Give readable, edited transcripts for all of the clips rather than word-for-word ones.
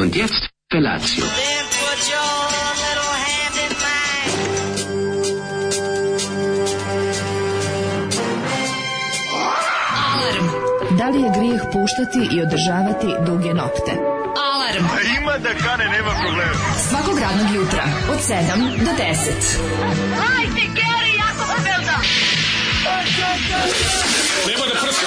Und jetzt Felatio. Da li je grijeh puštati i održavati duge nokte? Alarm! A ima da kane, nema problema. Svakog radnog jutra, od 7 do 10. Hajde, Geri, jako se velda! Nema da prska,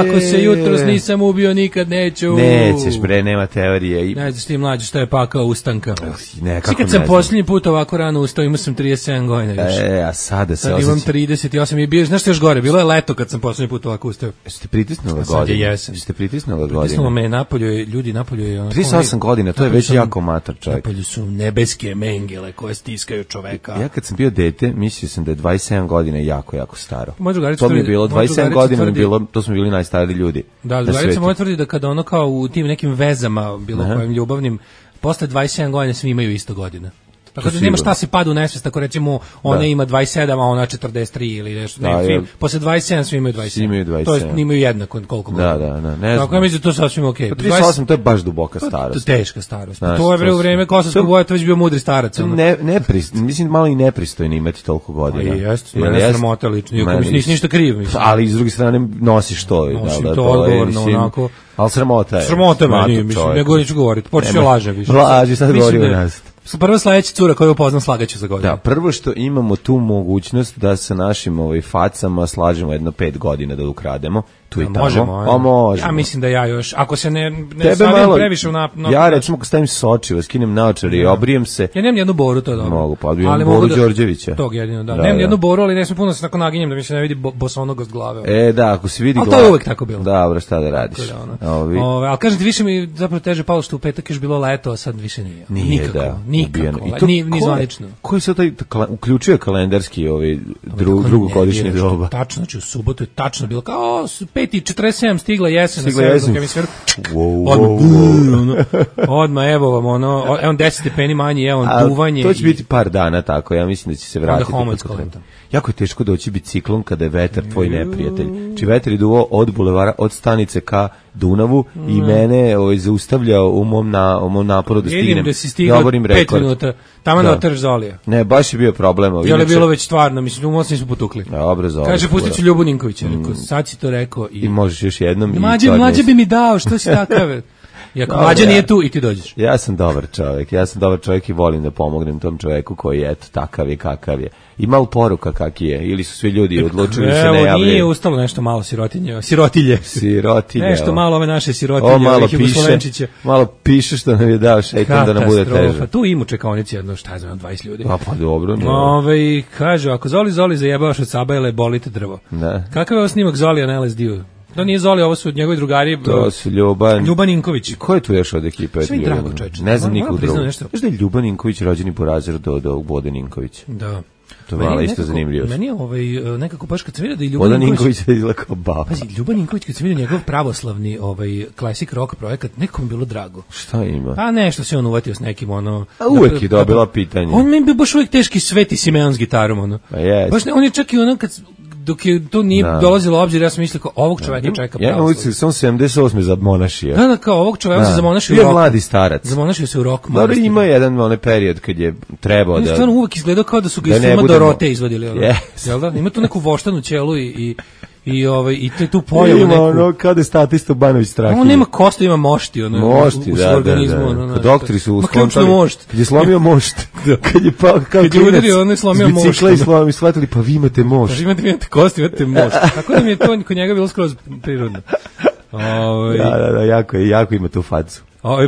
Ako se jutros nisam ubio, nikad neću. Nećeš, bre, nema teorije. Ne znaš ti mlađe šta je pakao ustanka. Nekako kad sam posljednji put ovako rano ustao, imao sam 37 godina još. A sada se sad imam 38 i bio, znaš što još gore, bilo je leto kad sam posljednji put ovako ustao. Jeste pritisnula godine? Sad je jesen. Jeste pritisnula godine? Pritisnulo me napolju, ljudi napolju je... 38 godina, to je već jako mator čovjek. Napolju su nebeske mengele koje stiskaju čoveka. Ja kad sam bio dete, mislio sam da je 27 godina jako, jako staro. To mi je bilo, 27 godina mi bilo, to smo bili najstariji ljudi. Da, drugarica moja tvrdi da kada ono kao u tim nekim vezama, bilo kojim ljubavnim, posle 27 godina svi imaju isto godina. Tako da nema šta se pada u nesvest, ako recimo ona ima 27, a ona 43 ili nešto. Posle 27 svi imaju 27. To je imaju jednako koliko godina. Da, ne znam. Tako ja mislim da to sasvim okej. 38 to je baš duboka starost. Teška starost. To je u vreme Kosovskog boja, to već bio mudri starac. Mislim malo i nepristojno imati toliko godina. Jeste, mene sramota lično, iako nisi ništa kriv. Ali s druge strane nosiš to. Nosim to odgovorno, onako. Ali sramota je. Sramota meni, mislim, nego neću govoriti. Počeš laže više. Laži, sad govori u nas. Prva sledeća cura koju upoznam slagaću za godinu. Da, prvo što imamo tu mogućnost da sa našim facama slažemo jedno 5 godina da ukrademo. Tu i tamo. Možemo. Ja mislim da ja još, ako se ne stavim previše u ja recimo kad stavim sočiva, skinem naočare i obrijem se. Ja nemam jednu boru, to je dobro. Mogu, pa odbijem boru Đorđevića. Tog jedino, da. Nemam jednu boru, ali ne smije puno se tako naginjem da mi se ne vidi bosonogost glave. Da, ako se vidi glava. Ali to je uvek tako bilo. Dobro, šta da radiš? Ali kažem ti, više mi zapravo teže palo što u petak još bilo leto, a sad više nije. Nikako. Ni zvanično. Koji se taj uključuje kalendarski drugogodišnje doba? Tačno, u subotu je tačno bilo kao 5:47 stigla jesen na severnom hemisferu. Odmah, evo vam ono, evo 10 stepeni manji, evo duvanje. To će biti par dana tako, ja mislim da će se vratiti. Jako je teško doći biciklom kada je vetar tvoj neprijatelj. Či vetar je duvao od bulevara, od stanice ka Dunavu i mene zaustavljao u mom naporu da stignem. Vidim da si stigla 5 minuta, tamo na otrž Zolija. Ne, baš je bio problem. Je li bilo već stvarno, mislim, umocni smo potukli. Dobro, Zolija. Kaže, pustit ću Ljubu Ninkovića, rekao, sad si to rekao. I možeš još jednom. Mlađe bi mi dao, što si takav? I ako Mlađa nije tu i ti dođeš. Ja sam dobar čovjek i volim da pomognem tom čovjeku koji je takav je kakav je. Ima li poruka kaki je? Ili su svi ljudi odlučili se ne javljaju? Evo, nije ustalo nešto malo sirotilje. Nešto malo ove naše sirotilje, ovih Jugoslovenčića. Malo piše što nam je dao šeitan da nam bude teže. Tu ima u čekaonici jedno, 20 ljudi. Pa dobro. Kaže, ako Zoli zajebavaš od Sabajle, bolite drvo. Kakav je ovo snimak Zolija na LSD-u? To nije Zoli, ovo su njegovi drugari. To su Ljuban Ninković. Ko je tu još od ekipe? Sve mi drago, čovječe. Ne znam nikog drugog. Znaš da je Ljuban Ninković rođeni po razredu do Bode Ninković? Da. To je malo isto zanimljivo. Meni je nekako baš kad sam vidio da je Ljuban Ninković je izgleda kao baba. Pazi, Ljuban Ninković kad sam vidio njegov pravoslavni classic rock projekat, nekom bilo drago. Šta ima? Pa nešto se on uvatio s nekim A uvek je dobila pitanje. On mi bi baš uvek teški Sveti Simeon s gitarom Pa jest. Baš on je čak i dok je to nije dolazilo u obzir, ja sam mislio kao ovog čoveka čeka pravo. Ja sam 78. za monašija. Da, kao ovog čoveka se za monašiju u rock. Bio mladi starac. Za monašiju se u rock. Dobro, ima jedan onaj period kad je trebao da... Stvarno uvek izgledao kao da su ga iz filma Dorote izvadili. Jel da? Ima tu neku voštanu ćelu i tu pojavu neku... Ima ono kada je statista Banović Strahinja. On nema kosta, ima mošti. Mošti, da. Doktori su skontali. Kad je slomio mošt. Kad je pao kao klinac s bicikla i shvatili, pa vi imate mošt. Pa imate kosti, imate mošt. Tako da mi je to kod njega bilo skroz prirodno. Da, jako ima tu facu.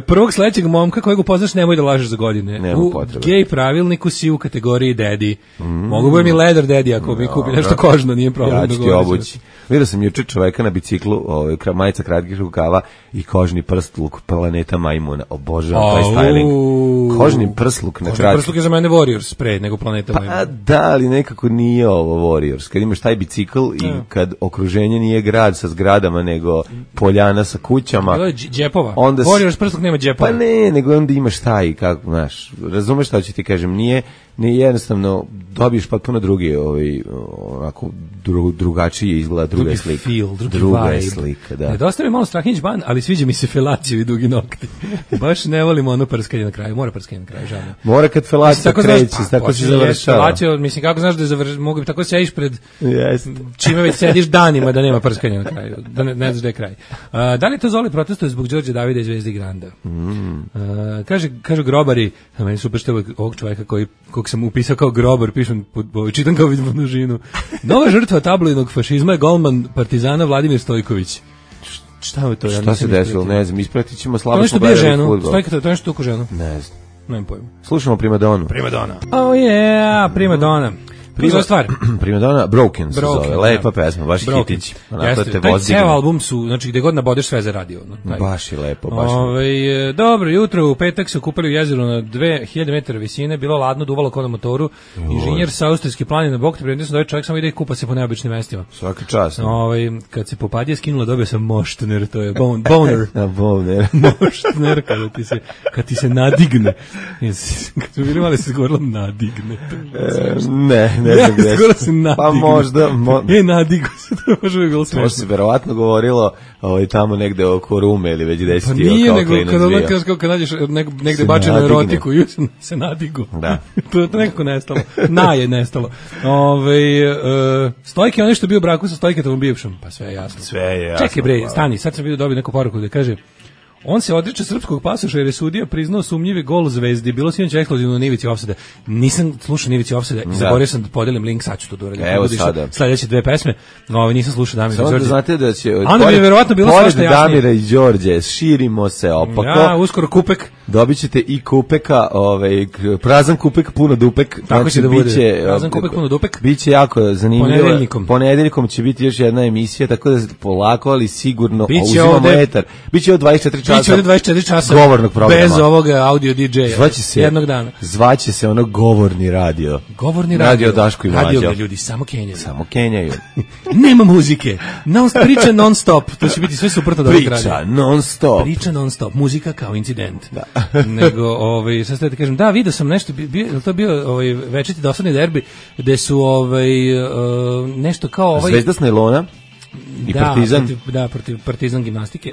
Prvog sledećeg momka kojeg upoznaš nemoj da lažeš za godine. Nema potrebe. U gej pravilniku si u kategoriji daddy. Mogu bude mi leather daddy ako mi kupi nešto kožno, nije problem. Ja ću ti obući. Vidio sam juče čoveka na biciklu, majica kratkih rukava i kožni prstluk planeta majmuna. Obožavam taj styling. Kožni prstluk na kratki. Kožni prstluk je za mene Warriors pre nego planeta majmuna. Pa da, ali nekako nije ovo Warriors. Kad imaš taj bicikl i kad okruženje nije grad sa zgradama nego poljana sa kućama. Bilo je džepova. Warriors prstog nema džepova. Pa ne, nego onda imaš taj, kako, znaš, razumeš šta ću ti kažem, nije jednostavno, dobiješ potpuno drugi, onako, drugačije izgleda, druga je slika. Druga je slika, da. Nedostaje mi malo Strahinjić ban, ali sviđa mi se felacija i dugi nokti. Baš ne volimo ono prskanje na kraju, mora prskanje na kraju, žalno. Mora kad felacija kreće, tako se završava. Felacija, mislim, kako znaš da mogu bi tako sediš pred čime već sediš danima da nema prskanja na kraju, da ne znaš da je kraj. Da li to Zoli protestuje zbog Đorđe Davida i Zvezde Granda? Kažu grobari, a meni super što ovog čovjeka kog sam upisao kao grobar, čitam kao vidim množinu. Nova žrtva tabloidnog fašizma je golman Partizana Vladimir Stojković. Šta je to? Šta se desilo? Ne znam, ispratit ćemo, slabo smo gledali fudbal. Stojka, to je nešto tuku ženu? Ne znam. Nemam pojma. Slušamo Primadonu. Oh yeah, Primadona. Primadona Broken se zove, lepa pesma, baš hitić. Onako te vozi. Taj ceo album su, znači gde god nabodeš sve za radio. Baš je lepo, baš. Dobro jutro, u petak se kupali u jezeru na 2000 metara visine, bilo ladno, duvalo kod na motoru. Inženjer sa austrijske planine na bok, prednje sam da čovjek samo ide i kupa se po neobičnim mestima. Svaka čast. Kad se popadije skinula, dobio sam moštner, to je boner. Boner. Moštner, kad ti se nadigne. Kad smo bili mali se govorilo nadigne. Ne znam gde. Pa možda. Nadigo se, to može bi bilo smešno. To se verovatno govorilo tamo negde oko Rume ili već gde si ti. Pa nije, nego kad nađeš negde bačenu erotiku i se nadigo. Da. To je nekako nestalo. Je nestalo. Stojke je ono što bio u braku sa Stojketovom bivšom. Pa sve je jasno. Čekaj bre, stani, sad sam vidio dobio neku poruku da kaže on se odriče srpskog pasoša jer je sudija priznao sumnjivi gol Zvezdi. Bilo sinoć ekskluzivno na Ivici Ofsada. Nisam slušao Ivici Ofsada i zaboravio sam da podelim link, sad ću to uradim. Evo sada. Sledeće dve pesme. Nisam slušao Damira i Đorđe. Samo da znate da će onda bi verovatno bilo sve što jasnije. Damira i Đorđe, širimo se opako. Uskoro kupek. Dobićete i kupeka, prazan kupek, puno dupek. Tako će da bude. Prazan kupek, puno dupek. Biće jako zanimljivo. Ponedeljkom će biti još jedna emisija, tako da polako, ali sigurno uzimamo etar. Biće od 24 časa. Govornog programa. Bez ovoga audio DJ-a. Jednog dana. Zvaće se ono govorni radio. Radio Daško i Mlađo. Radio gde ljudi samo kenjaju. Nema muzike. Priča non stop. To će biti sve suprotno od ovog radija. Priča non stop. Muzika kao incident. Da. Nego, sad ste da kažem, da, vidio sam nešto, to bio večiti dosadni derbi, gde su nešto kao Zvezda s najlona i Partizan. Protiv Partizan gimnastike.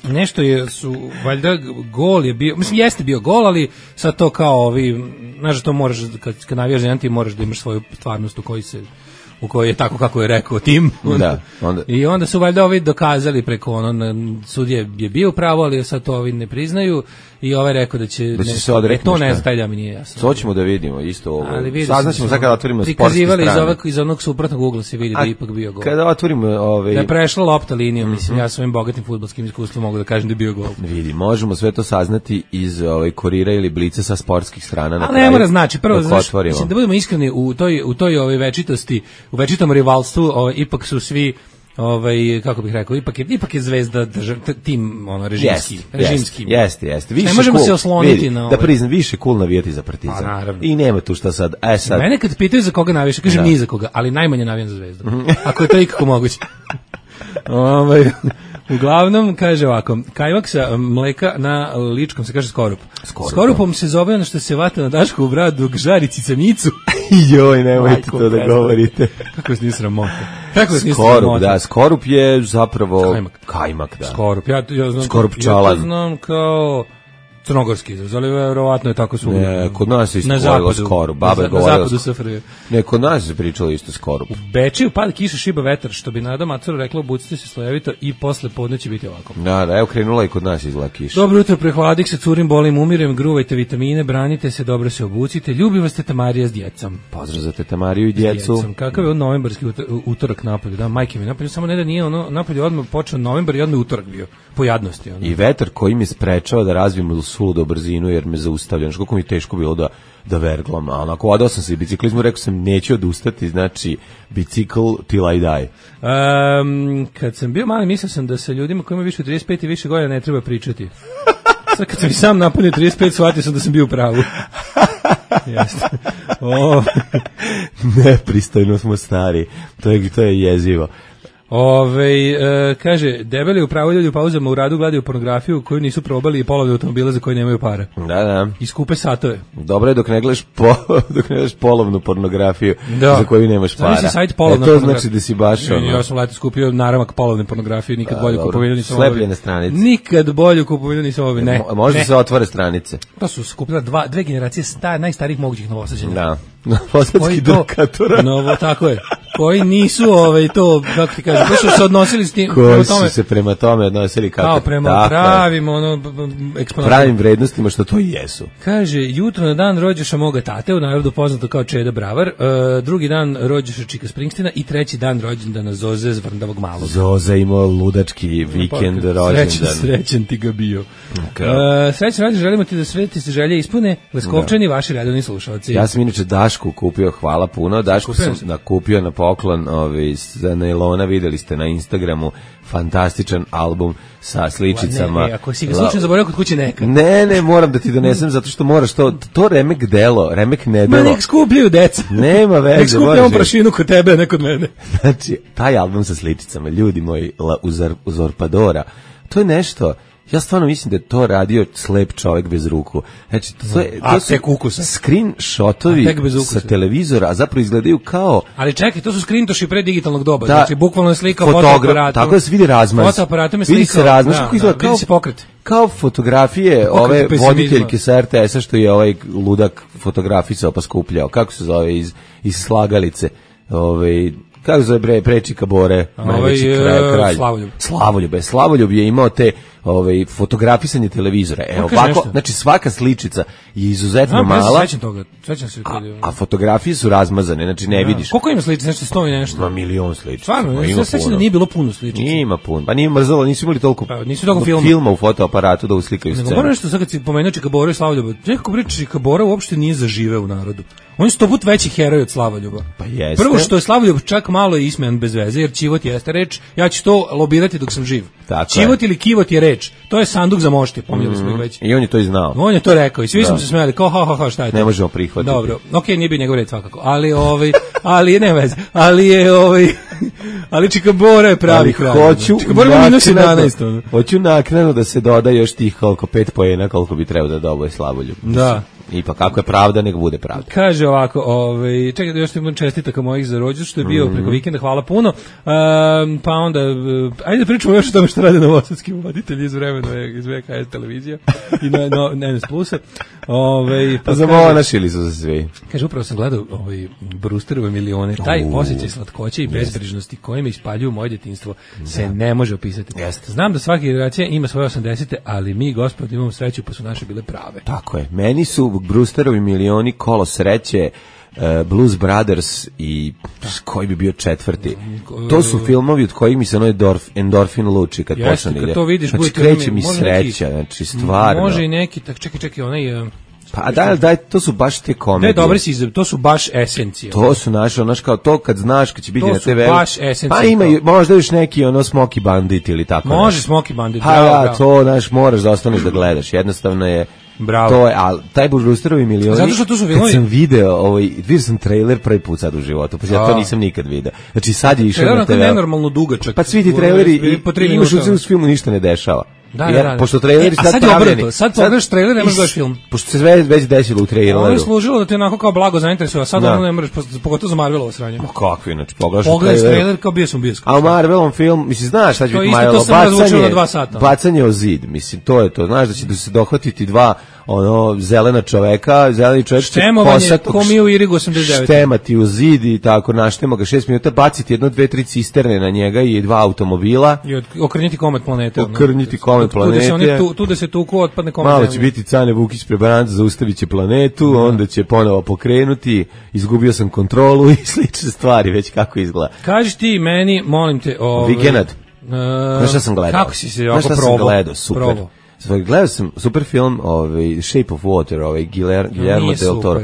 Nešto su, valjda, gol je bio, mislim, jeste bio gol, ali sad to kao znaš, to moraš, kad navijaš za jedan tim, moraš da imaš svoju stvarnost u kojoj je tako kako je rekao tim. Onda. I onda su valjda dokazali preko sudije je bio pravo, ali sad to ne priznaju i rekao da će se odreknuti. To ne znam, da mi nije jasno. To ćemo da vidimo isto ovo. Saznaćemo sad kada otvorimo sportske strane. Iz onog suprotnog ugla se vidi da je ipak bio gol. Kada otvorimo da je prešla lopta linijom, mislim, ja svojim bogatim fudbalskim iskustvom mogu da kažem da je bio gol. Vidi, možemo sve to saznati iz Kurira ili Blica sa sportskih strana na kraju. Ali ne mora znači, prvo mislim da budemo iskreni u toj večitosti, u večitom rivalstvu, ipak su svi kako bih rekao, ipak je Zvezda tim režimski. Jeste. Ne možemo se osloniti na da priznam, više cool navijati za Partizan. I nema tu šta sad. Mene kad pitaju za koga navijaš, kažem ni za koga, ali najmanje navijam za Zvezdu. Ako je to ikako moguće. Uglavnom, kaže ovako, kajmak sa mleka na ličkom se kaže skorup. Skorupom se zove ono što se vata na Dašku u bradu dok žari cicamicu. Joj, nemojte to da govorite. Kako se nisi sramota? Skorup je zapravo kajmak, da. Skorup, ja znam, skorup čalan. Ja to znam kao crnogorski izraz, ali verovatno je tako svugdje. Ne, kod nas je isto govorilo skorup. Baba je govorila. Na zapadu SFRJ. Ne, kod nas je pričalo isto skorup. U Bečeju pada kiša, šiba vetar, što bi Nada Macura rekla, obucite se slojevito i posle podne će biti ovako. Da, evo krenula i kod nas izgleda kiša. Dobro jutro, prehladik se, curim, bolim, umirem, gruvajte vitamine, branite se, dobro se obucite, ljubi vas Teta Marija s djecom. Pozdrav za Teta Mariju i djecu. Kakav je novembarski utorak napolju, da, majke mi napolju, samo ne da nije napolju odmah počeo novembar i odmah utorak bio, po jadnosti. I vetar koji mi sprečava da razvijem suludo brzinu jer me zaustavlja. Kako mi je teško bilo da verglam. A onako, odao sam se i biciklizmu, rekao sam neću odustati, znači bicikl till I die. Kad sam bio mali, mislio sam da sa ljudima koji imaju više od 35 i više godina ne treba pričati. Sad kad sam i sam napunio 35, shvatio sam da sam bio u pravu. Jeste. Nepristojno smo stari. To je jezivo. Kaže, debeli upravo ljudi u pauzama u radu gledaju pornografiju koju nisu probali i polovne automobile za koje nemaju para. Da. I skupe satove. Dobro je dok ne gledaš polovnu pornografiju za koju nemaš para. Sajt polovna to znači da si baš Ja sam leto skupio naramak polovne pornografije, nikad bolju kupovinu nisam obavio. Slepljene stranice. Nikad bolju kupovinu nisam obavio, ne. Možda se otvore stranice. To su skupila dve generacije najstarijih mogućih Novosađana. Da. Novosadski drkatora. Novo, tako je. Koji nisu to, kako ti kažem, koji su se odnosili s tim. Koji su se prema tome odnosili kako? Kao prema pravim, pravim vrednostima što to i jesu. Kaže, jutro na dan rođeša moga tate, u narodu poznato kao Čeda Bravar, drugi dan rođeša Čika Springstina i treći dan rođendana Zoze Zvrndavog malog. Zoza imao ludački vikend rođendan. Srećan ti ga bio. Srećan rođendan, želimo ti da sve ti se želje ispune, Leskovčani, vaši redovni slušalci. Ja sam inače Dašku kupio, hvala puno, Dašku sam nakupio na poklon za nailona, videli ste na Instagramu, fantastičan album sa sličicama. Ne, ako si ga slučajno zaboravio kod kuće neka. Ne, moram da ti donesem zato što moraš to remek delo, remek nedelo. Ma nek skupljaju deca. Nema veze. Nek skupljamo prašinu kod tebe, ne kod mene. Znači, taj album sa sličicama, ljudi moji, Uzorpadora, to je nešto. Ja stvarno mislim da je to radio slep čovjek bez ruku. Znači, to su screenshotovi sa televizora, a zapravo izgledaju kao... Ali čekaj, to su screentoši pre digitalnog doba. Znači, bukvalno je slika fotoaparatom. Tako da se vidi razmaz. Fotoaparatom je slika. Vidi se razmaz. Vidi se pokret. Kao fotografije ove voditeljke sa RTS-a što je ovaj ludak fotografisao pa skupljao. Kako se zove iz slagalice? Kako se zove Prečika Bore, najveći kralj. Slavoljub je imao te fotografisanje televizora. Ovako, znači svaka sličica je izuzetno mala. Sećam se a fotografije su razmazane, znači ne vidiš. Koliko ima sličica, nešto 100 i nešto? Ma milion sličica. Stvarno, ja sećam da nije bilo puno sličica. Ima puno. Pa nije mrzalo, nisu imali toliko filma u fotoaparatu da uslikaju scenu. Moram nešto sad kad si pomenuo Čika Bora i Slavoljuba. Nekako priča Čika Bora uopšte nije zaživeo u narodu. On je 100 puta veći heroj od Slavoljuba. Pa jeste. Prvo što je Slavoljub čak malo ismejan bez veze, jer ćivot jeste reč, ja ću to lobirati dok sam živ. Ćivot ili kivot je reč. To je sanduk za mošti, pominjali smo ih već. I on je to i znao. On je to rekao i svi smo se smejali, kao ha, šta je to? Ne možemo prihvatiti. Dobro, okej, nije bi njegov red svakako, ali ne veze, ali Čika Bora je pravi kralj. Čika Bora ima -11. Hoću naknadno da se doda još tih koliko 5 poena koliko bi trebao da doboje Slavoljub. Da. Ipak kako je pravda, nek bude pravda. Kaže ovako, čekaj da još imam čestitaka mojih za rođendan što je bio preko vikenda, hvala puno. Pa onda, ajde da pričamo još o tome što rade novosadski voditelji iz vremena iz VKS televizija i na NS Plusa. Pa zavonašili su se svi. Kaže, upravo sam gledao Brewsterove milione. Taj osjećaj slatkoće i bezbrižnosti kojim ispaljuju moje djetinjstvo se ne može opisati. Znam da svaka generacija ima svoje 80-te, ali mi, gospod, imamo sreću pa su naše bile prave. Tako je. Meni su Brewsterovi milioni, Kolo sreće, Blues Brothers i koji bi bio četvrti. To su filmovi od kojih mi se endorfin luči kad počne ide. Znači kreće mi sreća, znači stvarno. Može i neki, čekaj, onaj... Pa daj, to su baš te komedije. Ne, dobri si, to su baš esencije. To su naše, kao to kad znaš kad će biti na TV. To su baš esencije. Pa ima možda još neki Smoky Bandit ili tako. Može Smoky Bandit. Pa to moraš da ostaneš da gledaš. Jednostavno je. Bravo. To je, ali taj Brewsterovi milioni. Zato što tu su kad sam vidio sam trailer prvi put sad u životu, pa ja to nisam nikad video. Znači sad je išao na TV. Nenormalno dugačak. Pa svi ti traileri i u filmu ništa ne dešava. Da. Pošto traileri sad je obrnuto. Sad pogledaš trailer, ne možeš gledaš film. Pošto se već desilo u traileru. Ovo je služilo da te onako kao blago zainteresuje, a sad ono ne možeš, pogotovo za Marvelovo sranje. Ma kakvi, znači pogledaš trailer kao bio sam bioskop. A u Marvelom film, mislim, znaš šta će biti Marvelo, bacanje o zid, mislim, to je to. Znaš da će se dohvatiti dva zelena čoveka, zeleni čovjek će štemati u zid i tako naštema ga 6 minuta, baciti 1, 2, 3 cisterne na njega i 2 automobila. I okrniti komet planete. Tu da se tuku otpadne komet. Malo će biti Cane Vukić prebaranca, zaustavit će planetu, onda će ponovo pokrenuti, izgubio sam kontrolu i slične stvari, već kako izgleda. Kaži ti meni, molim te... Vikend. Znaš šta sam gledao? Kako si se ovako probao? Super. Gledao sam super film, Shape of Water, Guillermo del Toro.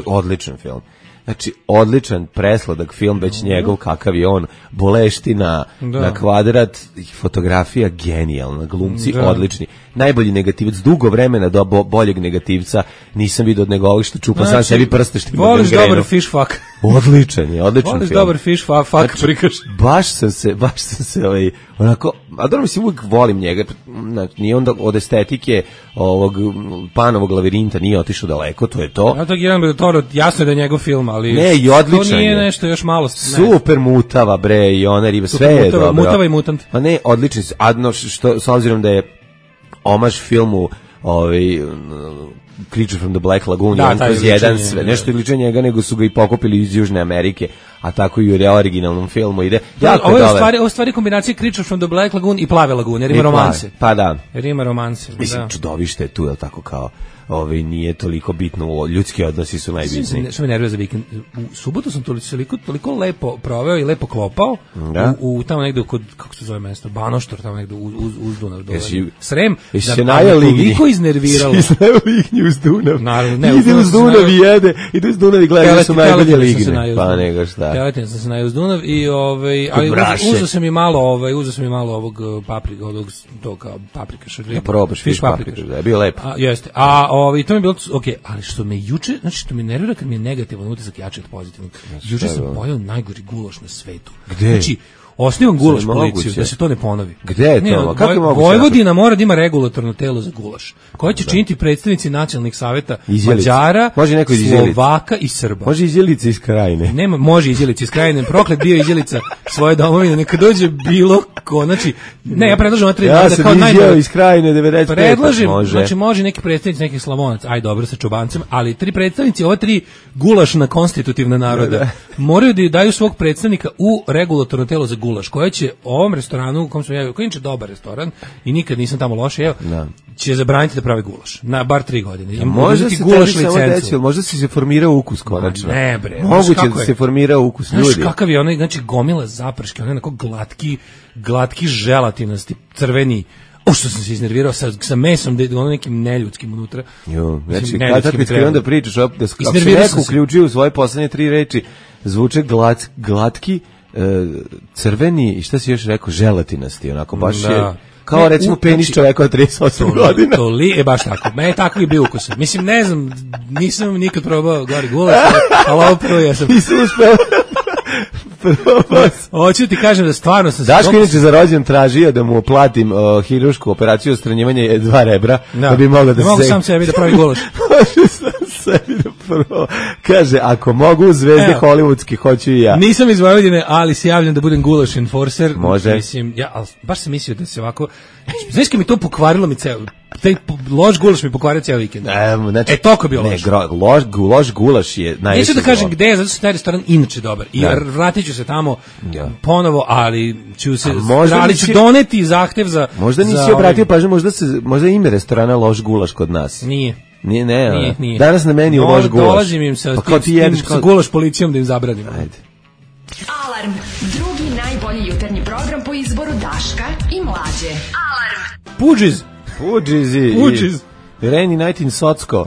Odličan film. Znači, odličan presladak film, već njegov kakav je on, boleština na kvadrat, fotografija genijalna, glumci odlični. Najbolji negativac, dugo vremena do boljeg negativca nisam vidio od nego ovih što čupa sam sebi prste što ima gangrenu. Voliš dobar fish fuck. Odličan film. Dobar fish, fuck prikaš. Baš sam se onako, a dobro mislim, uvijek volim njega, znači, nije onda od estetike ovog Panovog lavirinta nije otišao daleko, to je to. Ja to Guillermo del Toro, jasno je da je njegov film, ali ne, i odličan to nije je. nešto još malo. Super mutava, bre, i ona riba, sve je dobro. Mutava i mutant. Pa ne, odličan, adno, što, s obzirom da je omaž filmu Creature from the Black Lagoon, on kroz jedan sve, nešto je liče njega, nego su ga i pokupili iz Južne Amerike, a tako i u originalnom filmu ide. Ovo je stvari kombinacija Creature from the Black Lagoon i Plave lagune, jer ima romanse. Pa da. Jer ima romanse. Mislim, čudovište je tu, je tako kao, nije toliko bitno, ljudski odnosi su najbitniji. Što me nervira za vikend, u subotu sam toliko lepo proveo i lepo klopao, u tamo negde kod, kako se zove mesto, Banoštor, tamo negde uz Dunav, Srem, da me toliko iznerviralo. Jesi najao lignju uz Dunav? Naravno, ne. Ide uz Dunav i jede, ide uz Dunav i gleda da su najbolje ligne. Pa nego šta. Teletin sam se najao uz Dunav i ali uzeo sam i malo ovog paprika, paprika šarlija. Probaš fiš paprika, da je bio lepo. Jeste. To mi je bilo okej, ali što me juče, znači što me nervira kad mi je negativan utisak jači od pozitivnog. Juče sam pojeo najgori gulaš na svetu. Gde? Znači, osnivam gulaš policiju, da se to ne ponovi. Gde je to? Kako je moguće? Vojvodina mora da ima regulatorno telo za gulaš, koje će činiti predstavnici nacionalnih saveta Mađara, Slovaka i Srba. Može Izjelica iz Krajine. Nema, može Izjelica iz Krajine. Proklet bio Izjelica svoje domovine. Neka dođe bilo ko, znači, ne, ja predlažem ova 3 dana da kao najbolje. Ja sam iz Krajine 95. Predlažem, znači može neki predstavnici nekih Slavonaca, aj dobro sa čobancem, ali 3 predstavnici, ova 3 gulašna konstitutivna naroda moraju da daju svog predstavnika u regulatorno telo za gulaš, koja će ovom restoranu u kom sam ja, koji je dobar restoran i nikad nisam tamo loše jeo, će zabraniti da pravi gulaš na bar 3 godine. Možda se gulaš licencu, možda se formirao ukus konačno. Ne bre, moguće da se formirao ukus ljudi. Znaš kakav je onaj, znači gomila zaprške, onaj onako glatki želatinasti, crveni. Što sam se iznervirao sa mesom, da je ono nekim neljudskim unutra. Znači, kad mi treba da pričaš, ako se neko uključio u svoje poslednje 3 reči, zvuče glatki, crveni i šta si još rekao, želatinasti, onako baš je kao recimo penis čoveka od 38 godina. Baš tako. Me je tako i bio ukus. Mislim, ne znam, nisam nikad probao gori gulaš, ali ovo prvo ja sam. Nisam uspeo. Hoću ti kažem da stvarno sam... Daško inače za rođendan tražio da mu platim hirušku operaciju odstranjivanja 2 rebra, da bi mogao da se... Mogu sam sebi da pravi gulaš. Može sam sebi da prvo. Kaže, ako mogu zvezde hollywoodski, hoću i ja. Nisam iz Vojvodine, ali se javljam da budem gulaš enforcer. Može. Mislim, baš sam mislio da se ovako... Znaš kad mi to pokvarilo mi ceo... Taj loš gulaš mi pokvario cijel vikend. Znači, toliko bio loš. Loš gulaš je najveći. Neću da kažem gde je, zato što taj restoran inače dobar. I vratit ću se tamo ponovo, ali ću doneti zahtev za... Možda nisi obratio pažnju, možda ime restorana Loš gulaš kod nas. Nije. Nije. Danas na meni Loš gulaš. Dolazim im sa gulaš policijom da im zabranim. Ajde. Alarm, drugi najbolji jutarnji program po izboru Daška i Mlađe. Alarm. Pudžiz. Reni Nightin Socko.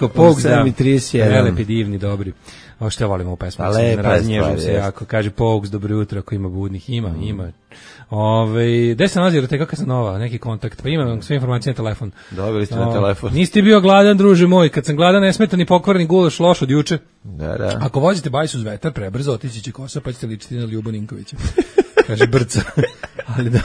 Pogues, da. 7:31. Prelepi, divni, dobri. Ovo što ja volim ovu pesmu. Raznježim se jako. Kaže Pogues, dobro jutro, ako ima budnih. Ima. Gde se nalazi Roteka Casanova? Neki kontakt. Pa imam sve informacije na telefon. Dobili ste na telefon. Nisi ti bio gladan, druže moj. Kad sam gladan, ne smeta ni pokvareni gulaš loš od juče. Da. Ako vozite bajs uz vetar, prebrzo otići će kosa, pa ćete ličiti na Ljubu Ninkovića. Kaže Brca. Ali da.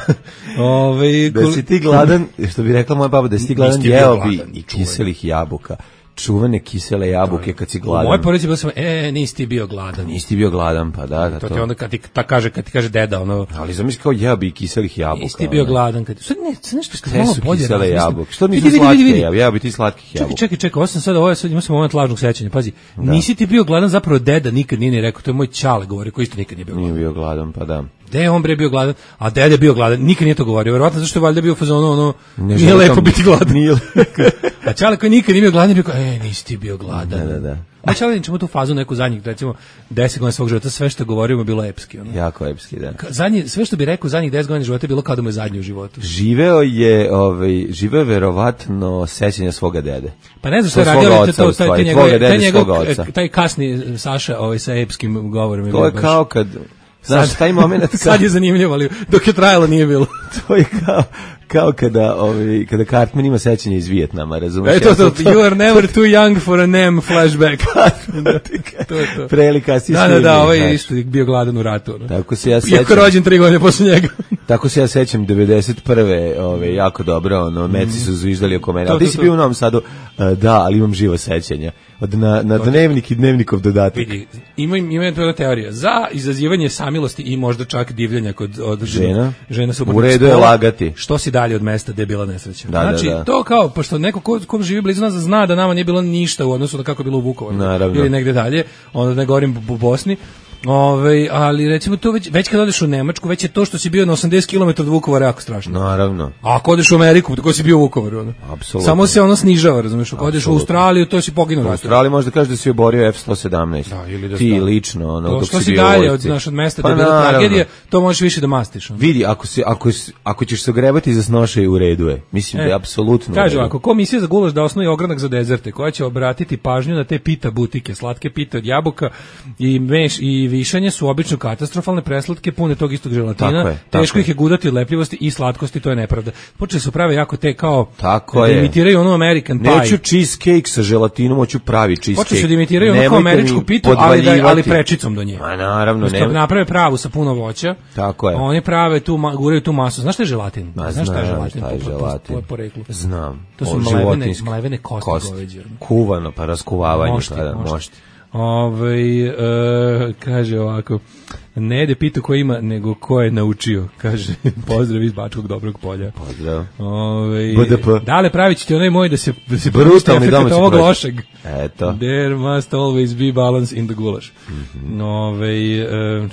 Da si ti gladan, što bi rekla moja baba, da si ti gladan, jeo bi i kiselih jabuka. Čuvene kisele jabuke kad si gladan. Moje porodice bilo sam, nisi ti bio gladan. Nisi ti bio gladan, pa da. To ti onda kad ti kaže deda, ono... Ali zamisli kao jeo bi kiselih jabuka. Nisi ti bio gladan. Sad nešto što malo bolje kisele jabuke. Što nisu slatke, jeo bi ti slatkih jabuka. Čekaj, ovo sad imao sam moment lažnog sećanja, pazi. Nisi ti bio gladan, zapravo deda nikad nije ni rekao, to je moj ćale govori, koji isto nikad nije bio gladan. Nije bio gladan, pa da. Gde je on bre bio gladan, a dede bio gladan, nikad nije to govorio, verovatno zašto je valjda bio fazon nije lepo biti gladan. A Čale koji nikad nije bio gladan, rekao, nisi ti bio gladan. Da. A Čale ćemo tu fazu neku zadnjih, recimo 10 godina svog života, sve što govorimo bilo epski. Jako epski, da. Sve što bi rekao zadnjih 10 godina života je bilo kao da mu je zadnji u životu. Živeo je verovatno sećanja svoga dede. Pa ne znam što je radio, taj kasni Saša sa epskim govorom. To je kao kad... Znaš, taj moment... Sad je zanimljivo, ali dok je trajalo nije bilo. kao kada Cartman ima sećanje iz Vijetnama, razumiješ? To, you are never too young for a NEM flashback. to. Prelika si Da, ovaj je isto bio gladan u ratu. Tako se ja sećam. Iako rođen 3 godine posle njega. Tako se ja sećam 91. Jako dobro, Meci su zviždali oko mene. Ali ti si bio u Novom Sadu, da, ali imam živo sećanje. Na dnevnik i dnevnikov dodatak. Vidi, ima jedna teorija. Za izazivanje samilosti i možda čak divljenja kod žena su u redu je lagati. Što si dalje od mesta gde je bila nesreća. Da. To kao, pošto neko ko živi blizu nas zna da nama nije bilo ništa u odnosu na kako je bilo u Vukovaru. Naravno. Ili negde dalje, onda ne govorim u Bosni. Ali recimo to već kad odeš u Nemačku, već je to što si bio na 80 km od Vukovara jako strašno. Naravno. A ako odeš u Ameriku, tako si bio u Vukovaru. Apsolutno. Samo se snižava, razumiješ? Ako odeš u Australiju, to si poginuo. U Australiji možda kažeš da si oborio F-117. Da, ili da ti lično, dok što si bio dalje od mesta da je bila tragedija, to možeš više da mastiš. Vidi, ako ćeš se ogrebati za snošaj, u redu je. Mislim da je apsolutno. Kaže ovako, komisija za gulaš da osnuje ogranak za dezerte, koja će obratiti pažnju na te pita butike, slatke pite od jabuka i višanje su obično katastrofalne, preslatke, pune tog istog želatina, teško ih je gudati od lepljivosti i slatkosti, to je nepravda. Počeli su prave jako te kao da imitiraju onu American pie. Neću cheesecake sa želatinom, hoću pravi cheesecake. Počeli su da imitiraju onu kao američku pitu, ali prečicom do nje. Ma naravno, ne. Naprave pravu sa puno voća. Tako je. Oni prave guraju tu masu. Znaš šta je želatin? Znaš šta je želatin? Po poreklu. Znam. To su mlevene kosti goveđe. Kuvano, pa raskuvavanje. Možete. Kaže ovako, ne jede pitu ko ima, nego ko je naučio, kaže, pozdrav iz Bačkog Dobrog Polja. Pozdrav. BDP. Dale, pravit ćete onaj moj da se brutalni domaći ovog lošeg. Eto. There must always be balance in the gulaš.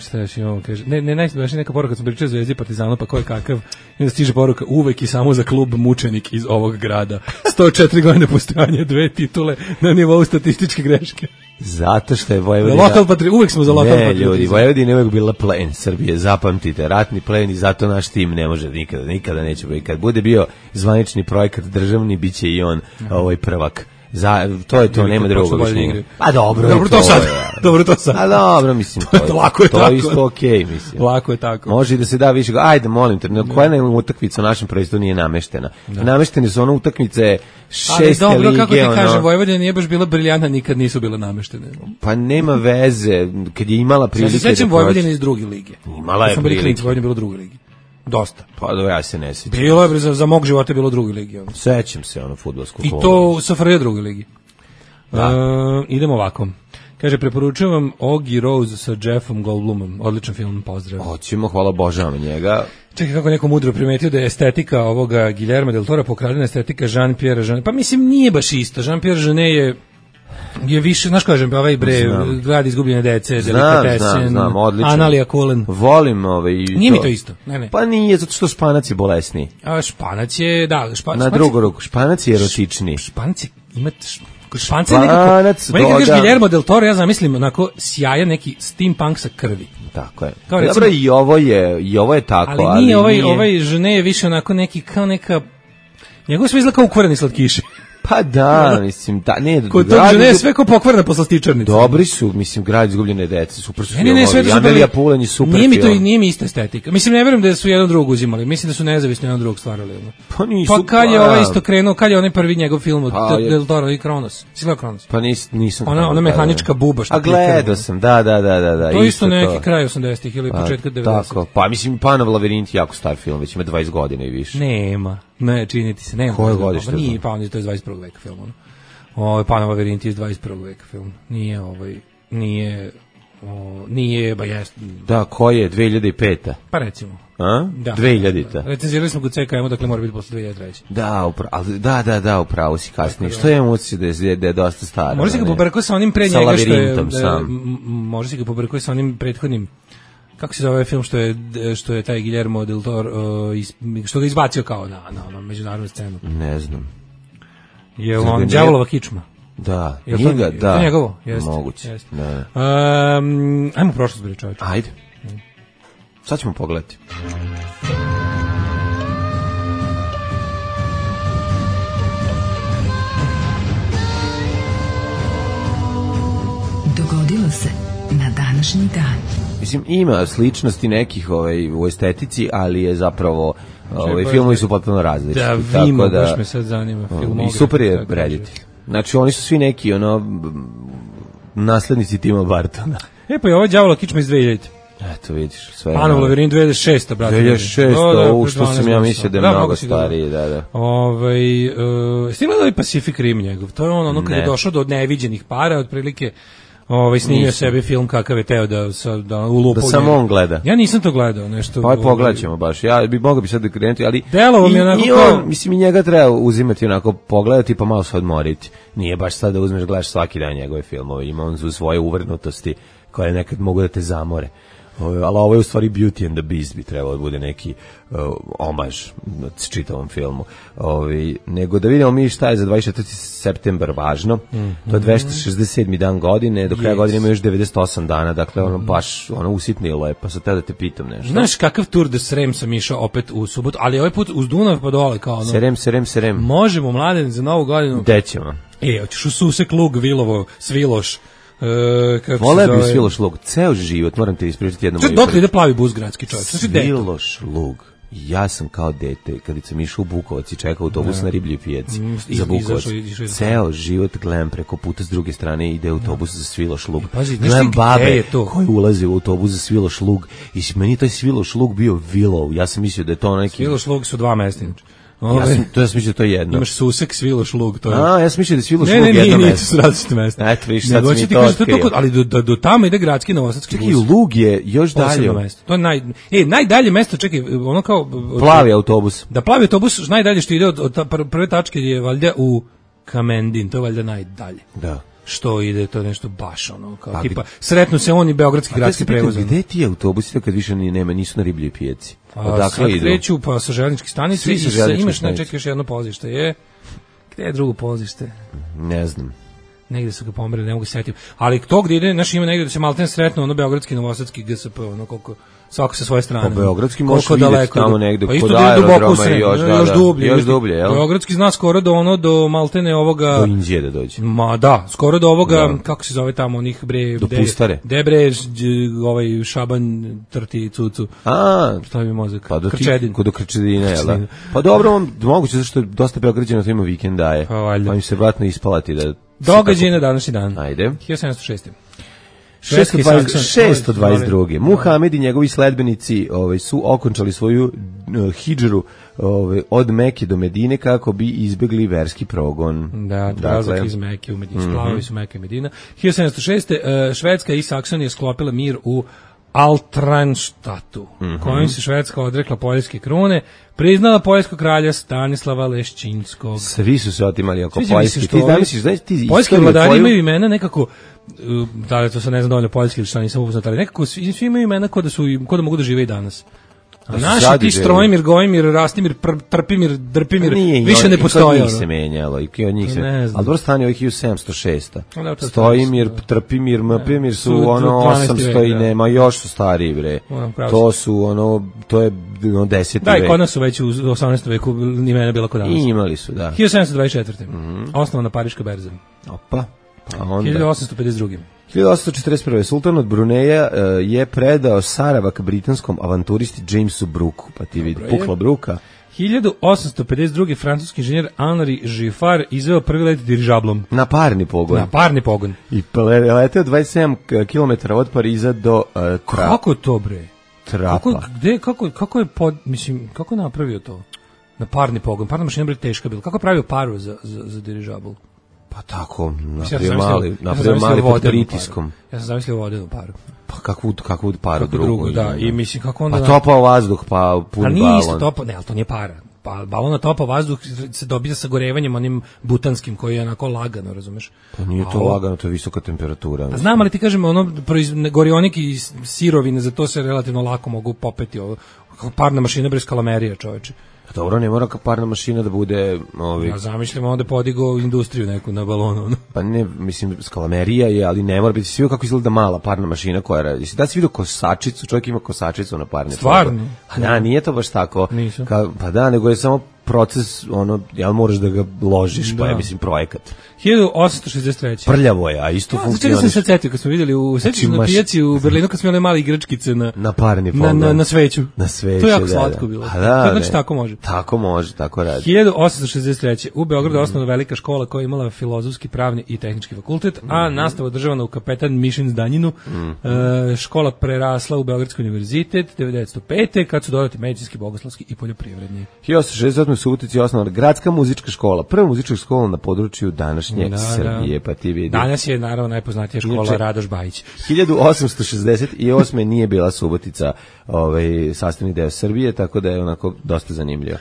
Šta još imamo, kaže, neka poruka, kad sam pričao Zvezdi Partizanu, pa ko je kakav, i da stiže poruka, uvek i samo za klub mučenik iz ovog grada. 104 godine postojanja, 2 titule na nivou statističke greške. Zato što je Vojvodina... Uvijek smo za lokal patriotizam. Ne, ljudi, Vojvodina je uvijek bila plen Srbije, zapamtite, ratni plen i zato naš tim ne može nikada neće biti. Kad bude bio zvanični projekat državni, bit će i on prvak. To je to, nema drugog objašnjenja. Pa dobro to sad. Dobro to sad. A dobro, mislim, to je isto okej, mislim. Lako je tako. Može i da se da više, ajde, molim te, koja je utakmica u našem prvenstvu nije nameštena. Nameštene su utakmice 6. lige. Ali dobro, kako ti kažem, Vojvodina nije baš bila briljantna, nikad nisu bile nameštene. Pa nema veze, kad je imala prilike da proći. Ja se sećam Vojvodine iz druge lige. Imala je prilike. Vojvodina je bila u drugoj ligi. Dosta. Pa dobro, ja se ne sjećam. Bilo je, za mog života je bilo u drugoj ligi. Sećam se fudbalsku kolu. I to u SFRJ drugoj ligi. Idemo ovako. Kaže, preporučujem vam Oggy Rose sa Jeffom Goldblumom. Odličan film, pozdrav. Hoćemo, hvala Božama njega. Čekaj, kako neko mudro primetio da je estetika ovoga Guillermo del Tora pokradena estetika Jean-Pierre Jeunet. Pa mislim, nije baš isto. Jean-Pierre Jeunet je više, znaš kažem, Grad izgubljene dece, Delikatesen, Analija Kulen. Volim Nije mi to isto, ne. Pa nije, zato što Španac je bolesniji. Španac je, da. Na drugu ruku, Španac je erotičniji. Španac je, Španac je nekako, meni kad kažeš Guillermo del Toro, ja zamislim onako sjajan neki steampunk sa krvi. Tako je. Dobro, i ovo je tako. Ali nije ovaj Jeunet je više onako neki, kao neka, njegov sve izgleda kao ukvareni slatkiši. Pa da, mislim, ne. Kod tog Žene je sve ko pokvarna po slastičarnici. Dobri su, mislim, Grad izgubljene dece, super su filmovi. Amelija Pulen je super film. Nije mi ista estetika. Mislim, ne verujem da su jedan drugog uzimali. Mislim da su nezavisno jedan drugog stvarali. Pa nisu. Pa kad je ovaj isto krenuo, kad je onaj prvi njegov film od Del Toro i Kronos. Si gledao Kronos? Pa nisam. Ona mehanička buba što. A gledao sam, da. To isto neki kraj 80-ih ili početka 90-ih. Tako, pa mislim, Panov lavirint je jako star film, već ima 20 godina i više. Nema. Ne, čini ti se, nema. Koje godište? Nije Panov, to je 21. veka film. Panov lavirint je iz 21. veka film. Nije, ba jest. Da, koji je, 2005. Pa recimo. A? Da. 2000. Recenzirali smo kod CKM, dakle mora biti posle 2003. Da, upravo si kasnije. Što je emocija da je dosta stara? Može si ga pobrkao sa onim pre njega što je... Može si ga pobrkao sa onim prethodnim... Kako se zove ovaj film što je taj Guillermo del Toro što ga izbacio kao na međunarodnu scenu? Ne znam. Je on Đavolova kičma? Da, njega, da. To je njegovo? Jeste. Moguće. Jeste. Ajmo prošlost, bre čovječe. Ajde. Sad ćemo pogledati. Dogodilo se na današnji dan. Mislim, ima sličnosti nekih u estetici, ali je zapravo filmovi su potpuno različiti. Da, Vimo, baš me sad zanima. I super je rediti. Znači, oni su svi neki, naslednici Tima Bartona. Pa je ovo Đavola kičma iz 2000. Eto, vidiš, sve je. Panov Lavirin 2006, brate. 2006, što sam ja mislio da je mnogo stariji, da. Ste gledali Pacific Rim njegov? To je ono kada je došao do neviđenih para, otprilike snimio sebi film kakav je teo da ulupa. Da samo on gleda. Ja nisam to gledao, nešto. Pa pogledat ćemo baš. Ja mogao bi sad da krenuti, ali delovo mi onako kao... Mislim, i njega treba uzimati onako, pogledati pa malo se odmoriti. Nije baš sad da uzmeš, gledaš svaki dan njegove filmove. Ima on svoje uvrnutosti koje nekad mogu da te zamore. Ali ovo je u stvari Beauty and the Beast, bi trebalo da bude neki omaž čitavom filmu. Nego da vidimo mi šta je za 24. septembar važno. To je 267. dan godine, do kraja godine ima još 98 dana, dakle baš usitnilo je, pa sad da te pitam nešto. Znaš kakav Tour de Srem sam išao opet u subotu, ali ovaj put uz Dunav pa dole kao Serem. Možemo, mladen, za novu godinu. Gde ćemo? Hoćeš u Susek, Lug, Vilovo, Sviloš. Vole bi Sviloš Lug, ceo život, moram te ispričati jednu moju priču. Dok ide plavi bus gradski čovjek? Sviloš Lug. Ja sam kao dete, kada sam išao u Bukovac i čekao autobus na Riblji pijaci za Bukovac, ceo život gledam preko puta s druge strane ide autobus za Sviloš Lug. Gledam babe koji ulaze u autobus za Sviloš Lug i meni taj Sviloš Lug bio Willow. Ja sam mislio da je to neki... Sviloš Lug su dva mesta. Ja sam mislio da to je jedno. Imaš Susek, Sviloš Lug, to je. Ja sam mislio da je Sviloš Lug jedno mesto. Ne, su različite mesta. Eto, viš, sad sam i to otkrio. Ali do tamo ide gradski novosadski bus. Čekaj, Lug je još dalje. To je najdalje mesto, čekaj, ono kao... Plavi autobus. Da, plavi autobus, najdalje što ide od prve tačke je valjda u Kamendin, to je valjda najdalje. Da. Što ide, to nešto baš kao tipa, sretnu se oni beogradski gradski prevoz. Gde ti autobusi kad više nisu na Ribljoj pijaci? Odakle idu? Kreću pa sa železničke stanice i imaš još jedno polazište. Gde je drugo polazište? Ne znam. Negde su ga pomerili, ne mogu se setiti. Ali to gde ide, ima negde da se malten sretno beogradski novosadski GSP, koliko svako sa svoje strane. Pa beogradski možeš vidjeti tamo negde kod aerodroma i još dublje, jel? Beogradski zna skoro do maltene ovoga... Do Indije da dođe. Ma da, skoro do ovoga, kako se zove tamo, onih do Pustare. Debre, Šaban, Trti, Cucu. Stavi mozak. Pa do Krčedine, jel da? Pa dobro, moguće, zašto dosta Beograđana to ima vikendaje. Pa im se vratno ispalati da... Događaj na današnji dan. Ajde. 1706. 622. Muhamed i njegovi sledbenici su okončali svoju hidžru od Mekke do Medine kako bi izbegli verski progon. Da, prelazak iz Mekke u Medinu. Splavovi su Mekke i Medina. 1706. Švedska i Saksonija sklopila mir u Altranštatu, kojim se Švedska odrekla poljske krune, priznala poljskog kralja Stanislava Leščinskog. Svi su se otimali oko poljski. Poljski vladari imaju imena nekako, da li to se ne znam dovoljno poljski ili što nisam upoznat, ali nekako svi imaju imena ko da mogu da žive i danas. A naši ti Strojmir, Gojmir, Rastimir, Trpimir, Drpimir, više ne postoje. I od njih se menjalo, i od njih se... Ali dobro stane ovih 1706. Stojimir, Trpimir, Mpimir su 800 i nema, još su stariji, bre. To su to je 10. vek. Da, i kod nas su već u 18. veku imena bila kod danas. I imali su, da. 1724. Osnovana Pariška berza. Opa. 1852. 1841. Sultan od Bruneja je predao Saravak britanskom avanturisti Jamesu Brooku, pa ti vidi, pukla Brooka. 1852. francuski inženjer Henri Giffard izveo prvi let dirižablom. Na parni pogon. I leteo 27 km od Pariza do Trapa. Kako to, bre? Trapa. Kako je kako je napravio to? Na parni pogon. Parna mašina bre teška bila. Kako je pravio paru za dirižabl? Pa tako, napravio mali pod pritiskom. Ja sam zamislio vodenu paru. Pa kakvu paru drugu? Da, i mislim kako onda... Pa topao vazduh, pa pun balon. Pa nije isto topao, ali to nije para. Pa balon na topao vazduh se dobija sa gorevanjem onim butanskim koji je onako lagano, razumeš? Pa nije to lagano, to je visoka temperatura. A znam, ali ti kažem, gorionik i sirovine, za to se relativno lako mogu popeti. Parna mašina bez kalamerija, čoveče. Dobro, ne mora parna mašina da bude... Ja zamišljam onda podigo industriju neku na balonu. Pa ne, mislim, skalamerija je, ali ne mora biti svi kako izgleda mala parna mašina koja radi. Jesi da si vidio kosačicu, čovjek ima kosačicu na parne. Stvarno? Da, nije to baš tako. Nisam. Pa da, nego je samo proces, ja moraš da ga ložiš, pa je, mislim, projekat. 1863. Prljavo je, a isto funkcioniš. Čekaj sam se setio, kad smo vidjeli na pijaci u Berlinu, kad smo imali male igračkice na parni pogled. Na sveću. Na sveću, to je jako slatko bilo. Da, znači, tako može. Tako može, tako radi. 1863. U Beogradu osnovna velika škola koja je imala filozofski, pravni i tehnički fakultet, a nastava održavana u Kapetan Mišin Zdanjinu. Škola prerasla u Beogradski univerzitet 1905. kad su dodati medicinski, bogoslovski i poljoprivredni. 1868. u Subotici je osnovana gradska muzička škola, prva muzička škola na području današnje Srbije, pa ti vidi. Danas je naravno najpoznatija škola Radoš Bajić. 1868. nije bila Subotica sastavni deo Srbije, tako da je onako dosta zanimljivo.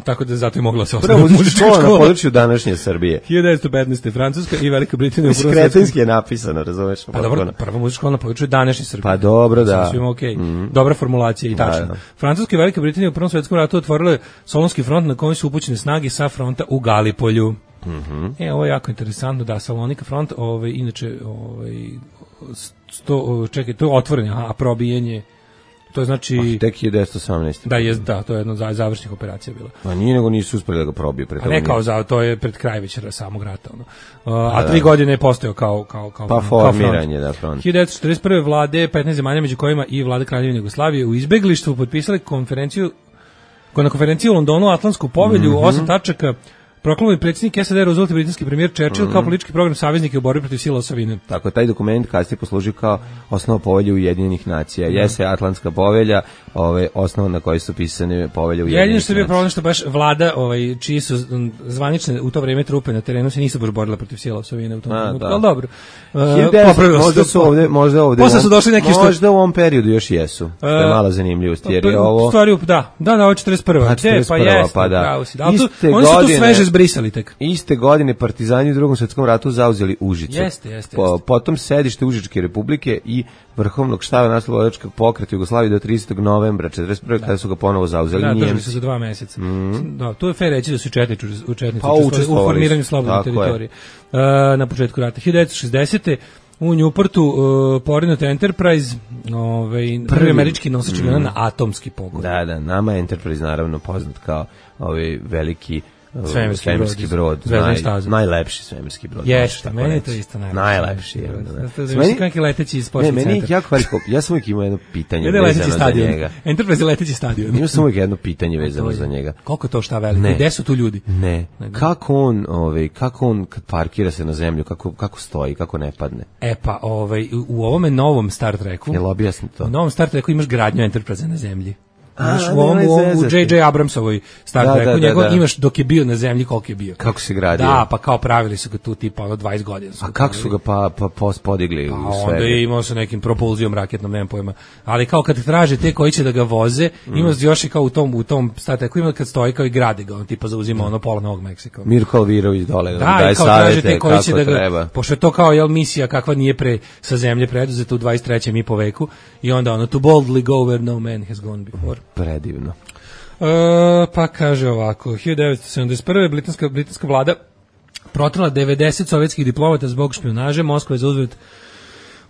Tako da zato je mogla se prva muzička škola na području današnje Srbije. 1915. Francuska i Velika Britanija. Kretenski je napisano, razumeš? Pa dobro, prva muzička škola na području današnje Srbije. Pa dobro, da. Svima okej. Dobra formulacija i tačno. Francuska i Velika Britanija u Prvom svjetskom ratu otvorile Solunski front na kojem su upućene snage sa fronta u Galipolju. Ovo je jako interesantno, da, Salonika front, inače, čekaj, to je otvorenje, a probijenje, to je znači... Tek 1918. Da, to je jedna od završnih operacija bila. A nije, nego nisu uspeli da ga probiju. A ne kao to je pred kraj već samog rata. A 3 godine je postojao kao pa formiranje, da, front. 1941. vlade 15 zemalja, među kojima i vlade Kraljevine Jugoslavije, u izbeglištvu potpisali na konferenciji u Londonu Atlantsku povelju, 8 tačaka. Proklamovani predsjednik SAD Roosevelt i britanski premijer Churchill kao politički program saveznike u borbi protiv sila osovine. Tako, taj dokument kasnije poslužio kao osnova povelje Ujedinjenih nacija. Jeste Atlantska povelja, osnova na kojoj su pisane povelje Ujedinjenih nacija. Jedino što je bio problem što baš vlada, čiji su zvanične u to vrijeme trupe na terenu se nisu baš borile protiv sila osovine u tom trenutku. Ali dobro. Možda ovde. Posle su došli neki što možda u ovom periodu još jesu. To je mala zanimljivost jer je ovo. Stvari ovo je 41. Pa jeste. Pa da. Oni su tu sveže zbrisali tek. Iste godine partizani u Drugom svjetskom ratu zauzeli Užice. Jeste. Potom sedište Užičke republike i Vrhovnog štaba naslobodilačkog pokreta Jugoslavije do 30. novembra 1941. kada su ga ponovo zauzeli Njemci. Držali su za 2 meseca. Da, to je fair reći da su četnici u formiranju slobodne teritorije. Na početku rata 1960. u Newportu porinut Enterprise, prvi američki nosač na atomski pogon. Da, nama je Enterprise naravno poznat kao veliki svemirski brod, najlepši svemirski brod. Jeste, meni je to isto najlepši. Meni kakvi leteći sportski centar. Meni jako veliko, ja sam uvijek imao jedno pitanje vezano za njega. Enterprise je leteći stadion. Imao sam uvijek jedno pitanje vezano za njega. Koliko to šta veliko? Gde su tu ljudi? Ne. Kako on kad parkira se na zemlju, kako stoji, kako ne padne? Pa, u ovome novom Star Treku, jel objasni to? U novom Star Treku imaš gradnju Enterprise na zemlji. U J.J. Abramsovoj Star Treku, njegov imaš dok je bio na zemlji koliko je bio. Kako se gradio? Da, pa kao pravili su ga tu tipa 20 godina. A kako su ga pa podigli u sve? Onda je imao sa nekim propulzijom raketnom, nemam pojma. Ali kao kad traže te koji će da ga voze, ima još i kao u tom Star Treku, ima kad stoji kao i grade ga, on tipa zauzima pola Novog Meksika. Mirko Alvirović dole, daje savete kako treba. Pošto je to kao misija kakva nije sa zemlje preduzeta u 23. i po veku i onda to boldly go where no man has gone before. Predivno. Pa kaže ovako, 1971. britanska vlada protrala 90 sovjetskih diplomata zbog špijunaže. Moskva je za uzvrat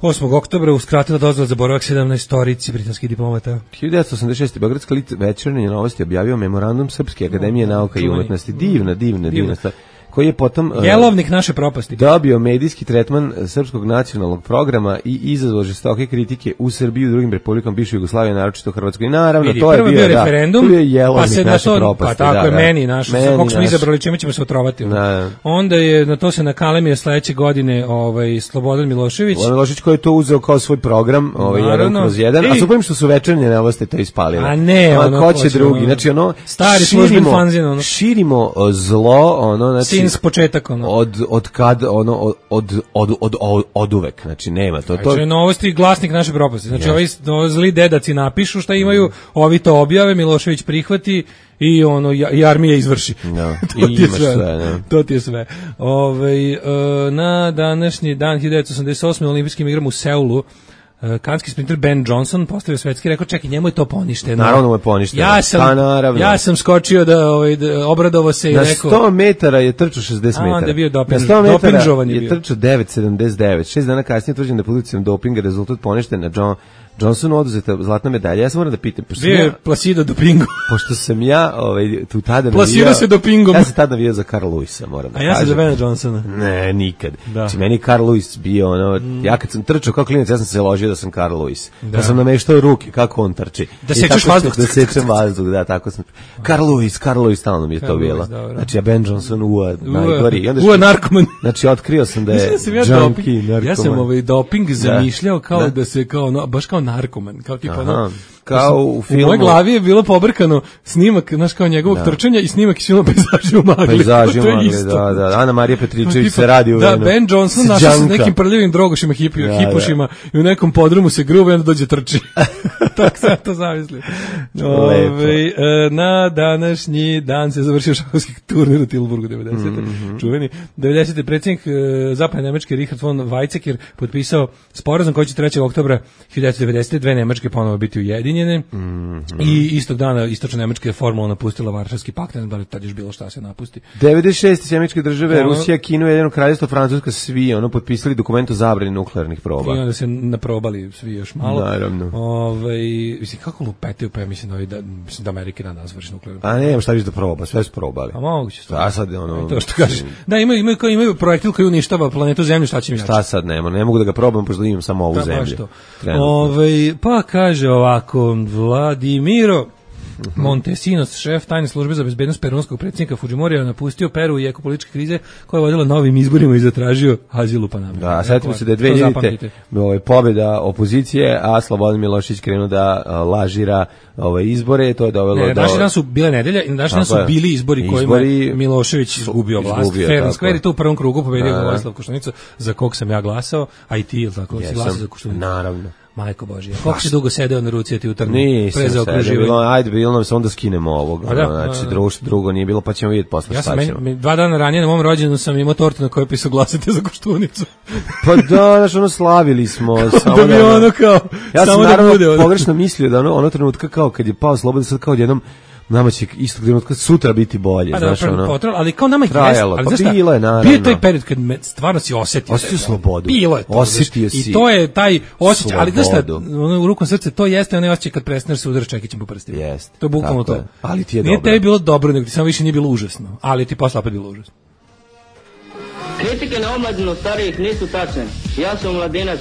8. oktobra uskratila dozvolu za boravak 17 britanskih diplomata. 1986. Beogradska Večernje novosti objavio memorandum Srpske akademije nauka i umetnosti. Divna stvar. Koji je potom jelovnik naše propasti. Dobio medijski tretman srpskog nacionalnog programa i izazvao žestoke kritike u Srbiji i drugim republikama bivše Jugoslavije, naročito u Hrvatskoj. I naravno, to je bio referendum, to je jelovnik naše propasti. Pa tako je meni naš, kako smo izabrali, čime ćemo se otrovati. Onda je na to se nakalemio sledeće godine Slobodan Milošević. Milošević koji je to uzeo kao svoj program, 1/1, a suporim što su Večernje novosti to ispalile. A ne, ko će drugi, znači stari služben fanzin, širimo zlo, znači s početak od uvek, znači nema to. Znači novosti glasnik naše propasti. Znači ovi zli dedaci napišu šta imaju, ovi to objave, Milošević prihvati i i armija izvrši. To ti je sve. Na današnji dan 1988. olimpijskim igrama u Seulu kanadski sprinter Ben Johnson postavio svetski rekord, čekaj, njemu je to poništeno. Naravno mu je poništeno. Ja sam skočio da obradovao se i rekao. Na 100 metara je trčao 60 metara. Onda je bio na 100 metara je trčao 9,79. 6 dana kasnije utvrđen da je policijom dopinga, rezultat poništen na Johnsonu oduzeta zlatna medalja. Ja sam moram da pitam, pošto je Placido dopingo. Pošto sam ja tu tada Placido se dopingom. Ja sam tada navijao za Carl Lewisa, moram da kažem. A ja sam za Bena Johnsona. Ne, nikad. Znači meni Carl Lewis bio ja kad sam trčao kao klinac, ja sam se ložio da sam Carl Lewis. Da sam nameštao ruke kako on trči. Da sečeš vazduh. Da sečem vazduh, da, tako sam. Carl Lewis stalno mi je to bilo. Znači ja Ben Johnson najgori. Narkoman. Znači otkrio sam da je junkie, narkoman. Ja sam doping zamišljao kao da se baš kao narkoman, kao tipa kao u filmu. U mojoj glavi je bilo pobrkano snimak, znaš, kao njegovog trčanja i snimak iz filma Pejzaži u magli. Pejzaži u magli, da. Ana Marija Petričević se radi u Da, Ben Johnson našao se nekim prljivim drogošima, hipušima i u nekom podrumu se gruva i onda dođe trči. Tako sam to zamislio. Na današnji dan se završio šahovski turnir u Tilburgu 90. Čuveni. 90. predsjednik zapadne Nemačke Richard von Weizsäcker potpisao sporazum koji će 3. oktobra 1990. dve Nemačke ponovo biti ujedinjene. I istog dana istočna Nemačka je formalno napustila Varšavski pakt, ne znam da tad još bilo šta se napusti. 96. Američke države, Rusija, Kina, Ujedinjeno kraljevstvo, Francuska, svi potpisali dokument o zabrani nuklearnih proba. I onda se naprobali svi još malo. Naravno. Mislim, kako lupetaju, pa ja mislim da Amerika na nas vrši nuklearnu. A ne, šta viš da proba, sve su probali. A moguće. A sad to što kažeš. Da, imaju projektil koji uništava planetu Zemlju, šta će mi jače? Šta sad ne mogu da ga probam, pošto imam samo ovu zemlju. Pa kaže ovako, Vladimiro Montesinos, šef tajne službe za bezbednost perunskog predsjednika Fujimorija, napustio Peru i eko političke krize koja je vodila novim izborima i zatražio azil u Panami. Da, setimo se da je 2000 pobjeda opozicije, a Slobodan Milošević krenuo da lažira izbore, to je dovelo do... Naši dan su bile nedelja i naši dan su bili izbori kojima je Milošević izgubio vlast. Fair and Square i to u prvom krugu pobedio Vojislav Koštunica, za kog sam ja glasao, a i ti, ili tako, si glasao za Koštunicu? Naravno. Majko Božija, koliko si dugo sedeo na ruci, ti utrnu pre zaokruživanje? Ajde, bilo nam se onda skinemo ovog. Znači, drugo nije bilo, pa ćemo vidjeti posle šta ćemo. 2 dana ranije na mom rođendu sam imao tortu na kojoj pisao glasate za Koštunicu. Pa da, znači, slavili smo. Da bi ono kao, ja sam naravno pogrešno mislio da ono trenutka kao kad je pao Slobodan, sad kao odjednom nama će istog trenutka sutra biti bolje, znaš ono. Ali kao nama je trajalo, ali pa bilo je naravno. Bio je taj period kad stvarno si osjetio slobodu. Bilo je to. Osjetio si. I to je taj osjećaj, ali znaš šta, u rukom srce, to jeste onaj osjećaj kad prestaneš se udaraš čekićem po prstima. Jeste. To je bukvalno to. Ali ti je dobro. Nije tebi bilo dobro, nego ti samo više nije bilo užasno, ali ti posle opet bilo užasno. Kritike na omladinu starijih nisu tačne. Ja sam mladinac,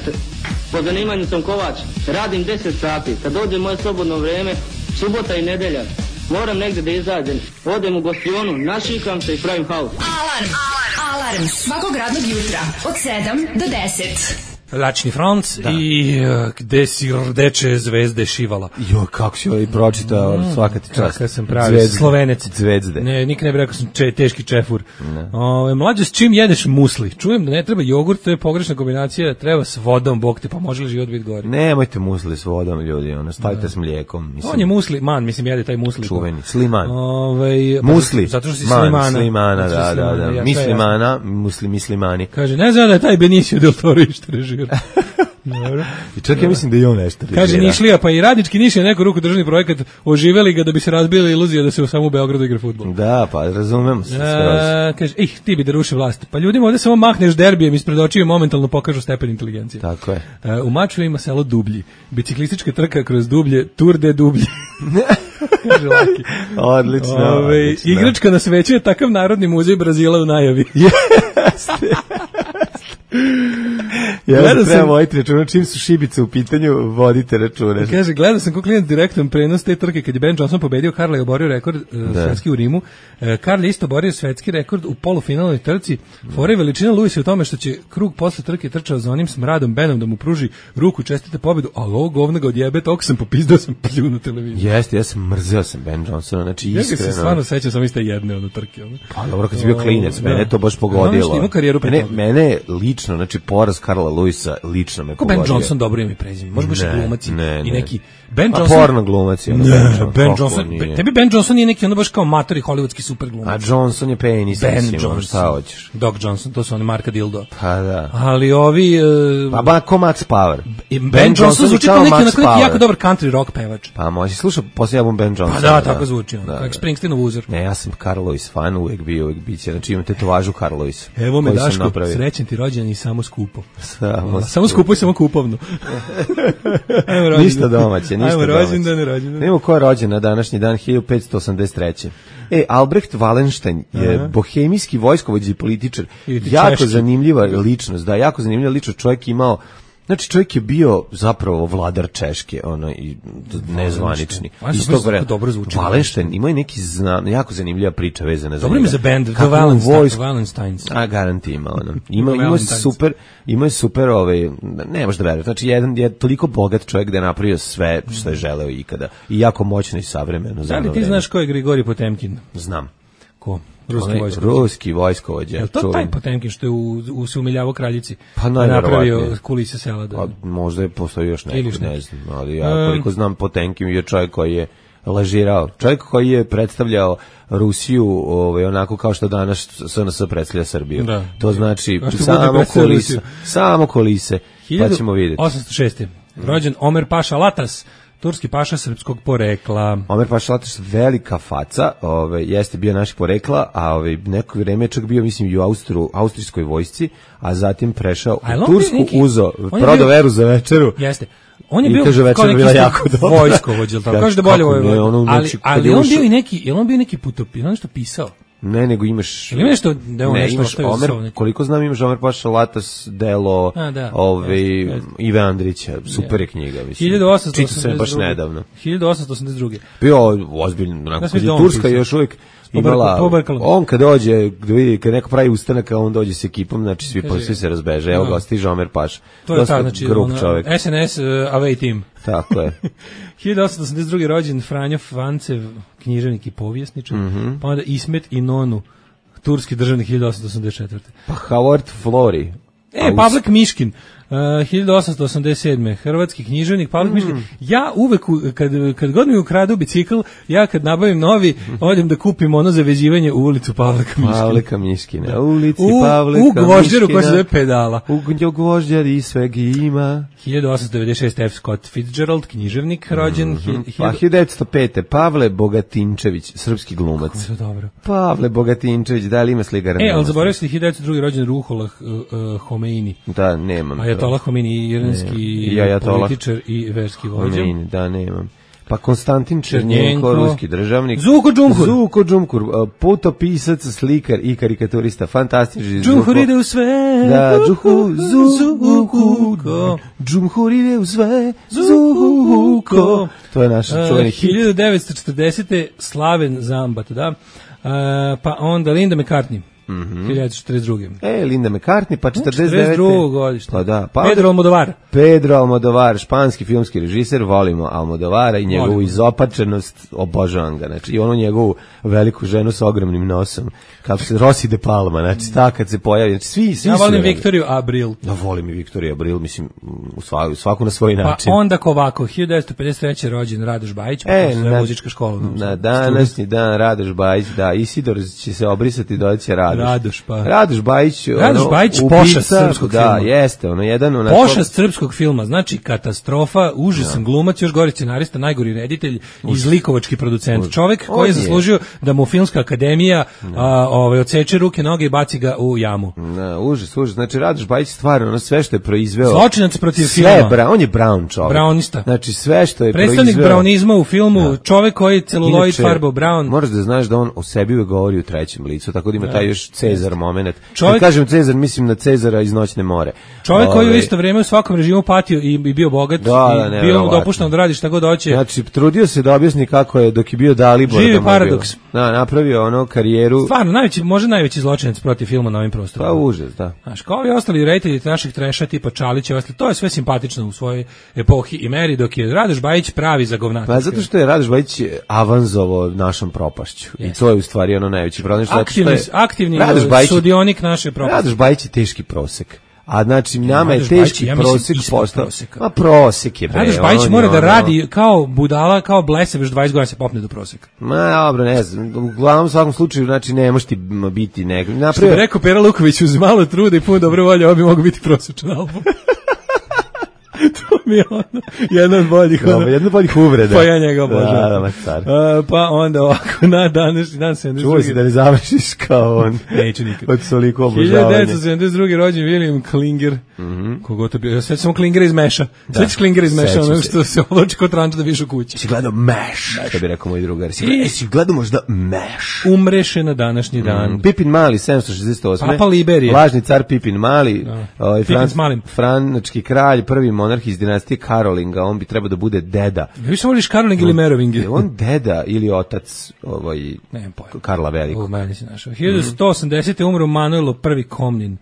po zanimanju sam kovač, radim 10 sati, kad dođe moje slobodno vrijeme, subota i nedelja. Moram negdje da izađem, odem u gostionu, našikam se i pravim haos. Alarm svakog radnog jutra od 7 do 10. Lačni front i gde si rdeče zvezde šivala. Jo, kako si ovaj pročitao, svaka ti čast. Kako sam pravi, Slovenec. Zvezde. Ne, nikad ne bi rekao sam teški čefur. Mlađe, s čim jedeš musli? Čujem da ne treba jogurt, to je pogrešna kombinacija, treba s vodom, bog te, pa može li život biti gori? Nemojte musli s vodom, ljudi, stavite s mlijekom. Mislim. On je musliman, mislim, jede taj musli. Čuveni, sliman. Musli. Zato što si slimana. Slimana, da. Mislimana, muslimani. Kaže, ne znam da je taj Benicio del Toro ište režira. I čak ja mislim da je on nešto režira. Kaže Nišlija, pa i radnički Niš je neku ruku državni projekat, oživeli ga da bi se razbila iluzija da se samo u Beogradu igra fudbal. Da, pa razumemo se skroz. Kaže, ti bi da ruši vlast. Pa ljudima ovdje samo mahneš derbijem ispred očiju i momentalno pokažu stepen inteligencije. Tako je. U Maču ima selo Dublji. Biciklistička trka kroz Dublje, Tour de Dublji. Kaže Laki. Odlično. Igračka na sveću je takav narodni muzej Brazila u najavi. Jeste. Ja treba voditi računa, čim su šibice u pitanju, vodite računa. Kaže, gledao sam kao klijent direktan prenos te trke kad je Ben Johnson pobedio, Karla je oborio rekord svetski u Rimu. Karl je isto oborio svetski rekord u polufinalnoj trci. Fora i veličina Luisa u tome što će krug posle trke trčao za onim smradom Benom da mu pruži ruku, čestite pobedu, ali ovo govno ga odjebe, toliko sam popizdao, sam pljunuo televiziju. Jeste, ja sam mrzeo sam Ben Johnsona, znači iskreno. Ja se stvarno sećam sam iste jedne od trke. Pa dobro, kad si bio klinec, mene to baš pogodilo. Mene lično, znači poraz Karla Karla Lewisa lično me pogodio. Ben Johnson dobro ime i prezime. Može baš glumac i neki Ben a Johnson. Porno glumac je. Ben Johnson. Tebi Ben Johnson nije neki onda baš kao matori hollywoodski super glumac. A Johnson je penis. Ben Johnson. Šta hoćeš? Doc Johnson, to su oni Marka Dildo. Pa da. Ali ovi... Pa ko Max Power. Ben Johnson zvuči kao neki jako dobar country rock pevač. Pa može sluša poslije album Ben Johnson. Pa da, tako zvuči. Kao Springsteenov uzor. Ne, ja sam Carl Lewis fan, uvek biće. Znači imam tetovažu Carl Lewis. Evo me Daško, srećen ti rođendan i samo skupo. Samo skupo i samo kupovno. Ništa domaće, ništa domaće. Rođendan. Nemo ko je rođen na današnji dan 1583. Albrecht Wallenstein je bohemijski vojskovođa i političar. Jako zanimljiva ličnost, jako zanimljiva ličnost. Čovjek je bio zapravo vladar Češke, i nezvanični. Iz tog vremena. Wallenstein ima i neki jako zanimljiva priča vezana za njega. Dobro mi za band, The Wallensteins. A garanti ima Ima je super, ne možeš da veruješ. Znači, jedan je toliko bogat čovjek da je napravio sve što je želeo ikada. I jako moćno i savremeno. Da li ti znaš ko je Grigorij Potemkin? Znam. Ko? Ruski vojskovođa. Je to taj Potemkin što je se umiljavao kraljici? Pa napravio kulise sela. Pa, možda je postoji još neko, ne znam. Ali ja koliko znam, Potemkin je čovjek koji je lažirao. Čovjek koji je predstavljao Rusiju onako kao što danas SNS predstavlja Srbiju. Da. To znači samo kulise. Pa ćemo vidjeti. 1806. Rođen Omer Paša Latas, turski paša srpskog porekla. Omer Paša Latas, velika faca, jeste bio naš porekla, a neko vrijeme je čak bio, mislim, i u austrijskoj vojsci, a zatim prešao u Tursku, prodao veru za večeru. Jeste. On je bio kao neki vojskovođa, kaže da bolje ali on bio i neki putopis, on nešto pisao. Ne, nego imaš... Ili nešto da je on nešto ostavio? Koliko znam imaš Omer Paša Latas delo Ive Andrića, super je knjiga, mislim. Čitao sam baš nedavno. 1882. Bio ozbiljno, Turska još uvijek imala, on kad dođe, kad neko pravi ustanak, on dođe s ekipom, znači svi se razbeže, evo ga, stiže Omer Paša. To je ta, znači, SNS away team. Tako je. 1882. rođen Franjo Fancev, književnik i povjesničar, pa onda Ismet i Nonu, turski državnik 1884. Pa Howard Florey. Pavlek Miškin, 1887. Hrvatski književnik Pavlek Miškin. Ja uvek, kad god mi ukradu bicikl, ja kad nabavim novi, odem da kupim ono za vezivanje u ulicu Pavleka Miškina. Pavleka Miškina, ulici Pavleka Miškina. U gvožđeru koja se zove Pedala. U gvožđar i sveg ima. 1896. F. Scott Fitzgerald, književnik, rođen. Pa 1905. Pavle Bogatinčević, srpski glumac. Kako je dobro. Pavle Bogatinčević, da li ima slikara? Ali zaboravio se 1902. rođen Ruhollah Homeini. Da, nemam. Ajatolah Homeini, iranski političar i verski vođa. Homeini, da, nemam. Pa Konstantin Černjenko, ruski državnik. Zuko Džumhur, putopisac, slikar i karikaturista, fantastični. Džumhur ide u sve. Da, Džumhur ide u sve. Zuko. To je naš čuveni hit. 1940. Slaven Zambat, da. Pa onda Linda McCartney. 1942. Linda McCartney, pa 49. godište. Pa da, Pedro Almodovar, španski filmski režiser, volimo Almodovara i njegovu izopačenost, obožavam ga, znači i onu njegovu veliku ženu sa ogromnim nosom, kako se Rosy de Palma, znači ta kad se pojavi, znači svi ja volim Viktoriju Abril. Ja volim i Viktoriju Abril, mislim, svaku na svoj način. Pa onda ovako, 1953. rođen Radoš Bajić, muzička škola. Na današnji dan Radoš Bajić, da, Isidor će se obrisati, doći Radoš Bajić, pošast srpskog filma. Da, jeste, jedan pošast srpskog filma, znači katastrofa, užasan glumac, još gori scenarista, najgori reditelj i zlikovački producent. Čovek koji je zaslužio da mu Filmska akademija odseče ruke, noge i baci ga u jamu. Užas. Znači Radoš Bajić stvarno sve što je proizveo. Zločinac protiv filma. On je brown čovek. Brownista. Znači sve što je predstavnik brownizma u filmu, čovek koji celuloid farbao brown. Moraš da znaš da on o sebi govori u trećem licu, tako da ima taj još Cezar moment. Kad kažem Cezar, mislim na Cezara iz Noćne more. Čovjek koji u isto vrijeme u svakom režimu patio i bio bogat i bio mu dopušteno da radi šta god hoće. Znači, trudio se da objasni kako je dok je bio Dalibor. Živi paradoks. Da, napravio karijeru. Stvarno, može najveći zločinac protiv filma na ovim prostorima. Pa užas, da. Znaš, kao i ostali reditelji naših treša tipa Čalića, to je sve simpatično u svojoj epohi i meri, dok je Radoš Bajić pravi zagovnatač. Pa zato što je Radoš Bajić avanzovo našom propašću. I to je u stvari najveći problem. Aktivni sudionik naše propasti. Radoš Bajić je teški prosek. A znači nama je teški prosek postao. Ma prosek je bre. Radoš Bajić mora da radi kao budala, kao blesav, još 20 godina se popne do proseka. Ma dobro, ne znam. Uglavnom u svakom slučaju znači ne možeš ti biti nek. Što bi rekao Pera Luković, uz malo truda i puno dobre volje, ovo bi mogo biti prosječan album. To mi je ono, jedna od boljih uvreda. Pa ja njega obožavam. Pa onda ovako, na današnji dan 72. Čuo si da ne završiš kao on. Neću nikad. Od toliko obožavanja. 1972. rođen William Klinger. Kogo to bio? Sve samo Klinger iz Meša. Sve ćeš Klinger iz Meša, ono što se ovlači kod ranča da viš u kući. Si gledao Meš, što bi rekao moj drugar. Si gledao možda Meš. Umreše na današnji dan. Pipin Mali, 768. Papa Liberije. Lažni car Pipin Mali. Frančki kralj, prvi monarh iz dinastije Karolinga, on bi trebao da bude deda. Više voliš Karoling ili Merovingi? Je on deda ili otac Karla Velikog? Meni si našao. 1180. umro Manuelo I Komnin.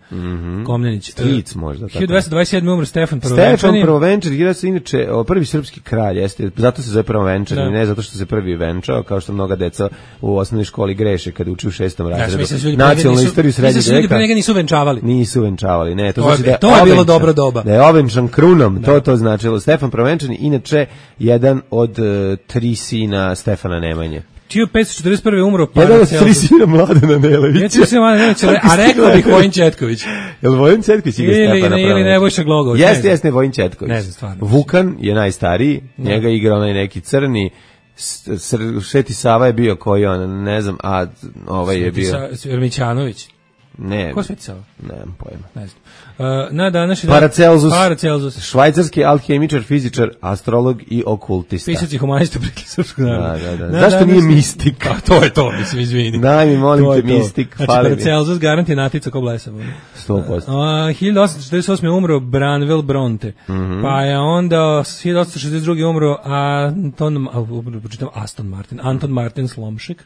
Komnenić. Stric možda. 1227. umro Stefan Prvovenčani. Stefan Prvovenčani, inače prvi srpski kralj, jeste, zato se zove Prvovenčani, ne zato što se prvi venčao, kao što mnoga deca u osnovnoj školi greše kada uči u 6. razredu. Nacionalnu istoriju srednjeg veka. Ljudi pre njega nisu venčavali. Nisu venčavali, ne. To je bilo dobro doba. Da je ovenčan krunom, to značilo. Stefan Prvovenčani, inače, jedan od 3 sina Stefana Nemanje. 1541. umro Paracelsus. Jedan od 3 sina Mladena Nelevića. A rekao bih Vojin Četković. Je li Vojin Četković igra Stefana Prvovenčana? Ili Nebojša Glogović? Jeste Vojin Četković. Ne znam, stvarno. Vukan je najstariji, njega igra onaj neki crni, Sveti Sava je bio koji on, ne znam, a ovaj je bio... Mićanović. Ne. Ko Sveti Sava? Nemam pojma. Ne znam. Na današnji Paracelsus, švajcarski alhemičar, fizičar, astrolog i okultista. Pisac i humanista preki srpskog naroda. Da. Zašto nije mistik? A to je to, mislim, izvini. Daj mi, molim te, mistik. Znači, Paracelsus garant je natica ko blesav. 100%. 1848. umro Branwell Bronte. Pa je onda 1862. umro Anton Martin Slomšek.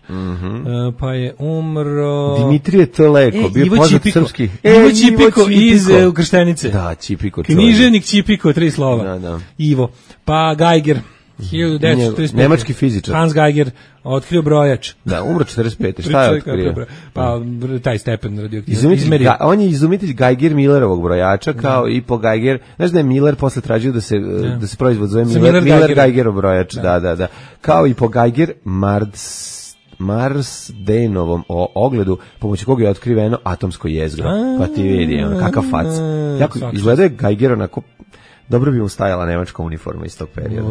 Pa je umro... Dimitrije Teleko, bio poznat srpski. Ivo Ćipiko iz Krštenice. Da, Ćipiko. Književnik Ćipiko, 3 slova. Da. Ivo. Pa Geiger, 1935. Nemački fizičar. Hans Geiger, otkrio brojač. Da, umro 45. Šta je otkrio? Pa taj stepen radioaktivnosti. On je izumitelj Geiger-Millerovog brojača, kao i po Geiger. Znaš da je Miller posle tražio da se proizvod zove Miller-Geigerov brojač. Da. Kao i po Geiger Marsdenovom ogledu, pomoću koga je otkriveno atomsko jezgro. Pa ti vidi, kakav fac. Jako izgleda je Geiger onako, dobro bi mu stajala nemačka uniforma iz tog perioda.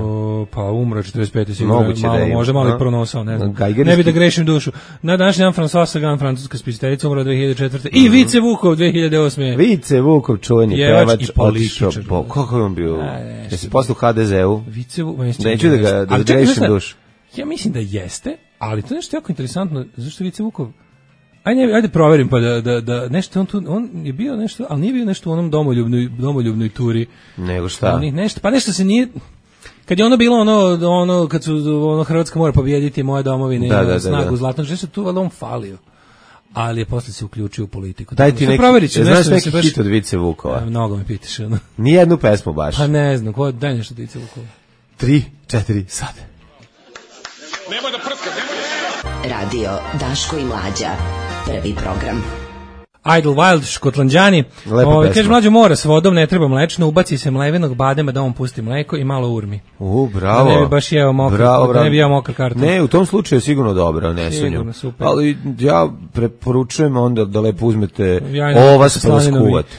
Pa umro 45. sigurno. Moguće da je. Može malo i pronosao, ne znam. Ne bi da grešim dušu. Na današnji dan François Sagan, francuska spisateljica, umro 2004. I Vice Vukov 2008. Vice Vukov, čuveni pevač i političar. Kako je on bio? Jesi posle u HDZ-u? Vice Vukov. Neću da grešim dušu. Ja mislim da jeste, ali to je nešto jako interesantno, zašto Vice Vukov... Ajde proverim pa da nešto on je bio nešto, ali nije bio nešto u onom domoljubnoj turi. Nego šta? Nešto se nije... Kad je ono bilo ono kad su Hrvatska mora pobijediti moje domovine, snagu zlatnog, što se tu valjda on falio. Ali je posle se uključio u politiku. Daj ti neki, znaš neki hit od Vice Vukova? Mnogo me pitaš. Nijednu pesmu baš. Pa ne znam, daj nešto od Vice Vukova. 3, 4, sad. Nemoj da prska, Radio Daško i Mlađa. Prvi program. Idle Wild, Škotlanđani. Kaže, mlađo mora s vodom, ne treba mlečno, ubaci se mlevenog badema da on pusti mleko i malo urmi. Bravo. Da ne bi baš jeo mokar karton. Ne, u tom slučaju je sigurno dobro, ne sunju. Sigurno, super. Ali ja preporučujem onda da lepo uzmete ovas pa da skuvate.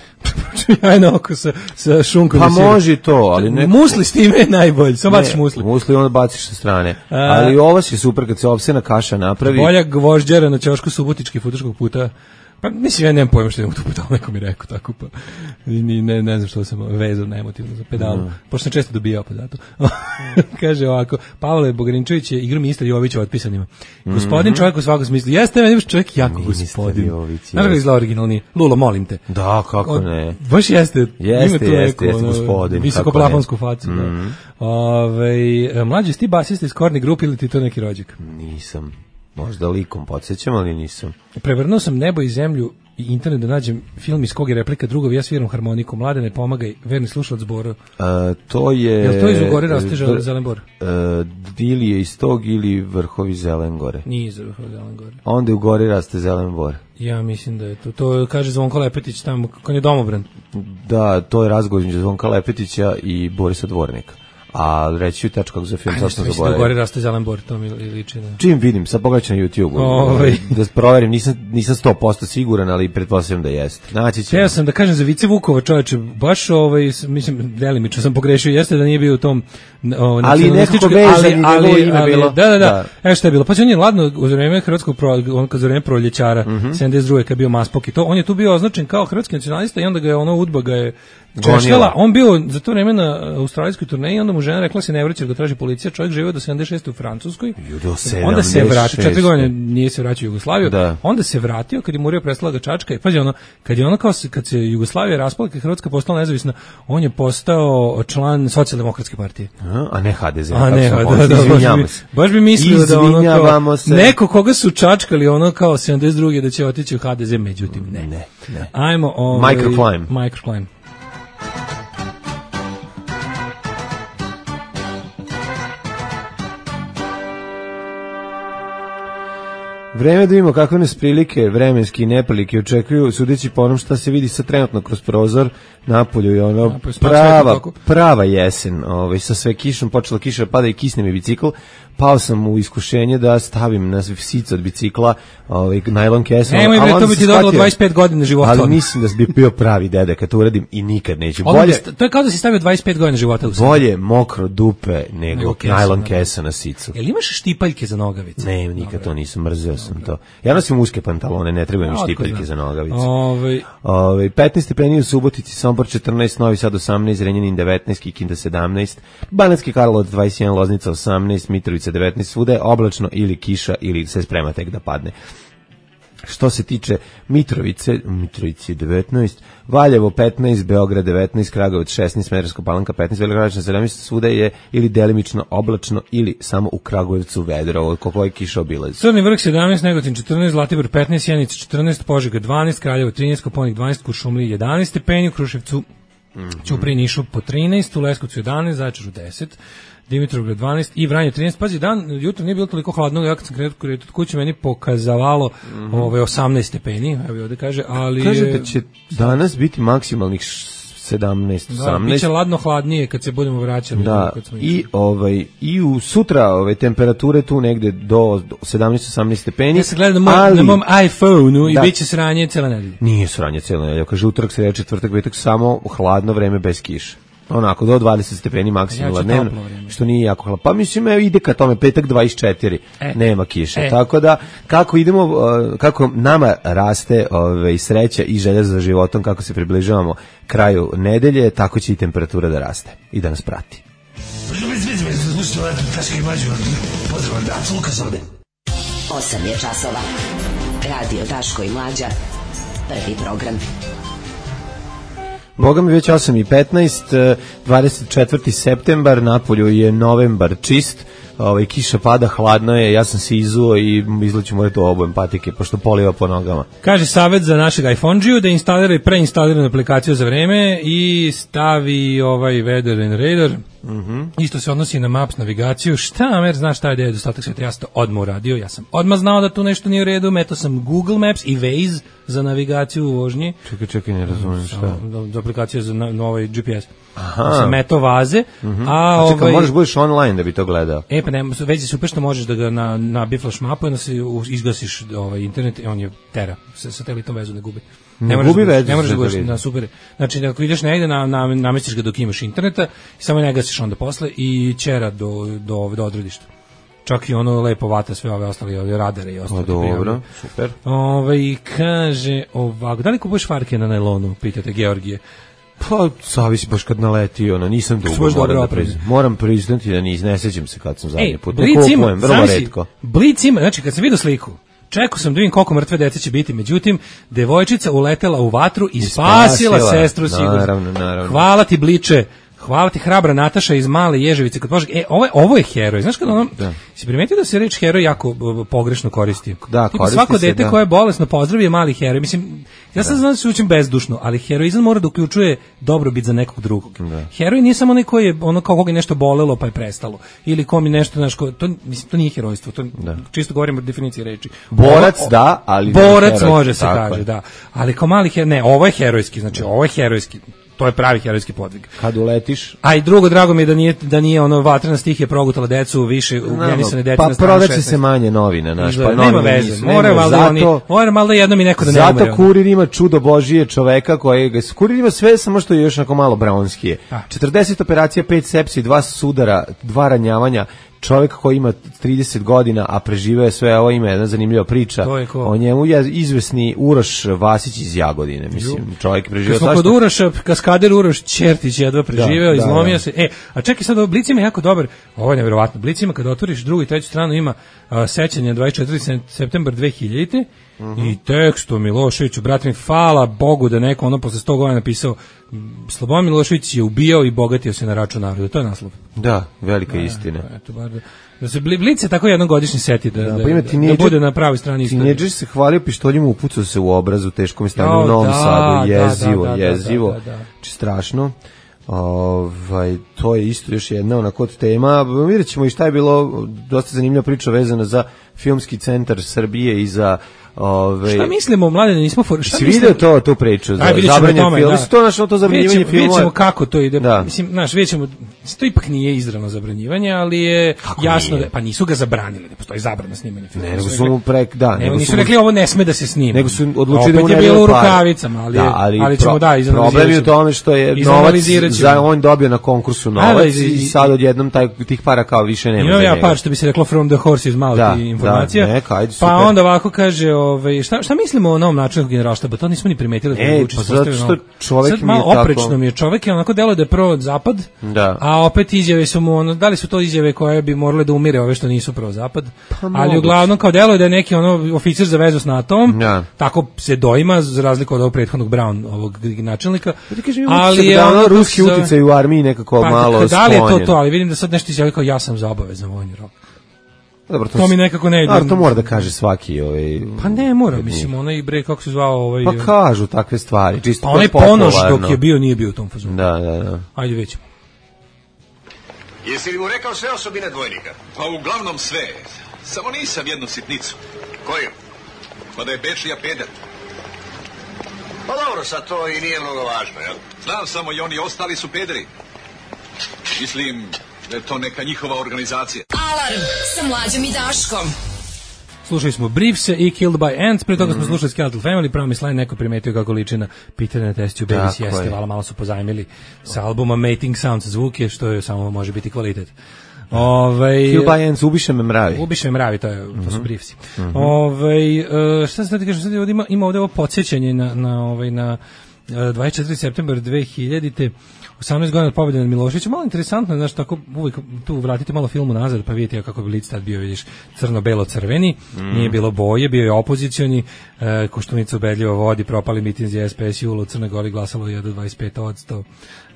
Jajno oko sa šunkom. Pa može to, ali ne. Musli s time je najbolji, samo baciš musli. Musli onda baciš sa strane. Ali ovas je super kad se ovsena kaša napravi. Bolja gvožđera na ćošku Subotički futoškog puta. Pa mislim, ja nemam pojma što je tu pedal, neko mi rekao tako, pa ne znam što sam vezao neemotivno za pedalu, pošto sam često dobijao pa zato. Kaže ovako, Pavle Bogrinčević je igra ministar Jovića otpisanima. Gospodin čovjek u svakom smislu, jeste meni čovjek jako gospodin. Znaš ga izgleda originalni, Lulo, molim te. Da, kako ne. Baš jeste gospodin. Visokoplafonsku facu. Mlađi, si ti basista iz Korni grupe ili ti to neki rođak? Nisam. Možda likom podsjećam, ali nisam. Prevrnuo sam nebo i zemlju i internet da nađem film iz kog je replika drugovi, ja sviram harmoniku, mlade ne pomagaj, verni slušalac Bora. To je... Jel to iz Ugore raste Zelen Bor? Ili je iz tog ili vrhovi Zelen Gore. Nije iz vrhovi Zelen Gore. Onda u Gori raste Zelen Bor. Ja mislim da je to. To kaže Zvonko Lepetić tamo, kako je domobran. Da, to je razgovor između Zvonka Lepetića i Borisa Dvornika. A reći ću tač kako za film sasno zaboravio. Ajde, Gori raste Zelen Bor, to mi liči. Da. Čim vidim, sad pogledaj na YouTube-u, da proverim, nisam 100% siguran, ali pretpostavljam da jeste. Naći ćemo. Ja sam da kažem za Vice Vukova, čoveče, baš mislim, delimično sam pogrešio, jeste da nije bio u tom ali nekako vezan i njegovo ime bilo. Da. Evo što je bilo. Pa on je ladno u vreme hrvatskog za vreme proljećara, 72. kad je bio Maspok i to, on je tu bio označen kao hrvatski nacionalista i onda ga je UDBA ga je češljala. On bio za to vreme na australijskoj turneji, onda mu žena rekla se ne vraća, ga traži policija, čovjek živio do 76. u Francuskoj. Onda se vratio, 4 godine nije se vraćao u Jugoslaviju. Onda se vratio kad je Murija prestala ga čačka i pazi kad se Jugoslavija raspala, kad Hrvatska postala nezavisna, on je postao član Socijaldemokratske partije. A ne HDZ. Baš bi mislio da ono neko koga su čačkali ono kao 72. da će otići u HDZ, međutim ne. Ajmo Microclimb. Vreme da vidimo kakve nas prilike, vremenski neprilike očekuju, sudeći po onom šta se vidi sa trenutno kroz prozor napolju i ono prava jesen, sa sve kišom, počela kiša pada i kisne mi bicikl, pao sam u iskušenje da stavim na sic od bicikla najlon kesu. Nemoj, to bi ti dodalo 25 godina života. Ali mislim da bi bio pravi dede kad to uradim i nikad neću. To je kao da si stavio 25 godina života u sebi. Bolje mokro dupe nego najlon kesa na sicu. Jel imaš štipaljke za nogavice? Ne, nikad to nisam, mrzeo sam to. Ja nosim uske pantalone, ne trebaju mi štipaljke za nogavice. 15 stepeni u Subotici, Sombor 14, Novi Sad 18, Zrenjanin 19, Kikinda 17, Banatski Karlovac 21, Loznica 18, Mitrovica 19, svuda je oblačno ili kiša ili se sprema tek da padne. Što se tiče Mitrovice 19, Valjevo 15, Beograd 19, Kragujevac 16, Smederevska Palanka 15, Velika Gradiška 17, svuda je ili delimično oblačno ili samo u Kragujevcu vedro, koliko je kiša obilazi. Crni Vrh 17, Negotin 14, Zlatibor 15, Sjenica 14, Požega 12, Kraljevo 13, Koponik 12, Kuršumlija 11 stepeni, u Kruševcu Ćupriji Nišu po 13, u Leskovcu 11, Zaječaru 10, Dimitrovgrad 12 i Vranje 13. Pazi, jutro nije bilo toliko hladno, ja kad sam krenuo od kuće meni pokazavalo 18 stepeni, evo ovdje kaže, ali... Kaže da će danas biti maksimalnih 17, 18. Da, biće ladno hladnije kad se budemo vraćali. Da, i u sutra temperature tu negde do 17-18 stepeni. Ja se gledam na mom iPhone-u i bit će sranje cijela nedelja. Nije sranje cijela nedelja, kaže utorak, sreda, četvrtak, petak, samo hladno vreme bez kiše. Onako, do 20 stepeni maksimalno dnevno, što nije jako hladno. Pa mislim, ide ka tome, petak 24, nema kiše. Tako da, kako nama raste sreća i želja za životom, kako se približavamo kraju nedelje, tako će i temperatura da raste i da nas prati. 8 je časova. Radio Daško i Mlađa. Prvi program. Boga mi već 8:15, 24. septembar, napolju je novembar čist, kiša pada, hladno je, ja sam se izuo i izlaću morati obojem patike, pošto poliva po nogama. Kaže savjet za našeg iPhone-điju da instalira i preinstaliranu aplikaciju za vreme i stavi Weather and Radar. Isto se odnosi na Maps navigaciju. Šta, mer, znaš šta je nedostatak sveta? Ja sam to odmah uradio, ja sam odmah znao da tu nešto nije u redu, meto sam Google Maps i Waze za navigaciju u vožnji. Čekaj, ne razumijem šta. Za aplikaciju za GPS. Sam meto vaze. Čekaj, možeš budeš online da bi to gledao. Pa ne, već je super što možeš da ga na biflash mapu i da se izgasiš internet, on je tera, satelitom vezu ne gubi. Ne možeš da budeš na super. Znači, ako ideš negde, namestiš ga dok imaš interneta i samo ne gasiš onda posle i ćera do odredišta. Čak i ono lepo vata sve ove ostale radare i ostale. Dobro, super. Kaže ovako, da li kupuješ farke na najlonu, pitate Georgije? Pa, zavisi baš kad naleti, nisam dugo, moram priznati da ne sećam se kad sam zadnji put. Kupujem, vrlo retko. Blic ima, znači kad sam vidio sliku, čekao sam da vidim koliko mrtve dece će biti, međutim, devojčica uletela u vatru i spasila sestru sigurno. Naravno. Hvala ti, Bliče. hvala ti, hrabra Nataša iz Male Ježevice kod Požege. Ovo je heroj. Znaš kad ono, si primetio da se reč heroj jako pogrešno koristi? Da, koristi svako se, dete koje je bolesno pozdravi je mali heroj. Mislim, ja sad znam da se učim bezdušno, ali heroizam mora da uključuje dobrobit za nekog drugog. Heroj nije samo onaj koji je ono kao koga je nešto bolelo pa je prestalo. Ili kom je nešto, znaš, to nije herojstvo, to čisto govorimo o definiciji reči. Borac, ali borac može se kaže, da. Ali kao mali heroj, ne, ovo je herojski, znači ovo je herojski. To je pravi herojski podvig. Kad uletiš. A i drugo, drago mi je da nije ono vatrena stihija progutala decu više ugljenisane dece na stranu 16. Pa prodaće se manje novine, naš, pa nema veze. Mora malo jednom i neko da ne umre. Zato Kurir ima čudo Božije čoveka kojega Kurir ima sve, samo što je još onako malo braunskije. 40 operacija, 5 sepsi, 2 sudara, 2 ranjavanja. Čovjek koji ima 30 godina, a preživeo je sve, ovo ima jedna zanimljiva priča. O njemu je izvesni Uroš Vasić iz Jagodine, mislim, čovjek preživeo. Kad smo kod Uroša, kaskader Uroš Ćertić jedva preživeo, izlomio se. A čekaj sad, Blic ima jako dobar, ovo je nevjerovatno, Blic ima kad otvoriš drugu i treću stranu ima sećanje 24. septembar 2000. I tekst o Miloševiću, brate mi, hvala Bogu da neko ono posle 100 godina napisao Slobodan Milošević je ubijao i bogatio se na račun naroda. To je naslov. Da, velika istina. Eto, bar da se Blic se tako jednogodišnji seti da bude na pravoj strani istorije. Tineđer se hvalio pištoljima, upucao se u obrazu, teškom stanju u Novom Sadu, jezivo, či strašno. To je isto još jedna onako tema. Vidjet ćemo i šta je bilo, dosta zanimljiva priča vezana za Filmski centar Srbije i za šta mislimo, mladene, nismo si vidio tu priču za zabranjeni film, to našo to zabranjivanje filmova. Vidjet ćemo kako to ide, mislim, znaš, vidjet ćemo, to ipak nije izravno zabranjivanje, ali je jasno da, pa nisu ga zabranili, ne postoji zabrana snimanja filma. Ne, nego su mu nisu rekli ovo ne sme da se snima. Nego su odlučili da mu ne bilo u rukavicama, ali ćemo izanalizirati. Problem je u tome što je novac za on dobio na konkursu novac i sad odjednom tih para kao više nema. Imam ja par, što bi se reklo from the horse's mouth informacija. Pa onda ovako kaže, šta mislimo o novom načinu generalštaba? To nismo ni primetili. Pa zato što čovjek mi je malo tako oprečno mi je, čovjek je onako delo da je pro-zapad, a opet izjave su mu, da li su to izjave koje bi morale da umire ove što nisu pro-zapad, ali uglavnom kao delo je da je neki oficir za vezu s NATO-om, tako se doima, za razliku od ovog prethodnog Brown, ovog načelnika, ali je ruski uticaj u armiji nekako malo sklonjen. Da li je to, ali vidim da sad nešto izjavio kao ja sam za obavezan vojni rok. Dobro, to mi nekako ne ide. To mora da kaže svaki Pa ne mora, mislim, onaj bre, kako se zvao Pa kažu takve stvari, čisto pa onaj Ponoš dok je bio, nije bio u tom fazonu. Da. Ajde, vidimo. Jesi li mu rekao sve osobine dvojnika? Pa uglavnom sve. Samo nisam jednu sitnicu. Koju? Pa da je Bečija peder. Pa dobro, sad to i nije mnogo važno, jel? Znam samo i oni ostali su pederi. Mislim da je to neka njihova organizacija. Alarm sa Mlađom i Daškom. Slušali smo Briefse i Killed by Ants, pre toga smo slušali Skeletal Family, Promised Line, neko primetio kako liči na Peter and Test Tube Babies, jeste, malo su pozajmili sa albuma Mating Sounds zvuke, što je samo može biti kvalitet. Killed by Ants, ubiše me mravi. Ubiše me mravi, to su Briefsi. Šta se da ti kažem, sad ima ovdje ovo podsjećanje na 24. septembar 2000-te, 18 godina od pobjede nad Miloševićem. Malo interesantno, znaš, tako uvijek tu vratite malo filmu nazad, pa vidite kako bi Blic tad bio, vidiš, crno-belo-crveni, nije bilo boje, bio je opozicioni, Koštunica ubedljivo vodi, propali mitinzi SPS jula u Crnoj Gori, glasalo je do 25%,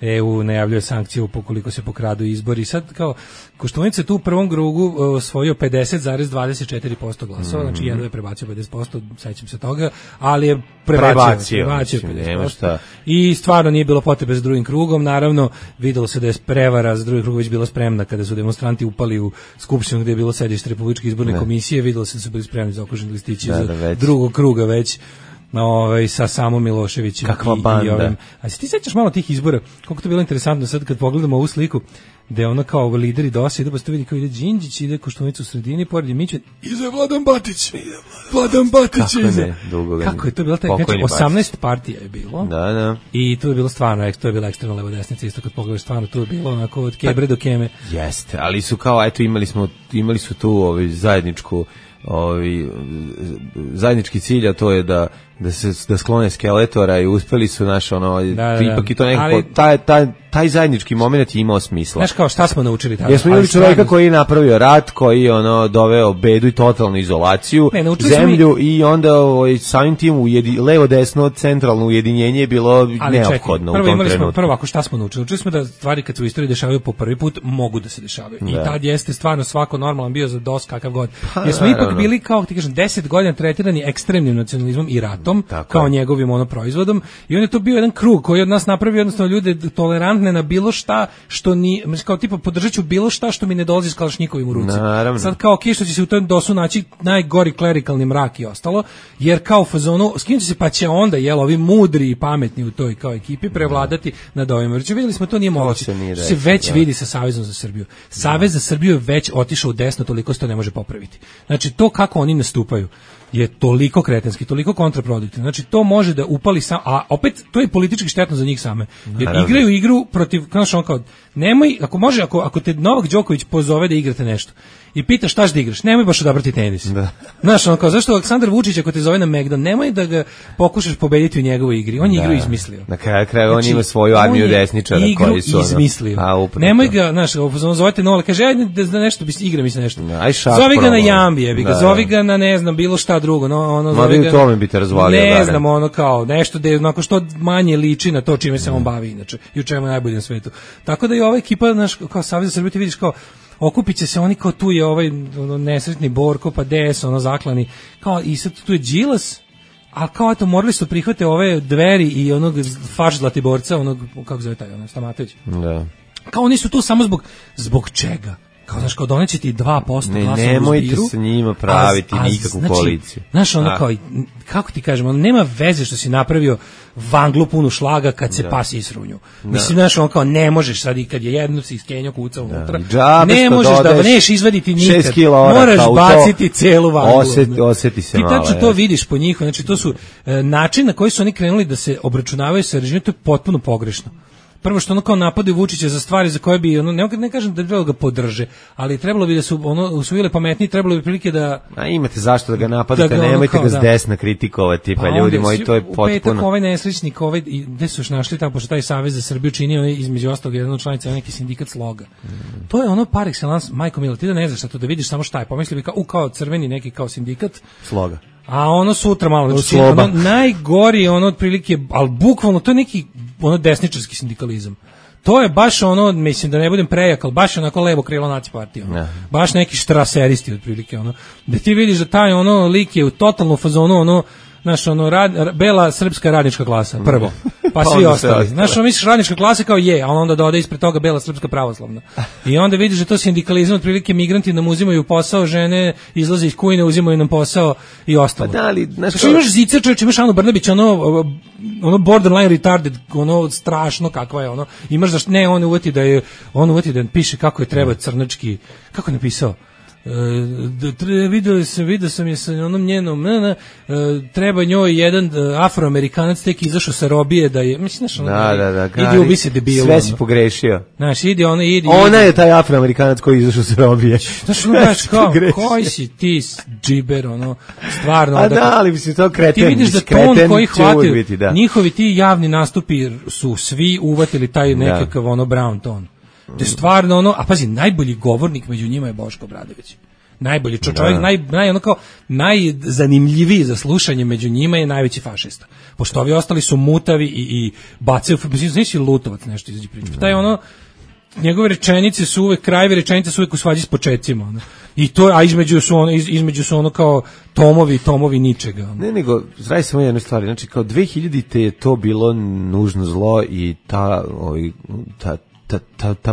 EU najavljuje sankcije ukoliko se pokradu izbori. Sad kao Koštunica tu u prvom krugu osvojio 50,24% glasova, znači jedno je prebacio 50%, sećam se toga, ali je prebacio 50%. I stvarno nije bilo potrebe za drugim krugom, naravno videlo se da je prevara za drugi krug već bila spremna kada su demonstranti upali u skupštinu gdje je bilo sedište Republičke izborne komisije, videlo se da su bili spremni za okruženi listići za drugog kruga već. Sa samom Miloševićem. Kakva banda. A si ti sećaš malo tih izbora, koliko to bilo interesantno sad kad pogledamo ovu sliku, gde ono kao lideri DOS idu, pa se to vidi kao ide Đinđić, ide Koštunica u sredini, pored je Mićan, iza Vladan Batić. Vladan Batić iza. Kako je to bilo? 18 partija je bilo. Da. I to je bilo stvarno, to je bila ekstremna levo desnica, isto kad pogledaš stvarno, to je bilo onako od Kebre do Keme. Jeste, ali su kao, eto, imali su tu zajednički cilj, a to je da sklone Skeletora i uspeli su ipak i to nekako taj zajednički moment je imao smisla. kao šta smo naučili tada. Jesmo imali čovjeka koji je napravio rat, koji je doveo bedu i totalnu izolaciju, zemlju i onda samim tim levo desno centralno ujedinjenje je bilo neophodno u tom trenutku. Prvo ako šta smo naučili? Naučili smo da stvari kad se u istoriji dešavaju po prvi put mogu da se dešavaju. I tad jeste stvarno svako normalan bio za DOS kakav god. Jer smo ipak bili kao ti kažem 10 godina tretirani ekstremnim nacionalizmom i ratom kao njegovim proizvodom i on je to bio jedan krug koji od nas napravio jednostavno ljude tolerantne na bilo šta što ni kao tipa podržaću bilo šta što mi ne dolazi s kalašnjikovim u ruci. Naravno. Sad kao što će se u tom DOS-u naći najgori klerikalni mrak i ostalo, jer kao u fazonu skinuće se pa će onda ovi mudri i pametni u toj kao ekipi prevladati nad ovima. Znači videli smo to nije moguće. Se već vidi sa Savezom za Srbiju. Savez za Srbiju je već otišao u desno, toliko se to ne može popraviti. Znači to kako oni nastupaju je toliko kretenski, toliko kontraproduktivno. Znači to može da upali a opet to je politički štetno za njih same. Jer igraju igru protiv, kao nemoj, ako te Novak Đoković pozove da igrate nešto i pita šta ćeš da igraš, nemoj baš odabrati tenis. Znaš, zašto Aleksandar Vučić ako te zove na Megdan, nemoj da ga pokušaš pobediti u njegovoj igri, on je igru izmislio. Na kraju on ima svoju armiju desničara koji su izmislio. Nemoj ga, znaš, zovete Nola, kaže ajde da nešto igra mi se nešto. Zovi ga na jambi, zovi ga na ne znam bilo šta drugo, zovi ga. Tome bi te razvalio. Ne znam, kao nešto da je onako što manje liči na to čime se on bavi inače i u čemu je najbolje na svetu. Tako da i ova ekipa, znaš, kao Savez za Srbiju ti vidiš kao okupit će se oni kao tu je ovaj nesretni Borko pa DS zaklani kao i sad tu je Đilas, a kao eto morali su prihvate ove Dveri i onog faš Zlatiborca, kako zove taj Stamatović. Da. Kao oni su tu samo zbog čega? Kao znaš, kao doneće ti 2% glasa u zbiru. Nemojte sa njima praviti nikakvu koaliciju. Znaš, kao, kako ti kažemo, nema veze što si napravio vanglu punu šlaga kad se pas isrunju. Mislim, znaš, kao ne možeš sad i kad je jedno si iskenjo kuca unutra. Ne možeš da neš izvaditi nikad. Moraš baciti celu vanglu. Osjeti se malo. Ti tačno to vidiš po njihovu. Znači, to su način na koji su oni krenuli da se obračunavaju sa režimom, to je potpuno pogrešno. Prvo što kao napadaju Vučića za stvari za koje bi ne kažem da trebalo ga podrže, ali trebalo bi da su usvojile pametniji, trebalo bi prilike da imate zašto da ga napadate, nemojte ga s desna kritikovati, pa ljudi moji, to je potpuno. U petak ovaj nesrećnik, gde su još našli tamo, pošto taj Savez za Srbiju čini između ostalog jedan od članica neki sindikat Sloga. To je par excellence, majko milo, ti da ne znaš šta to, da vidiš samo šta je, pomisli bi kao crveni neki kao sindikat Sloga. A sutra malo, najgori otprilike, ali bukvalno to je neki desničarski sindikalizam. To je baš mislim da ne budem prejak, ali baš onako levo krilo naci partije. Baš neki štraseristi otprilike da ti vidiš da taj lik je u totalnu fazonu znaš, bela srpska radnička klasa, prvo, pa svi ostali. Znaš, misliš radnička klasa kao je, a onda dode ispred toga bela srpska pravoslavna. I onda vidiš da to sindikalizam, otprilike migranti nam uzimaju posao, žene izlaze iz kujne, uzimaju nam posao i ostalo. Pa da li, znaš, imaš Zicer, čovječ, imaš Anu Brnabić, borderline retarded, strašno kakva je, imaš da ne, on uvati da piše kako je treba crnački, kako je napisao? Vidio sam je sa njenom treba njoj jedan Afroamerikanac tek izašao sa robije da je, mislim, idi ubi se debilu. Sve si pogrešio. Znaš, idi. Ona je taj Afroamerikanac koji izašao sa robije. Znaš, koji si ti džiber, stvarno. A da, ali mislim, to kreten. Ti vidiš da ton koji hvati, njihovi ti javni nastupi su svi uvatili taj nekakav brown ton. To je stvarno a pazi, najbolji govornik među njima je Boško Obradović. Najbolji čovjek, najzanimljiviji za slušanje među njima je najveći fašista. Pošto ovi ostali su mutavi i bacaju, znači Lutovac nešto izađe priča. Taj njegove rečenice su uvek, krajevi rečenice su uvek u svađi s početcima. I to, a između su kao tomovi ničega. Ne, nego, zradi samo jednu stvar, znači kao 2000-te je to bilo nužno zlo i ta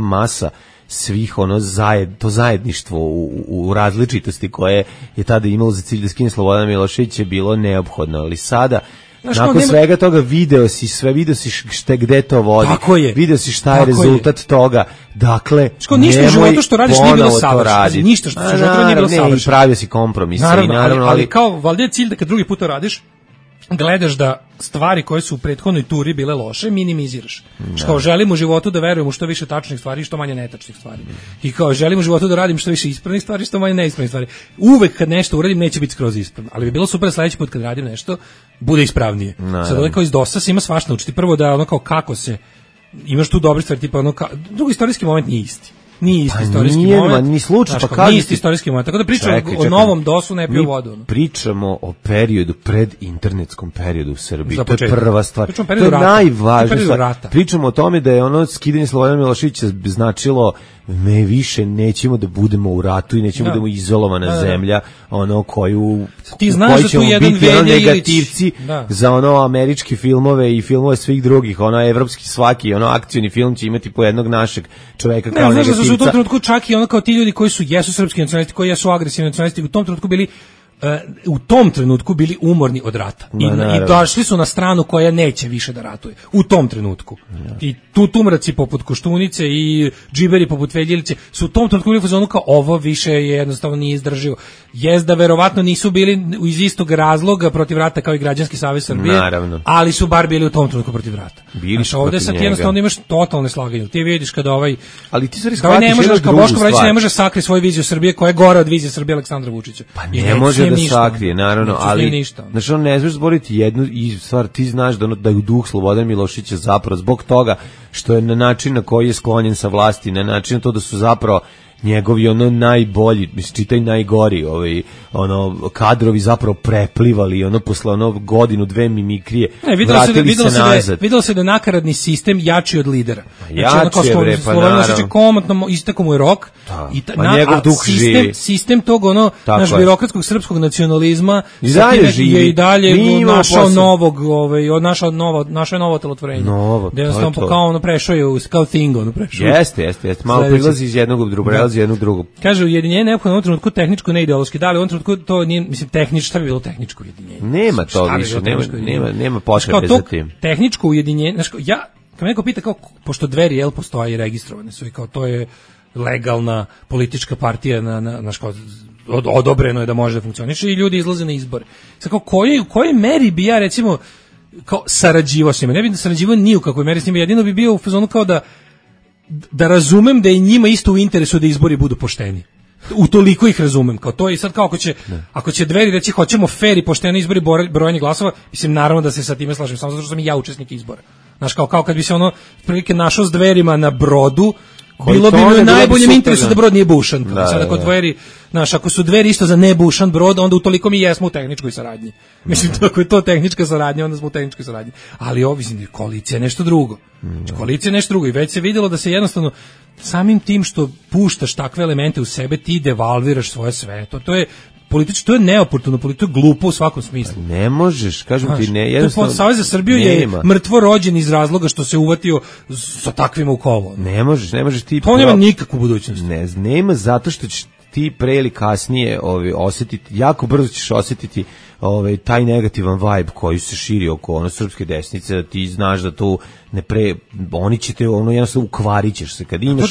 masa svih to zajedništvo u različitosti koje je tada imalo za cilj da skine Slobodan Milošević je bilo neophodno, ali sada nakon svega toga video si gde to vodi, video si šta je rezultat toga, dakle ništa u životu što radiš nije bilo savršeno, ništa što u životu nije bilo savršeno, pravio si kompromis, naravno, ali kao valjda je cilj da kad drugi put to radiš gledaš da stvari koje su u prethodnoj turi bile loše minimiziraš. Kao želim u životu da verujem u što više tačnih stvari i što manje netačnih stvari. I kao želim u životu da radim što više ispravnih stvari i što manje neispravnih stvari. Uvek kad nešto uradim neće biti skroz ispravno, ali bi bilo super sledeći put kad radim nešto bude ispravnije. Sad ovdje kao iz DOS-a se ima svašta naučiti. Prvo da kao kako se imaš tu dobre stvari, tipa drugi istorijski moment nije isti. nije isti istorijski moment. Ni slučaj, pa kažete. Nije isti istorijski moment, tako da pričamo o novom DOS-u, ne piju vodu. Pričamo o periodu, pred internetskom periodu u Srbiji. To je prva stvar. To je najvažnija stvar. Pričamo o tome da je ono skidanje Slobodana Miloševića značilo me više nećemo da budemo u ratu i nećemo da budemo izolovana zemlja, ono koju ti znaš da tu jedan negativci za ono američke filmove i filmove svih drugih, ono evropski svaki, ono akcioni film će imati po jednog našeg čoveka kao negativca. Znaš da su u tom trenutku čak i ono kao ti ljudi koji jesu srpski nacionalisti, koji jesu agresivni nacionalisti, u tom trenutku bili umorni od rata. I došli su na stranu koja neće više da ratuje. U tom trenutku. I tutumraci poput Koštunice i džiberi poput Veljilice su u tom trenutku bili u fazonu kao ovo više je jednostavno nije izdrživo. Da verovatno nisu bili iz istog razloga protiv rata kao i Građanski savez Srbije, ali su bar bili u tom trenutku protiv rata. Znači ovde sad jednostavno imaš totalne slaganje. Ti vidiš kada ali ti stvari shvatiš ne može, kao Boško Obradović ne može sakriti svoju viziju Srbije koja je gora od vizije Srbije Aleksandra Vučića. Pa ne može da sakrije, naravno, ali znači on ne znaš zboriti jednu i stvar, ti znaš da je duh Slobodana Miloševića zapravo zbog toga što je na način na koji je sklonjen sa vlasti, na način na to da su zapravo njegovi ono najbolji, čitaj najgori, kadrovi zapravo preplivali, posle godinu, dve mimikrije, vratili se nazad. Videlo se da je nakaradni sistem jači od lidera. Jači je, bre, pa naravno. Komotno istako mu je rok, pa njegov duh živi. Sistem tog, naš birokratskog srpskog nacionalizma je i dalje našao novo telotvorenje. Da jednostavno kao prešao je, kao Thingo. Jeste, malo prilazi iz jednog u drugo, jednu drugu. Kaže, ujedinjenje neophodno u ovom trenutku tehničko, ne ideološki. Da li u ovom trenutku to nije, tehničko, šta bi bilo tehničko ujedinjenje? Nema to više, nema potrebe za tim. Tehničko ujedinjenje, kad me neko pita kao, pošto Dveri, postoje i registrovane su i kao to je legalna politička partija, odobreno je da može da funkcioniše i ljudi izlaze na izbore. Sad kao, u kojoj meri bi ja, recimo, kao sarađivao s njima? Ne bi da sarađivao ni u kakvoj meri s njima, jedino bi bio u fazonu kao da razumem da je njima isto u interesu da izbori budu pošteni. Utoliko ih razumem. Kao to je sad kao ako će Dveri reći hoćemo fer i pošteni izbori, brojanje glasova, mislim naravno da se sa time slažem, samo zato što sam i ja učesnik izbora. Znaš, kao kad bi se prilike našao s Dverima na brodu, bilo bi mi u najboljem interesu da brod nije bušan. Sad ako Dveri, ako su Dveri isto za nebušan brod, onda utoliko mi jesmo u tehničkoj saradnji. Mislim, ako je to tehnička saradnja, onda smo u tehničkoj saradnji. Ali koalicija je nešto drugo. Koalicija je nešto drugo i već se vidjelo da se jednostavno samim tim što puštaš takve elemente u sebe, ti devalviraš svoje sve. To je politički, to je neoportuno, to je glupo u svakom smislu. Ne možeš, kažem ti, ne, jednostavno. Savez za Srbiju je mrtvo rođen iz razloga što se uvatio sa takvima u kovo. Ne možeš ti. To nema nikakvu budućnost. Nema zato što ćeš ti pre ili kasnije osjetiti, jako brzo ćeš osjetiti taj negativan vibe koji se širi oko srpske desnice, da ti znaš da tu oni će te jednostavno ukvarit ćeš se. Kad imaš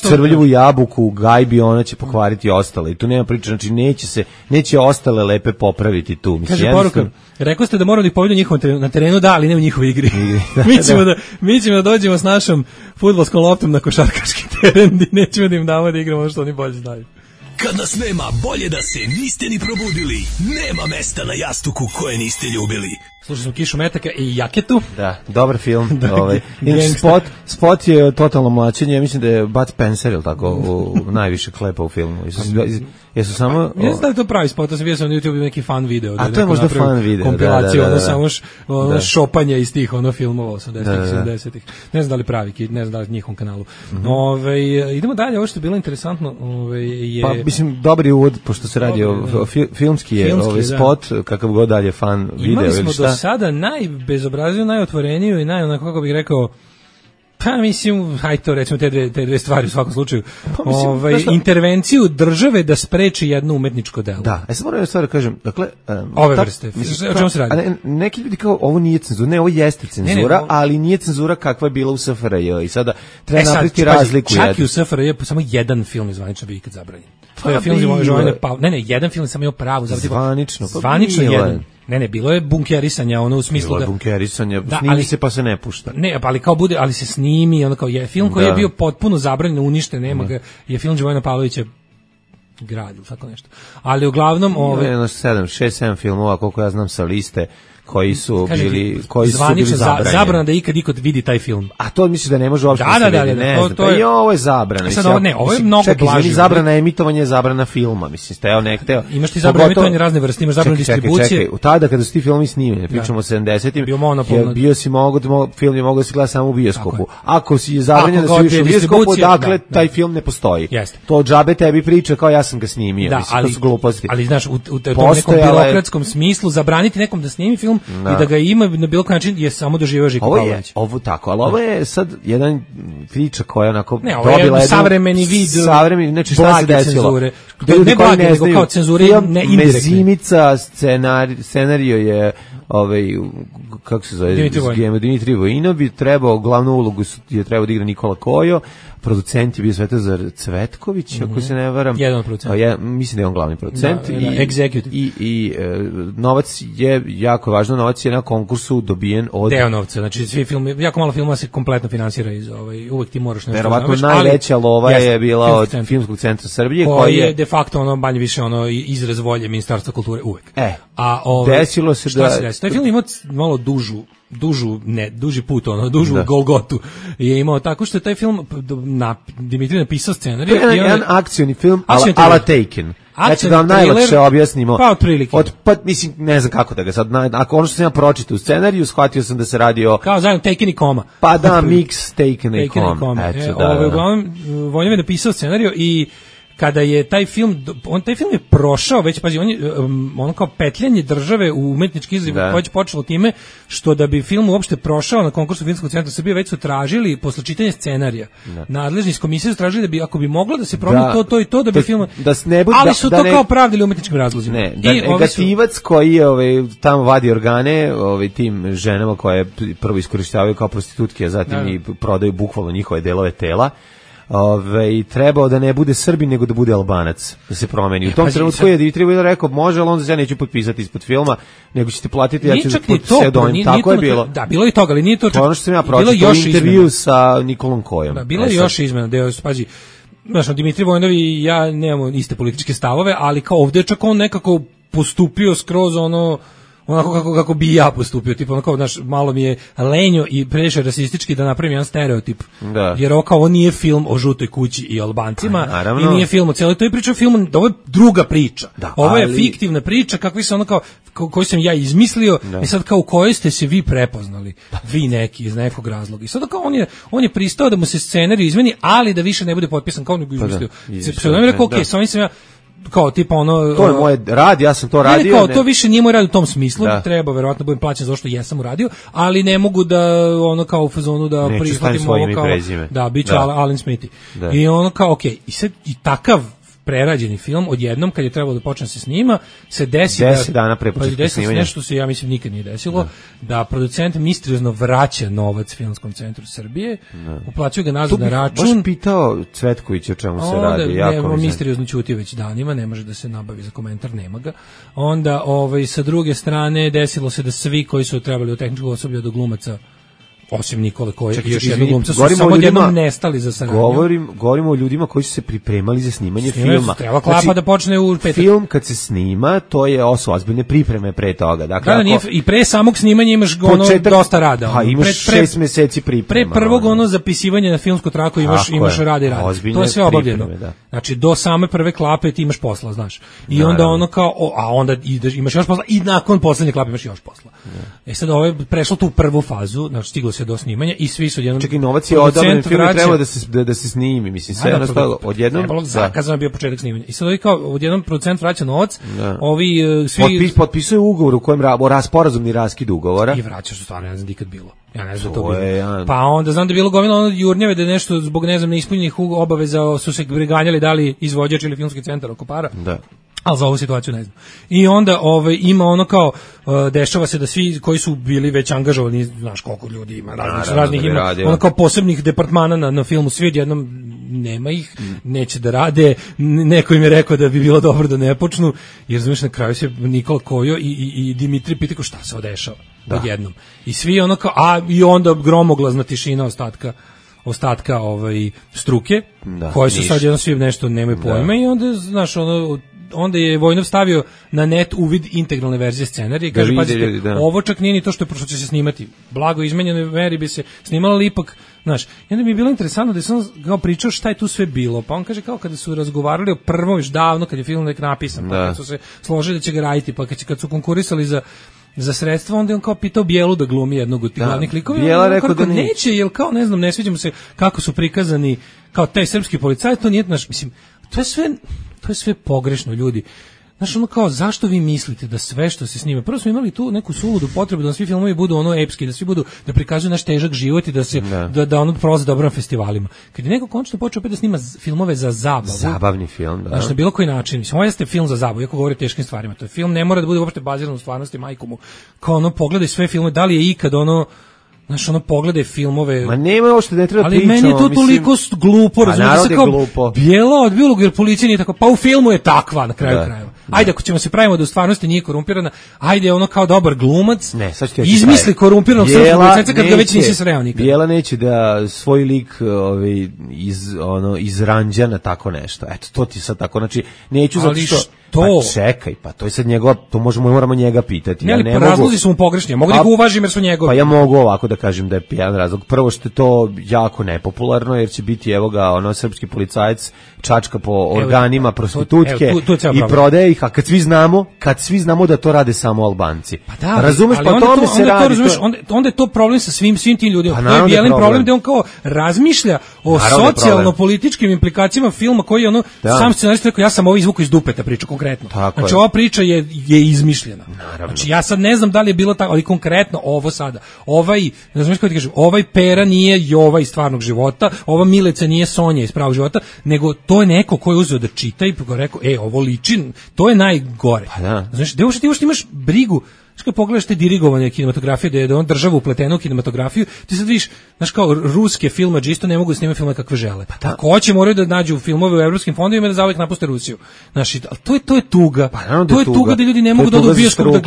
crvljivu jabuku, gajbi, ona će pokvariti ostale. I tu nema priče, znači neće ostale lepe popraviti tu. Kaže poruka, rekao ste da moramo da ih povedu njihovom na terenu, da, ali ne u njihovoj igri. Mi ćemo da dođemo s našom fudbalskom loptom na košarkaški teren i nećemo da im damo da igramo ono što oni bolje znaju. Kad nas nema, bolje da se niste ni probudili. Nema mesta na jastuku koje niste ljubili. Slušali smo Kišu metaka i Jaketu. Da, dobar film. Spot je totalno mlačenje. Ja mislim da je Bud Spencer, ili tako, najviše klepa u filmu. Jesu samo... Ne znam da je to pravi spot, to sam vidio sam na YouTube neki fan video. A to je možda fan video. Kompilaciju, samo šopanje iz tih filmova 80-ih, 70-ih. Ne znam da li pravi, ne znam da li njihovom kanalu. Idemo dalje, ovo što je bilo interesantno je... Pa, mislim, dobri uvod, pošto se radi o filmski je spot, kakav god dalje fan video. Imali smo do sada najbezobrazniju, najotvoreniju i kako bih rekao, pa mislim, hajde to recimo te dve stvari u svakom slučaju. Intervenciju države da spreči jedno umetničko delo. Da, ja sam moram jednu stvar da kažem, dakle... Ove vrste, o čemu se radi? Neki ljudi kao, ovo nije cenzura, ne, ovo jeste cenzura, ali nije cenzura kakva je bila u SFRJ i sada treba napraviti razliku. Čak i u SFRJ samo jedan film je zvanično bio ikad zabranjen. To je film jedan film sam imao pravo. Zvanično jedan. Ne, bilo je bunkerisanja, u smislu bilo je bunkerisanja, snimi se pa se ne pušta. Ne, ali kao bude, ali se snimi, kao je film koji je bio potpuno zabranjen, uništen, nema ga, je film Živojina Pavlovića grad ili tako nešto. Ali uglavnom... 6-7 filmova, koliko ja znam sa liste, koji su bili zabranjeni. Zabrana da ikad vidi taj film. A to misliš da ne može uopšte ne znam. To je ovo je zabrana. Ovo je mnogo blaže. Zabrana emitovanja, zabrana filma. Mislim, steo nekteo. Imaš ti zabranu emitovanja razne vrste, imaš zabranu distribucije. Čekaj. U tada kada su ti filmi snimljeni, pričamo o 70-im, bio si film je mogao da se gleda samo u bioskopu. Ako si je zabranjen da se vidiš u bioskopu, dakle taj film ne postoji. To džabe tebi priča kao ja sam ga snimio. To su gluposti. Ali znaš, u tom nekom birokratskom smislu zabraniti nekom da snimi film i da ga ima na bilo koji način je samo doživeo Žiko Pavlović. Ovo tako, ali ovo je sad jedan priča koja onako dobila jedan savremeni vid, znači šta se desilo? Ne blage, nego kao cenzure ne indirektne. Mezimica, scenario je kako se zove, Dimitri Vojinov bi trebao, glavnu ulogu je trebao da igra Nikola Kojo, producent je bio Svetozar Cvetković, ako se ne varam. Jedan od producenta. Mislim da je on glavni producent. Executive. I novac je, jako važno, novac je na konkursu dobijen od... Deo novca, znači svi filmi, jako malo filma se kompletno finansira iz uvek ti moraš nešto. Verovatno najveća lova je bila od Filmskog centra Srbije, koji je de facto manje više izraz volje Ministarstva kulture uvek. Desilo se da... Taj film ima malo duži put, dužu Golgotu je imao, tako što je taj film Dimitri napisao scenarij. To je jedan akcioni film, ala Taken. Znači da vam najlakše objasnimo. Pa otprilike. Mislim, ne znam kako da ga sad, ako ono što sam ja pročitao u scenariju, shvatio sam da se radi o... Kao zajedno Taken i Koma. Pa da, mix Taken i Koma. Uglavnom, Vojnjev je napisao scenariju i kada je taj film je prošao, već pazi, on kao petljanje države u umetnički izgled već počelo time što da bi film uopšte prošao na konkursu Filmskog centra Srbije, već su tražili posle čitanja scenarija. Nadležni iz komisije su tražili da bi, ako bi moglo da se promeni to i to, da bi film... Ali su to kao pravdili umetničkim razlozima. Negativac koji je tamo vadi organe tim ženama koje prvo iskorištavaju kao prostitutke, a zatim i prodaju bukvalno njihove delove tela, trebao da ne bude Srbin nego da bude Albanac, da se promeni. U tom trenutku je Dimitri Vojinov rekao, može, ali onda se ja neću potpisati ispod filma, nego ćete platiti, ja ću pseudonim. Tako je bilo. Da, bilo je toga, ali nije to... To ono što sam ja pročitao u intervju sa Nikolom Kojom. Da, bilo je još izmena, pazi, znaš, Dimitri Vojinov i ja nemamo iste političke stavove, ali kao ovdje čak on nekako postupio skroz onako kako bi ja postupio, tipa onako, znaš, malo mi je lenjo i previše rasistički da napravim jedan stereotip. Jer ovo nije film o žutoj kući i Albancima i nije film o cijeloj toj priči, ovo je druga priča. Ovo je fiktivna priča kakvi se koju sam ja izmislio i sad kao u kojoj ste se vi prepoznali, vi neki iz nekog razloga. I sad kao on je pristao da mu se scenarij izmeni, ali da više ne bude potpisan kao nego izmislio. Pseudonim je rekao, sa ovim sam ja kao tipa to je moj rad, ja sam to radio. Kao to više nije moj rad u tom smislu, treba verovatno budem plaćen za što jesam uradio, ali ne mogu da kao u fazonu da prihvatim ovo kao da biće Alan Smithy. I kao okej, i sad i takav prerađeni film odjednom kad je trebalo da počne se snima se desi 10 dana pre početka snimanja, nešto se ja mislim nikad nije desilo, da producent misteriozno vraća novac Filmskom centru Srbije, uplaćuje ga nazad na račun. Baš pitao Cvetković o čemu se radi, jako misteriozno ćuti već danima, ne može da se nabavi za komentar, nema ga. Onda sa druge strane desilo se da svi koji su trebali od tehničkog osoblja do glumaca, osim Nikole koji još jednog glumca, su samo jednom nestali za saradnju. Govorimo o ljudima koji su se pripremali za snimanje filma. Treba klapa da počne u petak. Film kad se snima, to je ozbiljne pripreme pre toga. Dakle, i pre samog snimanja imaš dosta rada. Imaš 6 meseci priprema. Pre prvog zapisivanja na filmsku traku imaš rada i rada. To je sve obavljeno. Znači, do same prve klape ti imaš posla, znaš. I onda onda imaš još posla i nakon poslednje klape imaš još posla. Sad ovo je prešlo tu prvu fazu, znači stiglo se do snimanja i svi su odjednom... Čekaj, novac je odabran, film treba da se snimi, mislim, sve jednostavno odjednom... Zakazano je bio početak snimanja. I sad ovi kao, odjednom producent vraća novac, ovi svi... Potpisuje ugovor u kojem sporazumni raskid ugovora. I vraćaš, stvarno, ne znam nikad bilo. Ja ne znam to bilo. Pa onda znam da je bilo gomila jurnjave da je nešto zbog, ne znam, neispunjenih obaveza su se preganjali da li izvođač ili Filmski centar oko para. Da. Ali za ovu situaciju ne znam. I onda ima kao, dešava se da svi koji su bili već angažovani, znaš koliko ljudi ima, raznih ima, kao posebnih departmana na filmu, svi odjednom nema ih, neće da rade, neko im je rekao da bi bilo dobro da ne počnu, jer znaš na kraju se Nikola Kojo i Dimitri pitaju šta se odešava odjednom. I svi kao, i onda gromoglazna tišina ostatka struke, koji su sad jedno svi nešto nemaju pojma i onda, znaš, onda je Vojnov stavio na net uvid integralne verzije scenarija i kaže, pazite, ovo čak nije ni to što će se snimati. Blago izmenjenoj meri bi se snimalo, ali ipak, znaš, i onda mi je bilo interesantno da sam kao pričao šta je tu sve bilo, pa on kaže kao kada su razgovarali o prvom još davno, kad je film nek napisan, pa kad su se složili da će ga raditi, pa kad su konkurisali za sredstva, onda je on kao pitao Bijelu da glumi jednog od tih glavnih likova. Bijela rekao da neće, jer kao, ne znam, ne sviđa mu se kako su prikazani kao taj srpski policaj, to nije, znaš, mislim, to je sve pogrešno, ljudi. Znaš, ono kao, zašto vi mislite da sve što se snima, prvo smo imali tu neku suludu potrebu da svi filmovi budu ono epski, da svi budu, da prikazuju naš težak život i da se, da ono prolaze dobro na festivalima. Kad je neko končno počeo opet da snima filmove za zabavu. Zabavni film, da. Znaš, na bilo koji način, mislim, ovo jeste film za zabavu, iako govori o teškim stvarima, to je film, ne mora da bude uopšte baziran u stvarnosti, majku mu, kao ono, pogledaj sve filmove, da li je ikad ono, znaš, ono, pogledaj filmove. Ma nema ovo što ne treba pričati. Ali meni je to toliko glupo, razumiješ se kao glupo. Bijela od biolog, jer policija nije tako, pa u filmu je takva na kraju krajeva. Ajde, ako ćemo se pravimo da u stvarnosti nije korumpirana, ajde ono kao dobar glumac, izmisli korumpiranog srpskog policajca kad ga već nisi sreo nikad. Bijela neće da svoj lik iz Ranđana tako nešto. Eto, to ti sad tako, znači, neću zato što... Pa čekaj, pa to je sad njegova, to moramo njega pitati. Ja ne razlozi su mu pogrešni, mogu da ih uvažim jer su njegovi. Pa ja mogu ovako da kažem da je jedan razlog. Prvo što je to jako nepopularno, jer će biti, evo ga, srpski policajac čačka po organima prostitutke i prodaje ih, a kad svi znamo da to rade samo Albanci. Pa da, razumeš, pa tome se radi. Onda je to problem sa svim tim ljudima. To je bijelin problem da on kao razmišlja o socijalno-političkim implikacijama filma koji je sam scenarist rekao, ja sam ovo izvukao iz dupeta priču konkretno. Znači ova priča je izmišljena. Naravno. Znači ja sad ne znam da li je bilo tako, ali konkretno ovo sada. Ovaj Pera nije Jova iz stvarnog života, ova Milica nije Sonja iz pravog života, nego to je neko ko je uzeo da čita i rekao, ovo liči, to je najgore. Pa da. Znači, ti još imaš brigu. Znaš, kad pogledaš te dirigovane kinematografije, da je on država upletena u kinematografiju, ti sad vidiš, znaš, kao ruske filmađe isto ne mogu da snimaju filmove kakve žele. Pa ako hoće, moraju da nađu filmove u evropskim fondovima i da zauvek napuste Rusiju. Znaš, to je tuga. Pa, to je tuga da ljudi ne mogu da odu u bioskop da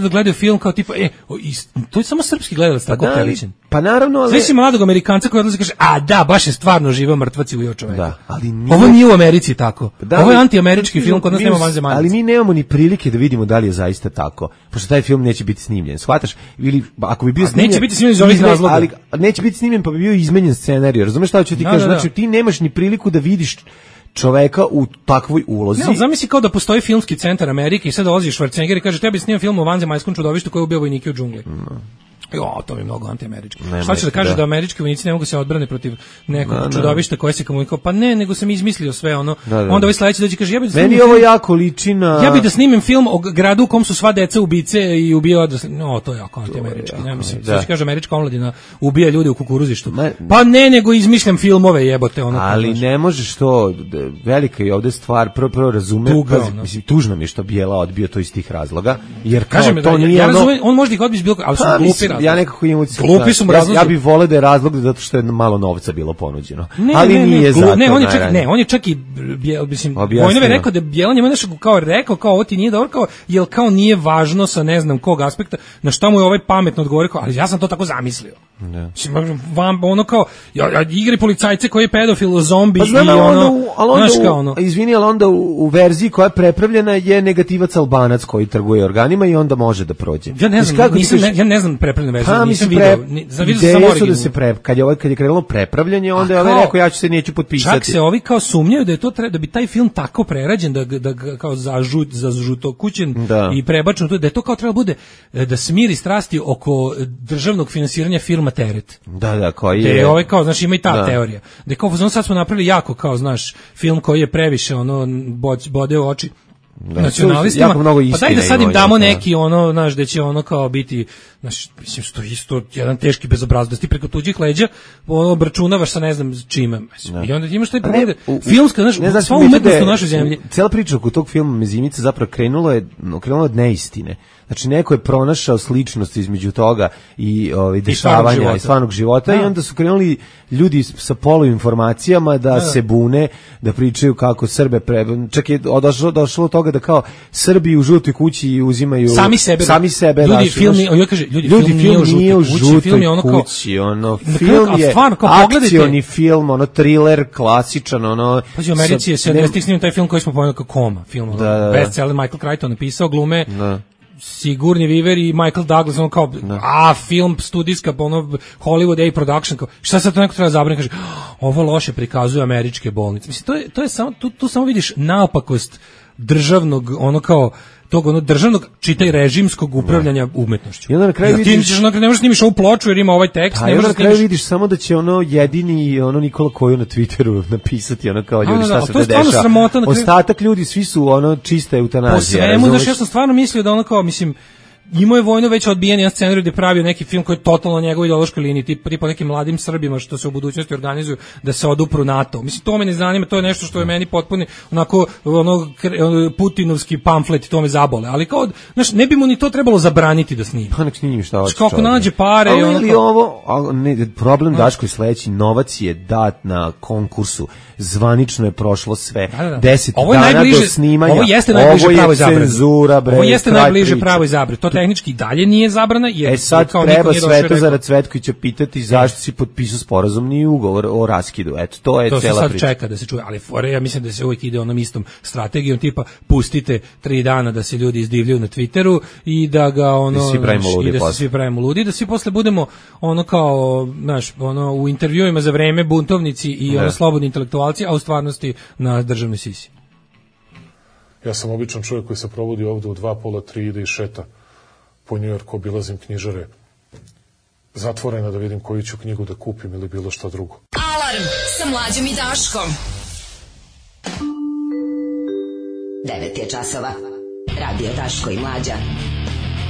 gledaju film kao tipa, to je samo srpski gledalac tako priličan. Pa naravno, ali... Sve si mladog Amerikanca koji odlazi i kaže, a da, baš je stvarno živeo mrtvaci u čoveku. Da, ali nije... Ovo nije u Americi tako. Ovo je antiamerički film, kod nas nema vanzemaljaca. Ali mi nemamo ni prilike da vidimo da li je zaista tako. Pošto taj film neće biti snimljen. Shvataš? Ili ako bi bio snimljen, neće biti snimljen iz ovih razloga. Ali neće biti snimljen pa bi bio izmenjen scenarijo. Razumeš šta ću ti kažem? Znači ti nemaš ni priliku da vidiš čoveka u takvoj ulozi. Ne, zamisli kao da postoji filmski centar Amerike i sad dolazi Schwarzenegger i kaže tebi snimam film o vanzemaljskom čudovištu koji ubija vojnike u džungli. To je mnogo antiamerički. Šta će da kaže da američki vojnici ne mogu se odbrane protiv nekog čudovišta koje se komunikao? Pa ne, nego sam izmislio sve ono. Onda ovaj sledeći dođe kaže meni ovo jako liči na... Ja bih da snimim film o gradu u kom su sva deca ubice i ubija odrasli. To je jako antiamerički. Ne mislim, sad kaže američka omladina ubija ljude u kukuruzištu. Pa ne, nego izmišljam filmove, jebote ono. Ali ne možeš to, velika je ovde stvar, prvo razumem, mislim tužno mi je što Bijela odbio to iz tih razloga, jer kažem to nije on može ih odbiti bilo, ali su glupi. Ja nekako imam utisak. Ja bih voleo da je razlog zato što je malo novca bilo ponuđeno. Ali nije zato. Ne, on je čak i mislim Vojnov je rekao da Bijela njemu nešto rekao kao ovo ti nije dobro, jel kao nije važno sa ne znam kog aspekta, na šta mu je ovaj pametno odgovorio, ali ja sam to tako zamislio. Ono kao igri policajce koji je pedofil, zombi i ono. Izvini, ali onda u verziji koja je prepravljena je negativac Albanac koji trguje organima i onda može da prođe. Ja ne znam prepravljenu verziju, nisam video. Ideje su da se kad je krenulo prepravljanje, onda je rekao ja ću se neću potpisati. Čak se ovi kao sumnjaju da je to da bi taj film tako prerađen da kao za žutokućen i prebačen, da je to kao treba bude da smiri strasti oko državnog finansiranja filma Teret. Da, koji je. Ovaj kao, znaš, ima i ta teorija. Da kao sad smo napravili jako kao, znaš, film koji je previše bode u oči nacionalistima, pa daj da sad im damo neki znaš, da će kao biti, znaš, mislim, što isto jedan teški bezobrazluk, da ti preko tuđih leđa obračunavaš sa ne znam čime. I onda imaš taj problem, filmska, znaš, sva umetnost u našoj zemlji. Cijela priča oko tog filma Mezimica zapravo krenula od neistine. Znači neko je pronašao sličnost između toga i dešavanja i stvarnog života i onda su krenuli ljudi sa poluinformacijama da se bune, da pričaju kako Srbe čak je došlo od toga da kao Srbi u žutoj kući uzimaju sami sebe ljudi film nije u žutoj kući, ono kao film je akcioni film, ono thriller klasičan, ono u Americi je 70-ih snimio taj film koji smo pomenuli kao Koma film, bestseller Michael Crichton napisao, glume Sigourney Weaver i Michael Douglas, ono kao film studijska, ono Hollywood A production, kao šta sad to neko treba zabraniti, kaže ovo loše prikazuje američke bolnice. Mislim to je samo tu samo vidiš naopakost državnog, ono kao tog ono državnog, čitaj režimskog upravljanja umetnošću. I onda na kraju vidiš, ne možeš snimiš ovu ploču jer ima ovaj tekst, ne možeš na kraju vidiš samo da će ono jedini ono Nikola Kojo na Twitteru napisati ono kao ljudi šta se dešava. Ostatak ljudi svi su ono čista eutanazija. Po svemu, znaš, ja sam stvarno mislio da ono kao, mislim, imao je Vojno već odbijen jedan scenarij gde pravio neki film koji je totalno na njegovoj ideološkoj liniji, tipa nekim mladim Srbima što se u budućnosti organizuju da se odupru NATO. Mislim, to me ne zanima, to je nešto što je meni potpuno onako putinovski pamflet, to me zabole. Ali kao, znaš, ne bi mu ni to trebalo zabraniti da snima. Pa nek snimi šta hoće. Kako nađe pare i problem Daško je sledeći, novac je dat na konkursu. Zvanično je prošlo sve. 10 dana do snimanja. Ovo jeste najbliže pravoj zabrani. Cenzura, bre. Ovo jeste najbliže pravoj zabrani. To tehnički dalje nije zabrana. Jer sad treba Svetozara Cvetkovića pitati zašto si potpisao sporazumni ugovor o raskidu. Eto, to je cela priča. To se sad čeka da se čuje, ali ja mislim da se uvijek ide onom istom strategijom, tipa pustite 3 dana da se ljudi izdivljaju na Twitteru i da ga svi pravimo ludi, da svi posle budemo ono kao, znaš, ono u intervjuima za vreme buntovnici i ono slobodni intelektualci, a u stvarnosti na državnoj sisi. Ja sam običan čovjek koji se provodi ovde u 2, pola, 3 ide i šeta po Njujorku, obilazim knjižare zatvorena da vidim koju ću knjigu da kupim ili bilo šta drugo. Alarm sa Mlađom i Daškom. 9 je časova. Radio Daško i Mlađa.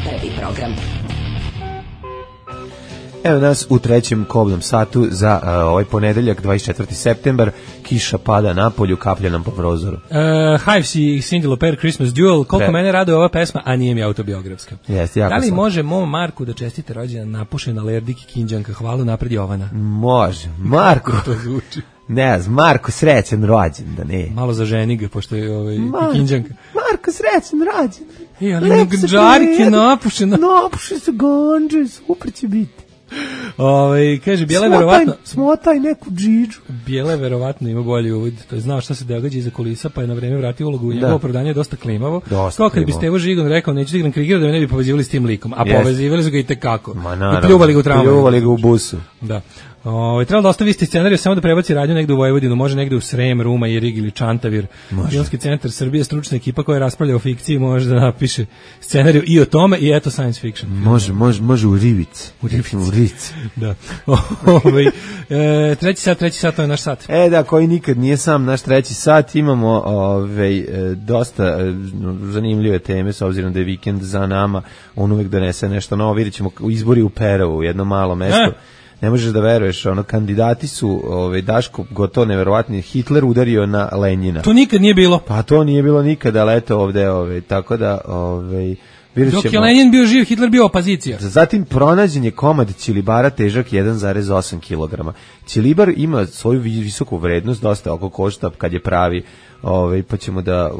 Prvi program. Evo nas u trećem kobnom satu za ovaj ponedeljak, 24. septembar. Kiša pada napolju, kaplja nam po prozoru. Hives i Cyndi Lauper, Christmas Duel. Koliko mene raduje ova pesma, a nije mi autobiografska. Da li može mom Marku da čestite rođendan napušen Alerdik i Kinđanka? Hvala napred Jovana. Može. Marko. To zvuči. Ne znam, Marko, srećan rođendan, ne. Malo zaženi ga, pošto je Kinđanka. Marko, srećan rođendan. Ali Gđarke napušena. Napuše se ganđe, super će biti. Kaže, Bijela je verovatno... Smotaj neku džiđu. Bijela je verovatno ima bolji uvod. To je znao šta se događa iza kulisa, pa je na vreme vratio ulogu. Njegovo opravdanje je dosta klimavo. Kao kad bi Stevo Žigon rekao, neću da igram Krigera, da me ne bi povezivali s tim likom. A povezivali su ga i tekako. I pljuvali ga u tramvaju. Pljuvali ga u busu. Da. Trebalo da ostavi scenariju samo da prebaci radnju negde u Vojvodinu, može negde u Srem, Ruma, Irig ili Čantavir. Filmski centar Srbije, stručna ekipa koja raspravlja o fikciji, može da napiše scenariju i o tome i eto science fiction. Može u Rivic. U Rivic. Da. Treći sat, to je naš sat. Da, koji nikad nije sam naš treći sat. Imamo dosta zanimljive teme, s obzirom da je vikend za nama. On uvek donese nešto novo. Vidjet ćemo izbori u Perovu, jedno malo mesto. Ne možeš da veruješ, kandidati su, Daško, gotovo neverovatni, Hitler udario na Lenjina. To nikad nije bilo. Pa to nije bilo nikad, ali eto ovde, tako da, dok je Lenin bio živ, Hitler bio opozicija. Zatim pronađen je komad ćilibara težak 1,8 kg. Ćilibar ima svoju visoku vrednost, dosta oko košta kad je pravi, pa ćemo da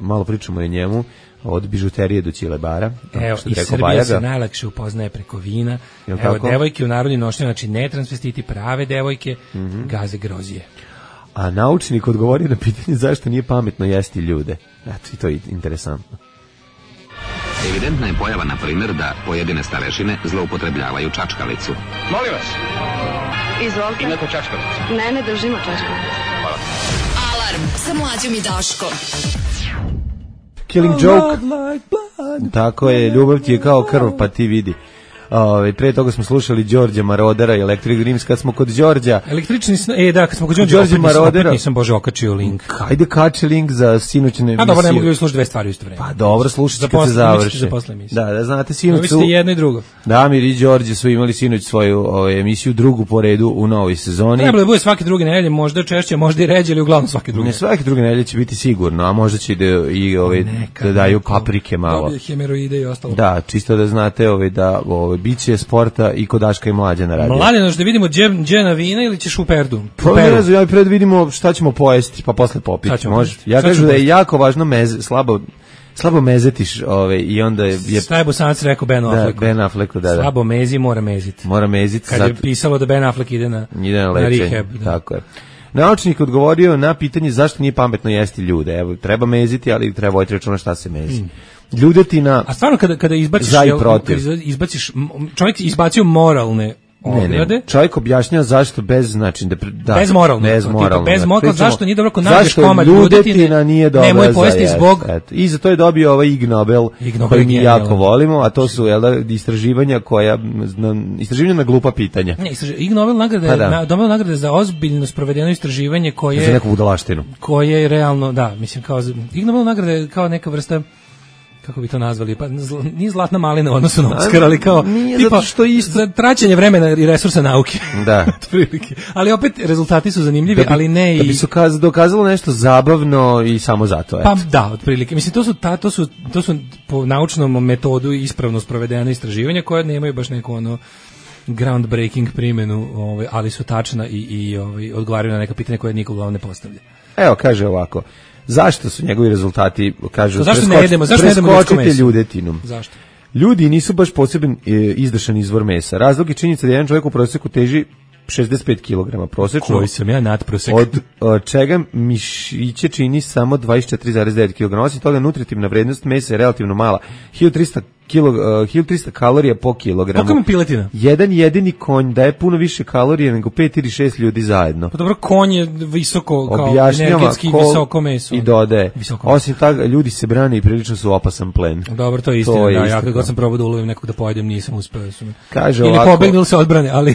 malo pričamo o njemu. Od bižuterije do ćilibara. Evo, i Srbija se najlakše upoznaje preko vina. Evo, devojke u narodnim nošnjama, znači ne transvestiti, prave devojke, gaze grozije. A naučnik odgovorio na pitanje zašto nije pametno jesti ljude. Eto, i to je interesantno. Evidentna je pojava, na primjer, da pojedine starešine zloupotrebljavaju čačkalicu. Molim vas. Izvolite. Imate čačkalicu? Ne držimo čačkalicu. Hvala. Alarm sa Mlađom i Daškom. Killing Joke. Tako je, ljubav ti je kao krv, pa ti vidi. Pre toga smo slušali Đorđa Marodera i Electric Dreams. Kad smo kod Đorđa... Električni kad smo kod Đorđa Marodera... Nisam, Bože, okačio link. Hajde kači link za sinoćnu emisiju. Dobro, ne mogu slušati dve stvari u isto vreme. Pa dobro, slušajte kad se završi. Da, znate, sinoć su... Vi ste jedno i drugo. Damir i Đorđe su imali sinoć svoju emisiju, drugu po redu u novoj sezoni. Trebalo da bude svake druge nedelje, možda češće, možda i ređe, ali uglavnom svake druge. Ne, svake druge nedelje će biti sigurno, a možda će da daju paprike malo. Hemeroide i ostalo. Da, čisto da znate da biće sporta i kod Daška i Mlađe na radiju. Mladeno, da vidimo gdje na vina ili ćeš u Perdu? Pa ne znam, ja predvidimo šta ćemo pojesti, pa posle popiti. Može. Ja kažem da je jako važno slabo mezetiš i onda je... Šta je Bosanac rekao Benu Afflecku? Ben Afflecku, da. Slabo mezi, mora meziti. Mora meziti. Kad je pisalo da Ben Affleck ide na rehab. Tako je. Naučnik odgovorio na pitanje zašto nije pametno jesti ljude. Evo, treba meziti, ali treba voditi računa šta se mezi. Ljudetina... A stvarno kada izbaciš, čovjek izbacio moralne ograde. Ne. Čovjek objašnjava zašto bez moralno. Zašto nije dobro ako nađeš komad ljudetina nije dobra nemoj pojesti zbog... I za to je dobio ovaj Ig Nobel koji mi jako volimo, a to su istraživanja na glupa pitanja. Ig Nobel nagrade za ozbiljno sprovedeno istraživanje koje... Za neku budalaštinu. Koje je realno, da, mislim, kao Ig Nobel nagrade kao neka vrsta... kako bi to nazvali, pa nije zlatna malina u odnosu na Oskar, ali kao tipa što isto traćenje vremena i resursa nauke. Da. Ali opet rezultati su zanimljivi, ali ne i... Da bi se dokazalo nešto zabavno i samo zato. Pa da, otprilike. Mislim, to su po naučnom metodu ispravno sprovedena istraživanja koja nemaju baš neku groundbreaking primjenu, ali su tačna i odgovaraju na neka pitanja koje niko uglavnom ne postavlja. Evo, kaže ovako. Zašto su njegovi rezultati, kažu, preskočite ljudetinu? Zašto? Ljudi nisu baš poseban izdašan izvor mesa. Razlog je činjenica da jedan čovjek u prosjeku teži 65 kg prosečno. Koji sam ja nadprosek. Od čega mišiće čini samo 24,9 kg. Osim toga, nutritivna vrednost mesa je relativno mala. 1300 kalorija po kilogramu. Koliko ima piletina? Jedan jedini konj daje puno više kalorija nego 5 ili 6 ljudi zajedno. Pa dobro, konj je visoko, kao energetski visoko meso. I dodaje. Osim toga, ljudi se brane i prilično su opasan plen. Dobro, to je istina. Ja kad god sam probao da ulovim nekog da pojedem, nisam uspeo. Kaže ili pobegnu ili se odbrane, ali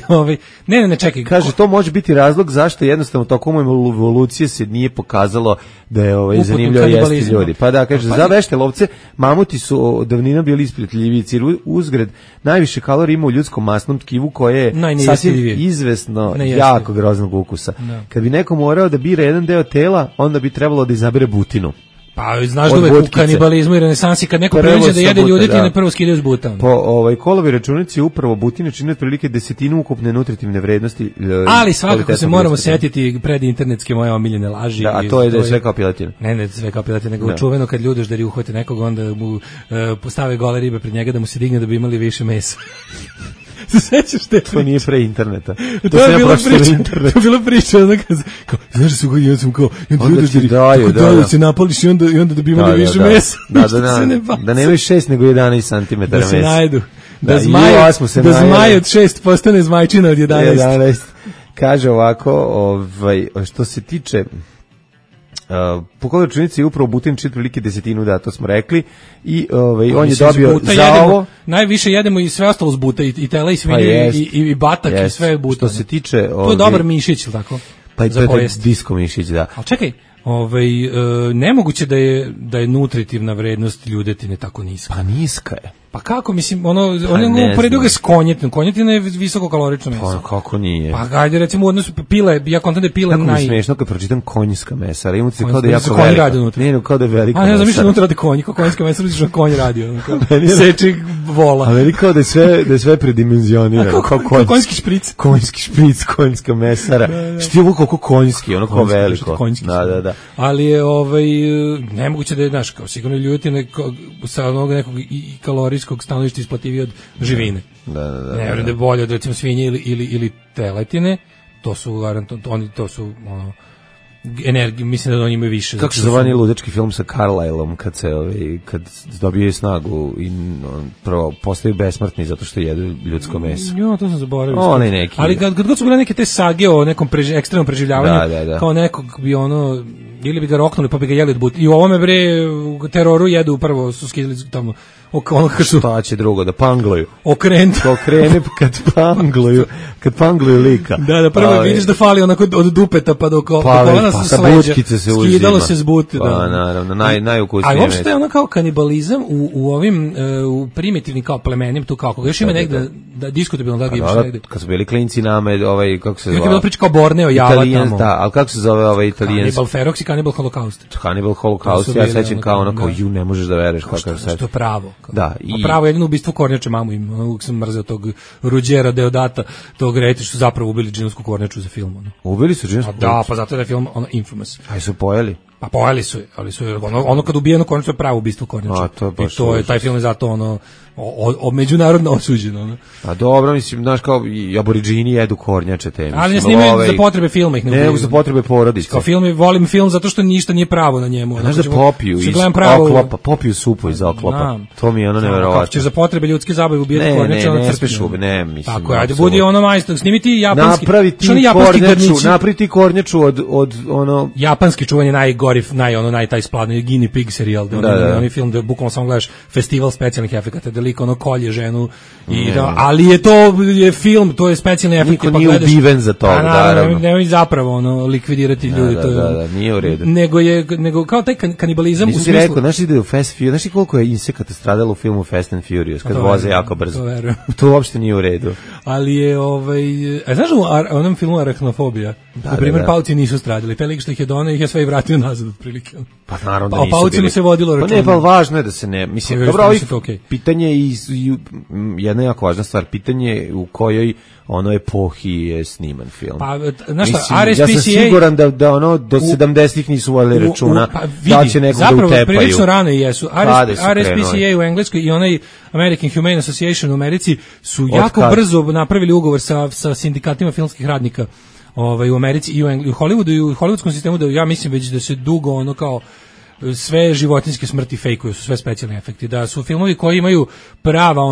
ne, čekaj. Kaže, to može biti razlog zašto jednostavno tokom evolucije se nije pokazalo da je zanimljivo jesti ljudi. Pa da, kaže, za vešte lovce mamuti su davnina bili isprijateljiviji, jer uzgred najviše kalorija ima u ljudskom masnom tkivu koje je sasvim izvesno jako groznog ukusa. Da. Kad bi neko morao da bira jedan deo tela, onda bi trebalo da izabere butinu. Pa znaš da uvek u kanibalizmu i renesansi kad neko priđe da jede ljudetine, prvo skidaju s buta. Po Kolovi računici upravo butine čine otprilike desetinu ukupne nutritivne vrednosti. Ali svakako se moramo setiti pred internetske moje omiljene laži. Da, a to je da je sve kao piletina. Ne sve kao piletina, nego čuveno kad ljudeždari uhvate nekog, onda mu postave gole ribe pred njega da mu se digne da bi imali više mesa. Se sećaš te? To nije pre interneta. To je bila priča, znaš su god sam kao, da se napališ i onda da bi imali više mesa. Da nemaju 6 nego 11 cm mesa. Da se najdu. Da zmaj od 6 postane zmajčina od 11. Kaže ovako, što se tiče po kojoj računici je upravo butin čini prilike desetinu, da, to smo rekli, i on je dobio za ovo. Najviše jedemo i sve ostalo s buta, i tela, i svinje, i batak, i sve buta. Što se tiče... To je dobar mišić, ili tako? Pa i to je disko mišić, da. Ali čekaj, nemoguće da je nutritivna vrednost ljudetine tako niska. Pa niska je. Pa kako, mislim, ono uporedio ga s konjetinom. Konjetina je visoko kalorično meso. Pa kako nije? Pa ajde, recimo, u odnosu pile, ja kontam da je pile Kako mi smiješno kad pročitam konjska mesa, ali imam se kao da je jako veliko. Nije, kao da je veliko mesa. A ne znam, više unutra radi konji, kao konjska mesa, radiš na konj radi, seči vola. A meni kao da je sve predimenzionirano. Konjski špric. Konjski špric, konjska mesara. Što je ovo kako konjski, ono kao veliko. Da. Ali je, nemoguće da je, znaš, kao sigurno ljudetine sa onog nekog kalorijskog stanovišta isplativije od živine. Da. Ne vjerujem da je bolje od recimo svinje ili teletine, to su energije, mislim da oni imaju više. Kako se zove ludački film sa Carlyleom kad dobije snagu i prvo postaju besmrtni zato što jedu ljudsko meso. Jo, to sam zaboravio. Onaj neki. Ali kad god su bile neke te sage o nekom ekstremnom preživljavanju, kao nekog bi ili bi ga roknuli pa bi ga jeli od buta. I u ovome bre u teroru jedu prvo su skidali tamo Šta će drugo, da pangluju? Okrene kad pangluju lika. Da, prvo vidiš da fali onako od dupeta pa do kolena sa butkice se uzima. Skidalo se s buti. Pa naravno, najukusnije. A uopšte je ono kao kanibalizam u ovim u primitivnim kao plemenim, tu kako još ima negde da diskutabilno da ga imaš negde. Kad su bili klinci nama, kako se zove? Je bilo priča kao Borneo, Java tamo. Da, ali kako se zove ovaj italijanski? Cannibal Ferox i Cannibal Holocaust. Cannibal Holocaust, ja sećam kao ono, kao ne možeš da veruješ kako se. Što je pravo. Da, i pravo jedino ubistvo kornjače mamu im. Uvijek sam mrzeo tog Ruđera Deodata, tog reti što zapravo ubili džinovsku kornjaču za film. Ubili su džinovsku kornjaču? Da, pa zato je film infamous. Aj su pojeli? Pa pojeli su je, ali su ono kad ubijeno kornjaču je pravo ubistvo kornjača. I to je, taj film je zato međunarodno osuđeno. A dobro, mislim, znaš, kao i aboridžini jedu kornjače te. Ali ne snimaju za potrebe filma ih ne ubijaju. Ne, za potrebe porodice. Kao volim film zato što ništa nije pravo na njemu. Znaš da popiju iz oklopa, popiju supu iz oklopa. To mi je ono neverovatno. Kako ćeš za potrebe ljudske zabave ubijati kornjače, ono crkne. Ne, mislim. Tako, ajde, budi ono majstor, snimi ti japanski. Napravi ti kornjaču od ono... Japanski čuvanje najgori, taj spladni Guinea Pig serijal, onaj film da bukvalno samo gledaš festival specijalnih efekata, da lik ono kolje ženu, ali je film, to je specijalni efekt. Niko nije ubiven za to, naravno. Nemoj zapravo likvidirati ljudi. Da, nije u redu. Nego kao taj kanibalizam u smislu... Nisi rekao, znaš ide u Fast Furious, znaš koliko je insekata stradalo u filmu Fast and Furious, kad voze jako brzo. To uopšte nije u redu. Ali je, znaš u onom filmu Arachnofobija, na primjer, pauci nisu stradili, taj lik što ih je donao, ih je sve i vratio nazad otprilike. Pa naravno da nisu bili. O paucima se vodilo računa. Pa ne, pa važno je da se ne, mislim, dobro, pitanje i jedna jako važna stvar, pitanje u kojoj ono epohi je sniman film. Pa, znaš šta, RSPCA... Ja sam siguran da ono do 70-ih nisu vodili računa da će nekog da utepaju. Zapravo, prilično rano jesu. RSPCA u Engleskoj i onaj American Humane Association u Americi su jako brzo napravili ugovor sa sindikatima filmskih radnika u Americi i u Hollywoodu i u hollywoodskom sistemu, da ja mislim već da se dugo ono kao sve životinjske smrti fejkuju, su sve specijalni efekti, da su filmovi koji imaju prava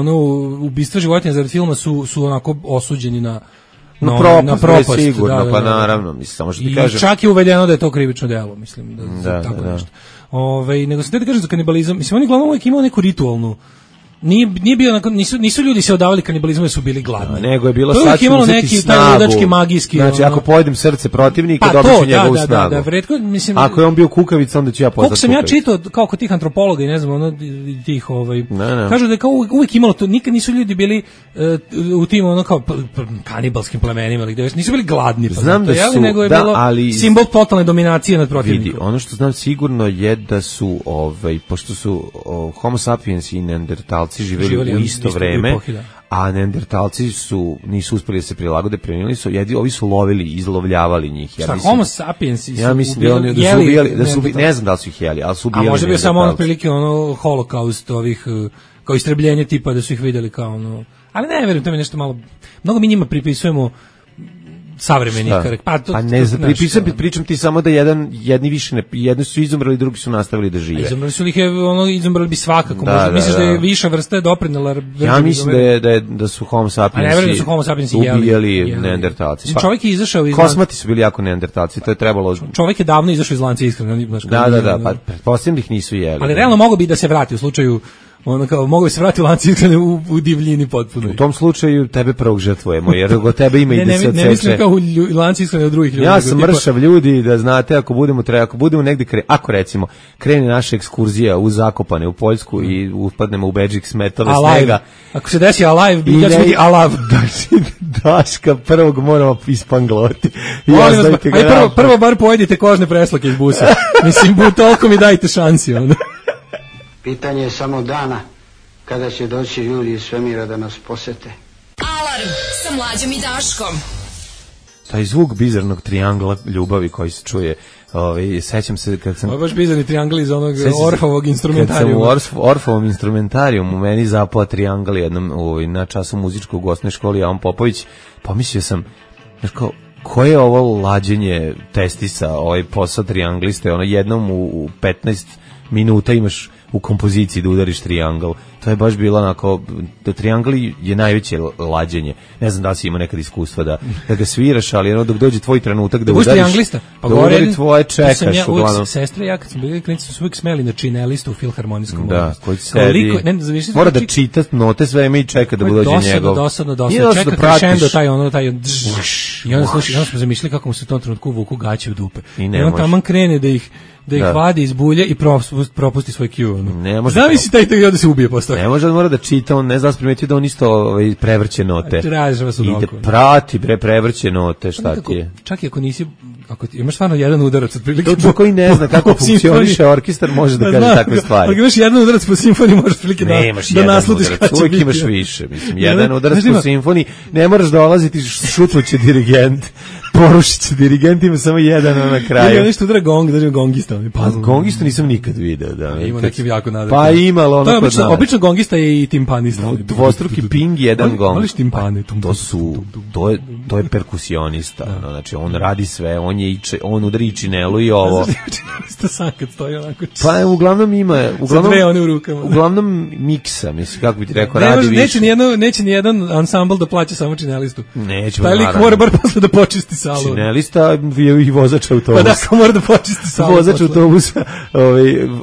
ubistva životinja zarad filma su onako osuđeni na propast. Sigurno, pa naravno, mislim, samo što ti kažem. I čak je uvedeno da je to krivično delo, mislim, tako nešto. Nego sam te da kažem za kanibalizam, mislim, oni glavno uvijek imao neku ritualnu. Nije bio nisu ljudi se odavali kanibalizmu jer su bili gladni. Nego je bilo sad ću uzeti snagu. Ludački, magijski. Znači, ako pojedem srce protivnika, dobit ću njegovu snagu. Mislim, ako je on bio kukavica, onda ću ja postati kukavica. Kako sam ja čitao, kao kod tih antropologa i ne znam, tih, kažu da je kao uvijek imalo to, nikad nisu ljudi bili u tim, kao kanibalskim plemenima, nisu bili gladni. Znam da su, nego je bilo simbol totalne dominacije nad protivnikom. Vidi, ono što znam sigurno je da su, pošto su Homo sapiens i Neandertalci živjeli u isto vreme, a Neandertalci nisu uspjeli da se prilagode, premijenili su, ovi su lovili, izlovljavali njih. Homo sapiens ja mislim da oni su ubijali, ne znam da li su ih jeli, ali su ubijali. A može bi samo prilike holokaust ovih, kao istrebljenje tipa da su ih vidjeli kao ali ne verujem, to mi nešto malo, mnogo mi njima pripisujemo savremenih pa ne pričam ti samo da jedni više jedni su izumrli, drugi su nastavili da žive. Izumrli su ih izumrli bi svakako. Misliš da je viša vrsta doprinela? Ja mislim da su Homo sapiens ubijali Neandertalci. Čovjek je izašao iz Kosmati su bili jako Neandertalci, to je trebalo. Čovjek je davno izašao iz lanca ishrane, Da, pa pretpostavljam da ih nisu jeli. Ali realno mogao bi da se vrati u slučaju mogu bi se vratiti u lanci ishrane u divljini potpuno. U tom slučaju tebe prvog žrtvujemo, jer od tebe ima i da se odseče. Ne mislim kao u lanci ishrane od drugih ljudi. Ja sam mršav ljudi, da znate, ako budemo negdje, ako recimo krene naša ekskurzija u Zakopane, u Poljsku i upadnemo u Bedžik smetove snega. Ako se desi alive, ja ću biti alav. Daška prvog moramo ispangloti. Prvo bar pojedite kožne preslake iz busa. Mislim, toliko mi dajte šansi, onda. Pitanje je samo dana kada će doći ljudi iz svemira da nas posete. Alarm sa Mlađom i Daškom. Taj zvuk bizarnog trijangla ljubavi koji se čuje, sećam se kad sam... Ovo je baš bizarni trijangl iz onog Orfovog instrumentarijuma. Kad sam u Orfovom instrumentarijumu meni zapao trijangl jednom na času muzičkog u osnovnoj školi, a on Popović, pomislio sam, znaš kao, koje je ovo lađenje testisa, ovaj posao trijangliste, jednom u 15 minuta imaš u kompoziciji da udariš triangl. To je baš bilo onako, da triangl je najveće lađenje. Ne znam da li si imao nekad iskustva da ga sviraš, ali ono dok dođe tvoj trenutak da udariš, pa da udari tvoje čekaš. Uglavnom. Sestre i ja kad smo bili klinici su uvijek smeli na činelistu u filharmonijskom da, koji sedi, mora da čita note sve i čeka da dođe njegov. Dosadno. Čeka crescendo taj i onda smo zamišljali kako mu se u tom trenutku vuku gaće u dupe. I on taman krene da ih vadi iz bulje i propusti svoj cue. Zavisi taj i onda se ubije posle. Ne može, on mora da čita, on ne zna primetio da on isto prevrće note. I da prati prevrće note, šta ti je. Čak i ako imaš stvarno jedan udarac otprilike. To koji ne zna kako funkcioniše orkestar može da kaže takve stvari. Ako imaš jedan udarac po simfoniji možeš otprilike da naslutiš kada će biti. Uvijek imaš više. Mislim, jedan udarac po simfoniji, ne moraš dolaziti, šutnuće dirigent. Porušit će dirigent, ima samo jedan na kraju. Ja nešto udara gong, da gongista. Pa gongista nisam nikad video. Da, ima neki jako nadar. Pa imalo ono kod nas. Obično gongista je i timpanista. Dvostruki ping, jedan gong. Voliš timpane? To je perkusionista. Znači, on radi sve, on udari činelu i ovo. Činelista sam kad stoji onako. Pa uglavnom ima, uglavnom miksa, mislim, kako bi ti rekao, radi više. Neće ni jedan ansambl da plaća samo činelistu. Neće. Taj lik mora bar posle da počisti salu. Činelista je i vozač autobusa. Pa da, mora da počisti salu. Vozač autobusa,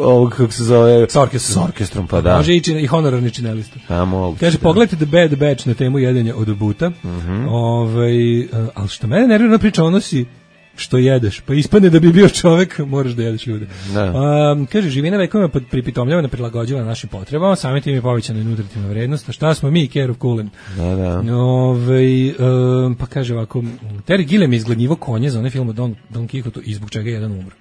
ovog kako se zove, s orkestrom, pa da. Može i honorarni činelista. Pa mogu. Kaže, pogledajte The Bad Batch na temu jedenja od buta. Ali što mene nervira priča, ono si što jedeš, pa ispadne da bi bio čovek, moraš da jedeš ljude. Kaže, živina vekovima pripitomljavana, prilagođava našim potrebama, samim tim je povećana i nutritivna vrednost, a šta smo mi, care of cooling. Pa kaže ovako, Terry Gilliam je izgladnjivo konje za onaj film o Don Quixote i zbog čega je jedan umro.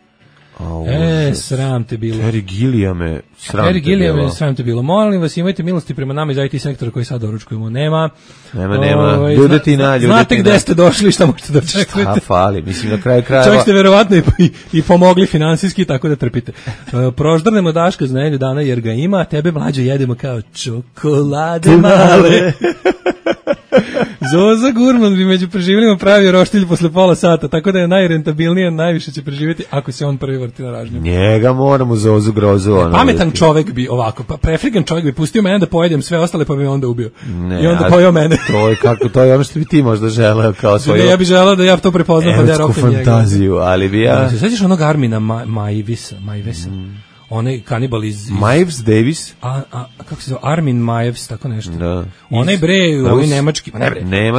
Sram te bilo. Terry Gilliam, sram te bilo. Molim vas, imajte milosti prema nama iz IT sektora koji sad doručkujemo. Nema. Znate gde ste došli, šta možete da očekujete. Šta fali, mislim na kraju krajeva. Čovjek ste verovatno i pomogli finansijski, tako da trpite. Proždrnemo Daška za nedelju dana jer ga ima, a tebe mlađo jedemo kao čokolade male. Zoza Gurman bi među preživljenima pravio roštilj posle pola sata, tako da je najrentabilnije, najviše će preživjeti ako se on prvi vrti na ražnju. Njega moramo Zozu grozu. Pametan čovek bi ovako, prefrigan čovek bi pustio mene da pojedem sve ostale, pa bi onda ubio. I onda pojeo mene. To je ono što bi ti možda želeo kao svoju. Ja bih želeo da ja to prepoznam, pa da rokem njega. Fantaziju, ali bi ja. Se sećaš onog Armina Majvesa? Onaj kanibal iz Miles Davis, kako se zove, Armin Majevs, tako nešto. Da. Onaj bre,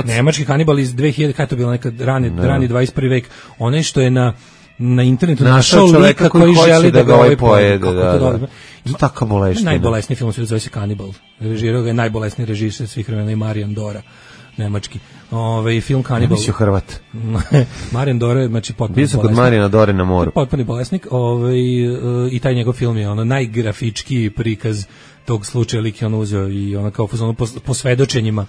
nemački kanibal iz 2000, kada je to bilo nekad rani 21. vek. Onaj što je na internetu našao lika koji želi da ga ovaj pojede. Tako bolesni. Najbolesniji film zove se Kanibal. Režirao ga je najbolesniji režiser svih vremena i Marijan Dora. Nemački. Film Kanibal. Mislio Hrvat. Marijan Dore, znači potpuno bio sam kod Marijana Dore na moru. Potpuni bolesnik. I taj njegov film je najgrafičkiji prikaz tog slučaja, lik je uzeo i kao po svedočenjima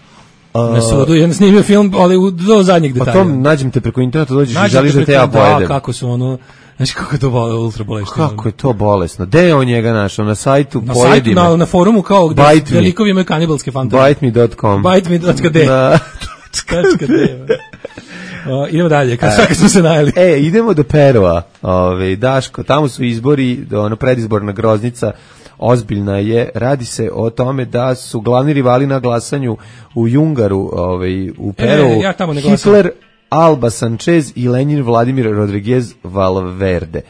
na sudu. Ja snimio film, ali do zadnjih detalja. Pa to nađem te preko interneta, dođeš i želiš da te ja pojedem. Da, kako su znači kako je to ultra bolesno. Kako je to bolesno? Gde je on njega našao? Na sajtu Pojedime? Na forumu kao gde likovi imaju kanibalske fantazije. Biteme.com. Biteme.d. Idemo dalje, kad smo se najeli. Idemo do Perua. Daško, tamo su izbori, predizborna groznica ozbiljna je. Radi se o tome da su glavni rivali na glasanju u Jungaru, u Peruu, Hitler, Alba Sanchez i Lenin Vladimir Rodriguez Valverde.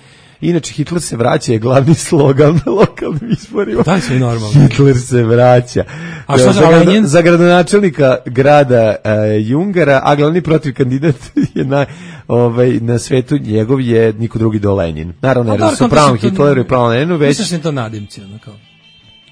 Inače, Hitler se vraća je glavni slogan na lokalnim izborima. Da, sve normalno. Hitler se vraća. A što za Lenin? Za gradonačelnika grada Jungara, a glavni protiv kandidat je na svetu njegov je niko drugi do Lenin. Naravno, jer su pravom Hitleru i pravom Leninu već... Misliš to nadimci, kao?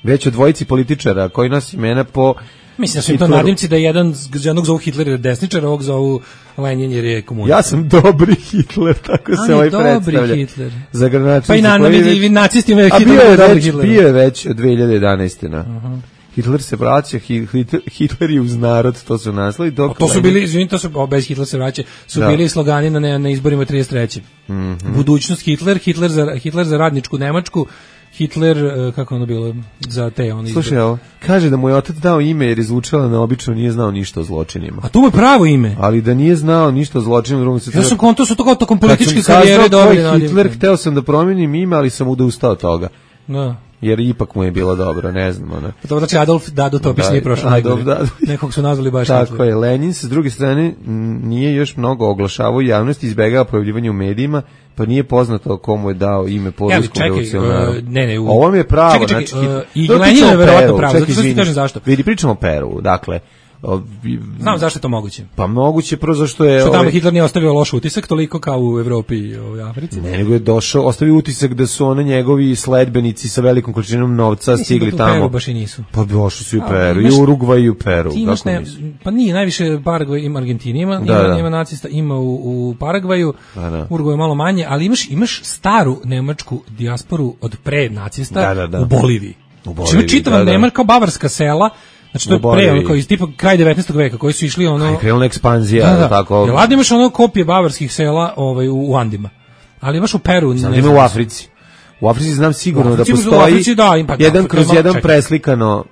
Već o dvojici političara koji nas imena po... Mislim da su im to nadimci da jednog zovu Hitler jer je desničar, ovog zovu Lenin jer je komunista. Ja sam dobri Hitler, tako se ovaj predstavlja. Dobri Hitler. Za pa i nacisti imaju Hitler dobri Hitler. Bio je već od 2011. Hitler se vraća, Hitler je uz narod, to su naslovi. To su bili, bez Hitler se vraća, su bili slogani na izborima 33. Budućnost Hitler za radničku Nemačku, Hitler, kako ono bilo, za te izbore. Slušaj, ovo, kaže da mu je otac dao ime jer je zvučala neobično, nije znao ništa o zločinima. A to mu je pravo ime. Ali da nije znao ništa o zločinima, ja sam konto su to tokom političke karijere dobili. Hitler, hteo sam da promijenim ime, ali sam odustao od toga. Da. jer ipak mu je bilo dobro, ne znam. To znači Adolf Dado Topić nije prošao najgore. Nekog su nazvali baš tako je. Lenin se s druge strane nije još mnogo oglašavao javnosti, izbegava pojavljivanje u medijima, pa nije poznato komu je dao ime polskom revolucionaru. Ovo mi je pravo. Čekaj, i Lenin je verovatno pravo, zato što ti kažem zašto. Vidi, pričamo o Peru, dakle, znam zašto je to moguće. Pa moguće prvo zašto je... Što tamo Hitler nije ostavio loš utisak toliko kao u Evropi i u Africi. Ne, nego je ostavio utisak da su njegovi sledbenici sa velikom količinom novca stigli tamo. Mislim da u Peru baš i nisu. Pa došli su i u Peru, i u Urugvaj i u Peru. Pa nije, najviše Paragvaj ima Argentini, ima nacista, ima u Paragvaju, Urugvaj malo manje, ali imaš staru nemačku dijasporu od pre nacista u Boliviji. Ima čitava Nemačka kao bavarska sela. Znači to je pre, kao iz tipa kraj 19. veka, koji su išli krenula ekspanzija, tako. Jel ladno imaš kopije bavarskih sela u Andima, ali imaš u Peru. Znam, ima u Africi. U Africi znam sigurno da postoji jedan kroz jedan preslikano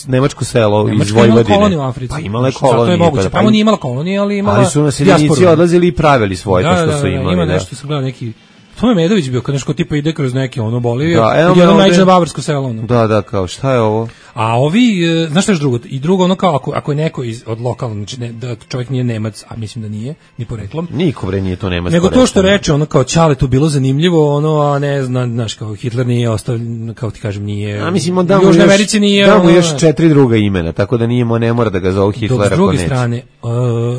nemačko selo iz Vojvodine. Pa imala je kolonije. To je moguće, tamo nije imala kolonije, ali imala dijasporu. Ali su naseljenici odlazili i pravili svoje, to što su imali. Ima nešto, sam gledao neki... To je Medović bio, kad nešto tipa ide kroz neke Bolivije, i jedno najče bavarsko selo. Da, kao šta je ovo? A ovi, znaš što je drugo? I drugo, kao ako je neko od lokalnog, znači da čovjek nije Nemac, a mislim da nije, ni poreklom. Niko nije to Nemac. Nego to što reče, kao Ćale tu bilo zanimljivo, a ne znaš, kao Hitler nije ostavljen, kao ti kažem, nije. A mislim, u Južnoj Americi nije. Da mu još 4 druga imena, tako da ne mora da ga zovu Hitler. Dok s druge strane,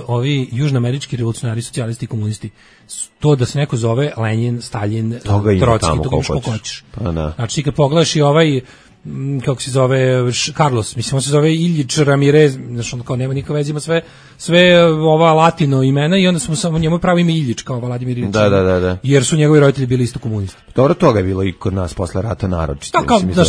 ovi južnoamerički revolucionari, socijalisti i komunisti, to da se neko zove Lenin, Stalin, Trotski, to imaš koliko hoćeš. Znači, kad pogledaš i kako se zove, Carlos, mislim, on se zove Iljič Ramirez, znači on kao nema nikakve veze, ima sve ova latino imena i onda smo samo njemu pravi ime Iljič, kao Vladimir Iljič. Da. Jer su njegovi roditelji bili isto komunisti. Dobro, toga je bilo i kod nas posle rata naročito. Kao da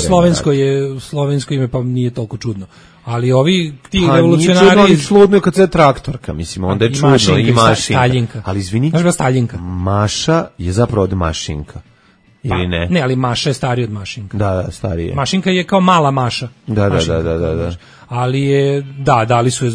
slovensko ime, pa nije toliko čudno. Ali ovi ti revolucionari... Pa nije čudno kad se traktorka, mislim, onda je čudno i mašinka. Staljinka. Ali izvini, Maša je zapravo od Mašinka. Ili ne? Ne, ali Maša je stariji od Mašinka. Da, stariji je. Mašinka je kao mala Maša. Da. Ali je, dali su je,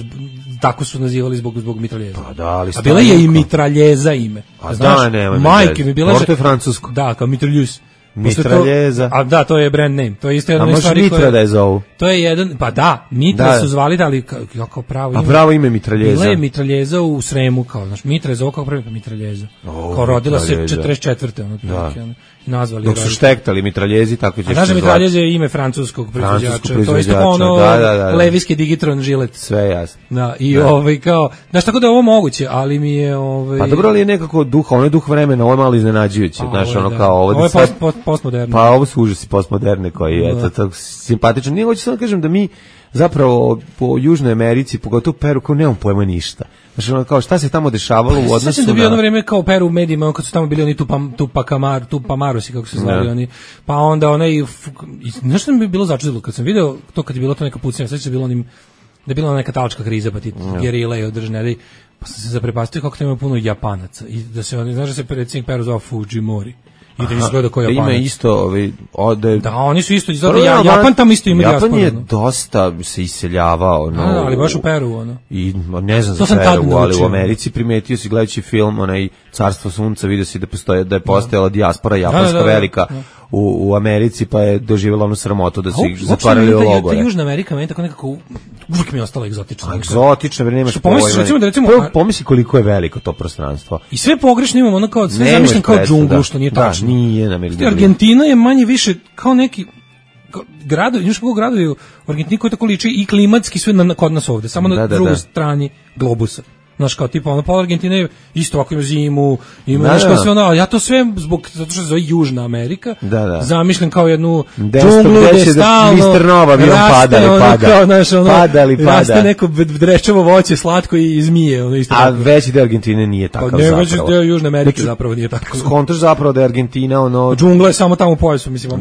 tako su nazivali zbog mitraljeza. Pa da, ali a bila je i mitraljeza ime. A da, nema. Majke mi bila... Možda je francusko. Da, kao mitraljuz. Mitraljeza. A da, to je brand name. To je isto jedna stvar koja... A može Mitra da je zovu? To je jedan, pa da, Mitra su zvali, ali kako pravo ime. A pravo ime mitraljeza? Bila je mitraljeza u Sremu, kao, znaš, Mitra je zovu kako prvi mitraljeza. Kao rodila se 44. Nazvali. Dok su štektali mitraljezi, tako će se zvati. Mitraljez je ime francuskog proizvođača. To je isto levijski Digitron žilet. Sve jasno. Da, i kao, znaš, tako da je ovo moguće, ali mi je... Pa dobro, ali je nekako duh, duh vremena, ovo je malo iznenađujuće, znaš, kao ovo je postmoderno. Pa ovo su užasi postmoderne koji, eto, simpatično. Nije, hoću samo kažem da mi zapravo po Južnoj Americi, pogotovo Peru, kao nemam pojma ništa. Znači, kao šta se tamo dešavalo u odnosu na... Sjećam da bi jedno vreme kao Peru u medijima, kad su tamo bili oni Tupamarosi, kako se zvali oni, pa onda nešto mi je bilo začudilo, kad sam video to, kad je bilo to neka pucnja, sveća da je bila neka talačka kriza, pa ti gerile i održne, pa sam se zaprepastio kako ima puno Japanaca, i da se oni, znaš da se predsjednik Peru zvao Fujimori, i da izgleda kao Japanac. Da ima isto, da, oni su isto, Japan tamo isto ima dijasporu. Japan je dosta se iseljavao. Ali baš u Peru, I ne znam za Peru, ali u Americi primetio si gledajući film, Carstvo sunca, vidio si da je postojala dijaspora japanska velika u Americi, pa je doživjela onu sramotu da su ih zatvarali u logore. Ta Južna Amerika meni tako nekako uvijek mi je ostala egzotična. Egzotična, nemaš pojma. Pomisli koliko je veliko to prostranstvo. I sve pogrešno imamo, kao sve zamišljam kao džunglu, što nije tačno. Nije na Americi. Argentina je manje više kao neki gradovi, još kako gradovi u Argentini koji tako liči i klimatski sve kod nas ovde, samo na drugoj strani globusa. Znaš, kao tipa, pola Argentine isto ovako ima zimu, ima nešto sve ali ja to sve zato što se zove Južna Amerika, zamišljam kao jednu džunglu gde stalno Mr. Nova bi raste neko drečevo voće, slatko i zmije. Isto a veći deo Argentine nije takav zapravo. Veći deo Južne Amerike zapravo nije tako. Skontaš zapravo da je Argentina džungla je samo tamo u pojasu, mislim.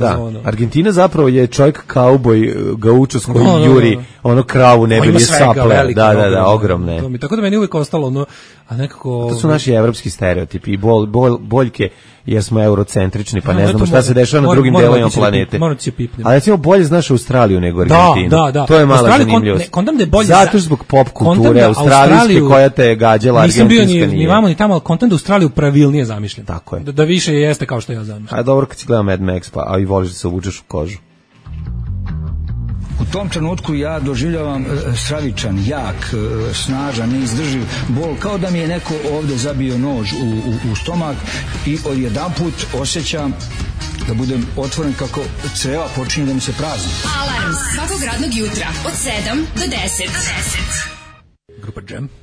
Argentina zapravo je čovjek kauboj, gaučos koji juri kravu ne bi je saple. Da, ogromne. Tako da meni uvijek postalo ono, a nekako... To su naši evropski stereotipi i boljke, jer smo eurocentrični, pa ne znamo šta se dešava na drugim delovima planete. Moram ti se pipnem. Ali recimo bolje znaš Australiju nego Argentinu. Da. To je mala zanimljivost. Zato zbog pop kulture australijske koja te je gađala, argentinska nije. Nisam bio ni vamo ni tamo, ali kontent da Australiju pravilnije zamišljen. Tako je. Da više jeste kao što ja zamišljam. A dobro kad si gledao Mad Max, pa i voliš da se obučeš u kožu. U tom trenutku ja doživljavam stravičan, jak, snažan, neizdrživ bol, kao da mi je neko ovde zabio nož u stomak i odjedanput osjećam da budem otvoren kako creva počinje da mi se prazni. Alarm svakog radnog jutra od 7 do 10.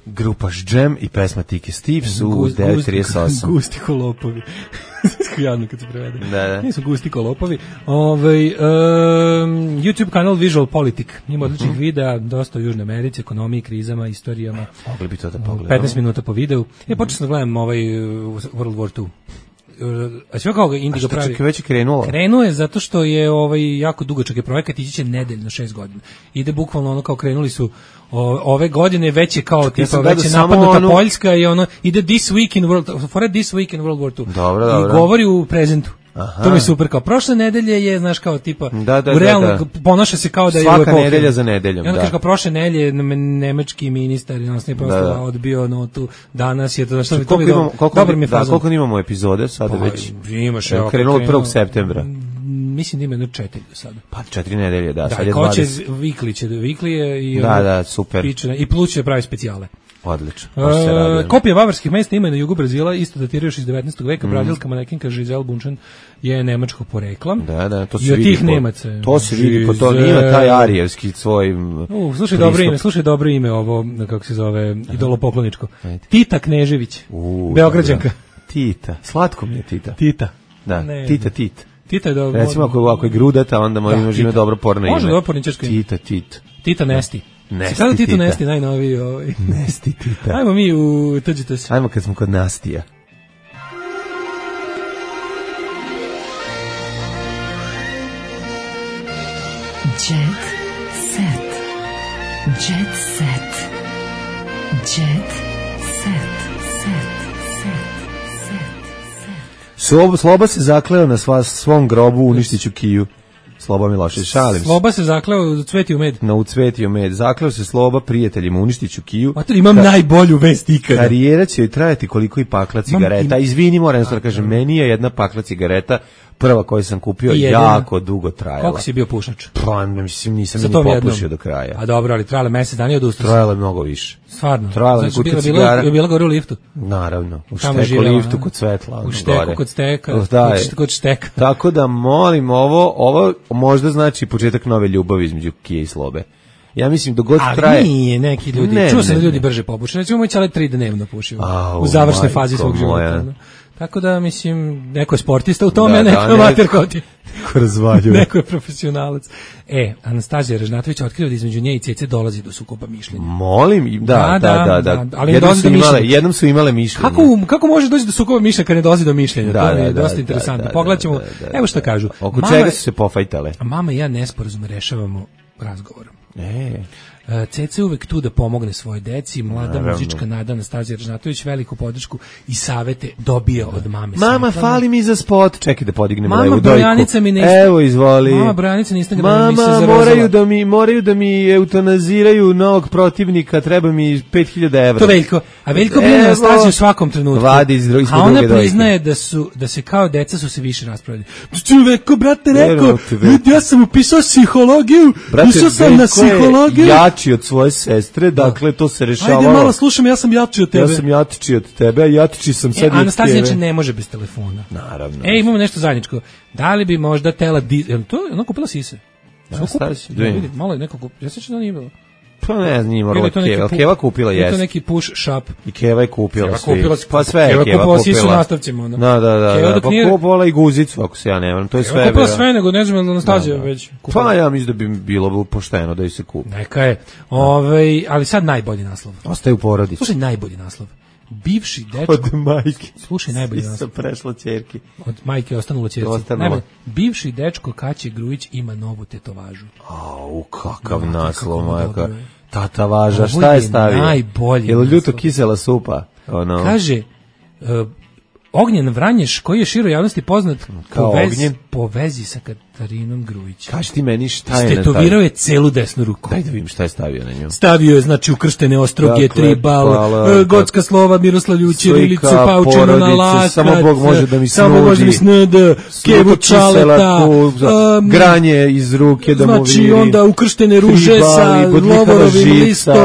Grupa Jam i pesma Tike Steves u 9.38. Gusti kolopovi. Jadno kad se prevede. Da. Nisu gusti kolopovi. YouTube kanal Visual Politic. Ima odličnih videa, dosta o Južnoj Americi, ekonomiji, krizama, istorijama. Mogli bi to da pogledamo. 15 minuta po videu. Počeo sam da gledam World War II. A sve kao ga Indigo pravi. Čekaj, već je krenulo? Krenuo je zato što je jako dugačak je projekat, ići će nedeljno 6 godina. Ide bukvalno ono kao krenuli su ove godine, već je kao tipa već je napadnuta Poljska i ono ide This Week in World War II. Dobro. I govori u prezentu. Aha. To mi je super, kao prošle nedelje je, znaš, kao tipa, u realno ponaša se kao da je svaka nedelja za nedeljom. I onda kaže kao prošle nedelje nemački ministar nas nije prosto odbio notu, danas je to, znaš, to mi dobro mi je fazon. Koliko imamo epizode sada već? Imaš, krenulo od 1. septembra. Mislim da ima 4 do sada. Pa 4 nedelje, da, sad je 20. Da, ko će Weekly je i da, super. I plus će pravi specijale. Odlično. Kopije bavarskih mesta ima na jugu Brazila, isto datira još iz 19. veka. Brazilska manekinka Giselle Bundchen je nemačkog porekla. Da, to se vidi. I od tih Nemaca. To se vidi, po to ima taj arijevski svoj slušaj dobro ime ovo, kako se zove, idolopokloničko. Tita Knežević, Beograđanka. Tita, slatko mi je Tita. Da, Tita. Tita je dobro. Recimo ako je grudata, onda može ime dobro porno ime. Može dobro porničarsko ime. Tita Nesti. Sada Tito Nesti, najnoviji Nesti Tita. Ajmo mi u Tuđite se. Ajmo kad smo kod Nastija. Jet set. Jet set. Jet set. Sloba se zakleo na svom grobu, uništiću Kiju. Sloba Milošević, šalim se. Sloba se zakleo u cvetiju med. U cvetiju med. Zakleo se Sloba prijateljima, uništiću Kiju. Mater, imam najbolju vest ikada. Karijera će joj trajati koliko i pakla cigareta. Izvini, moram da kažem, meni je jedna pakla cigareta prva koju sam kupio jako dugo trajala. Koliko si bio pušač? Pa, mislim, nisam ni popušio do kraja. A dobro, ali trajala mesec dana i odustao. Trajala je mnogo više. Stvarno? Trajala je kuća cigara. Je bila gore u liftu? Naravno. U šteku liftu kod Svetla. U šteku kod steka. Kod šteka. Tako da, molim, ovo možda znači početak nove ljubavi između Kije i Slobe. Ja mislim da god traje. Ali nije neki ljudi. Čuo sam da ljudi brže popuše. Recimo moj čale 3 dnevno pušio. U završnoj fazi svog života. Tako da, mislim, neko je sportista u tome, neko je amater kao ti. Neko je profesionalac. Anastazija Ražnatović otkriva da između nje i Cece dolazi do sukoba mišljenja. Molim, da. Ali jednom su imale mišljenje. Kako može doći do sukoba mišljenja kad ne dolazi do mišljenja? To je dosta interesantno. Pogledat ćemo, evo što kažu. Oko čega su se pofajtale? Mama i ja nesporazum rešavamo razgovorom. Cece uvek tu da pomogne svojoj deci, mlada muzička Nada Anastazija Ražnatović veliku podršku i savete dobija od mame. Mama, fali mi za spot. Čekaj da podignem levu dojku. Mama, brojanica mi ne Evo, izvoli. Mama, brojanica na Instagramu mi se zarozala. Moraju da mi eutanaziraju novog protivnika, treba mi 5.000 evra. To Veljko. A Veljko brine Anastaziju u svakom trenutku. Vadi iz druge dojke. A ona priznaje da se kao deca su se više raspravljali. Čoveko, brate, rekao, ja sam upisao psihologiju, upisao sam na psihologiju. Jači od svoje sestre, dakle to se rešavalo. Ajde malo slušam, ja sam jači od tebe. Ja sam jači od tebe, a jači sam sad i od tebe. Anastazija ne može bez telefona. Naravno. Imamo nešto zajedničko. Da li bi možda tela... To je ona kupila sise. Malo je neko kupila. Ja se da nije bilo. Pa ne znam, nije morala Keva. Keva kupila, jes. Je to neki push shop. I Keva je kupila svi. Pa sve je Keva kupila. Keva sisu nastavcima. Da. Pa kupovala i guzicu, ako se ja ne vrem. To je sve. Keva kupila sve, nego ne znam, Anastazija već kupila. Pa ja mislim da bi bilo pošteno da ju se kupi. Neka je. Ali sad najbolji naslov. Ostaje u porodici. Slušaj, najbolji naslov. Bivši dečko... Od majke. Slušaj, najbolji naslov. Prešla ćerki. Od majke ostanulo ćerci. Bivši dečko Kaće Grujić ima novu tetovažu. Kakav naslov, majka. Tatavaža, šta je stavio? Najbolji. Jel ljuto kisela supa? Ono. Kaže, Ognjen Vranješ, koji je široj javnosti poznat po vezi sa Katarinom Grujić. Kaži ti meni šta je na taj. Istetovirao je celu desnu ruku. Daj da vidim šta je stavio na njom. Stavio je, znači, ukrštene ostroge, tribal, gotska slova, Miroslav Ljućer, Ilicu Paučinu na lakat, samo Bog može da mi snudi, Kevu Čaleta, granje iz ruke da mu viri. Znači, onda ukrštene ruže sa lovorovim listom,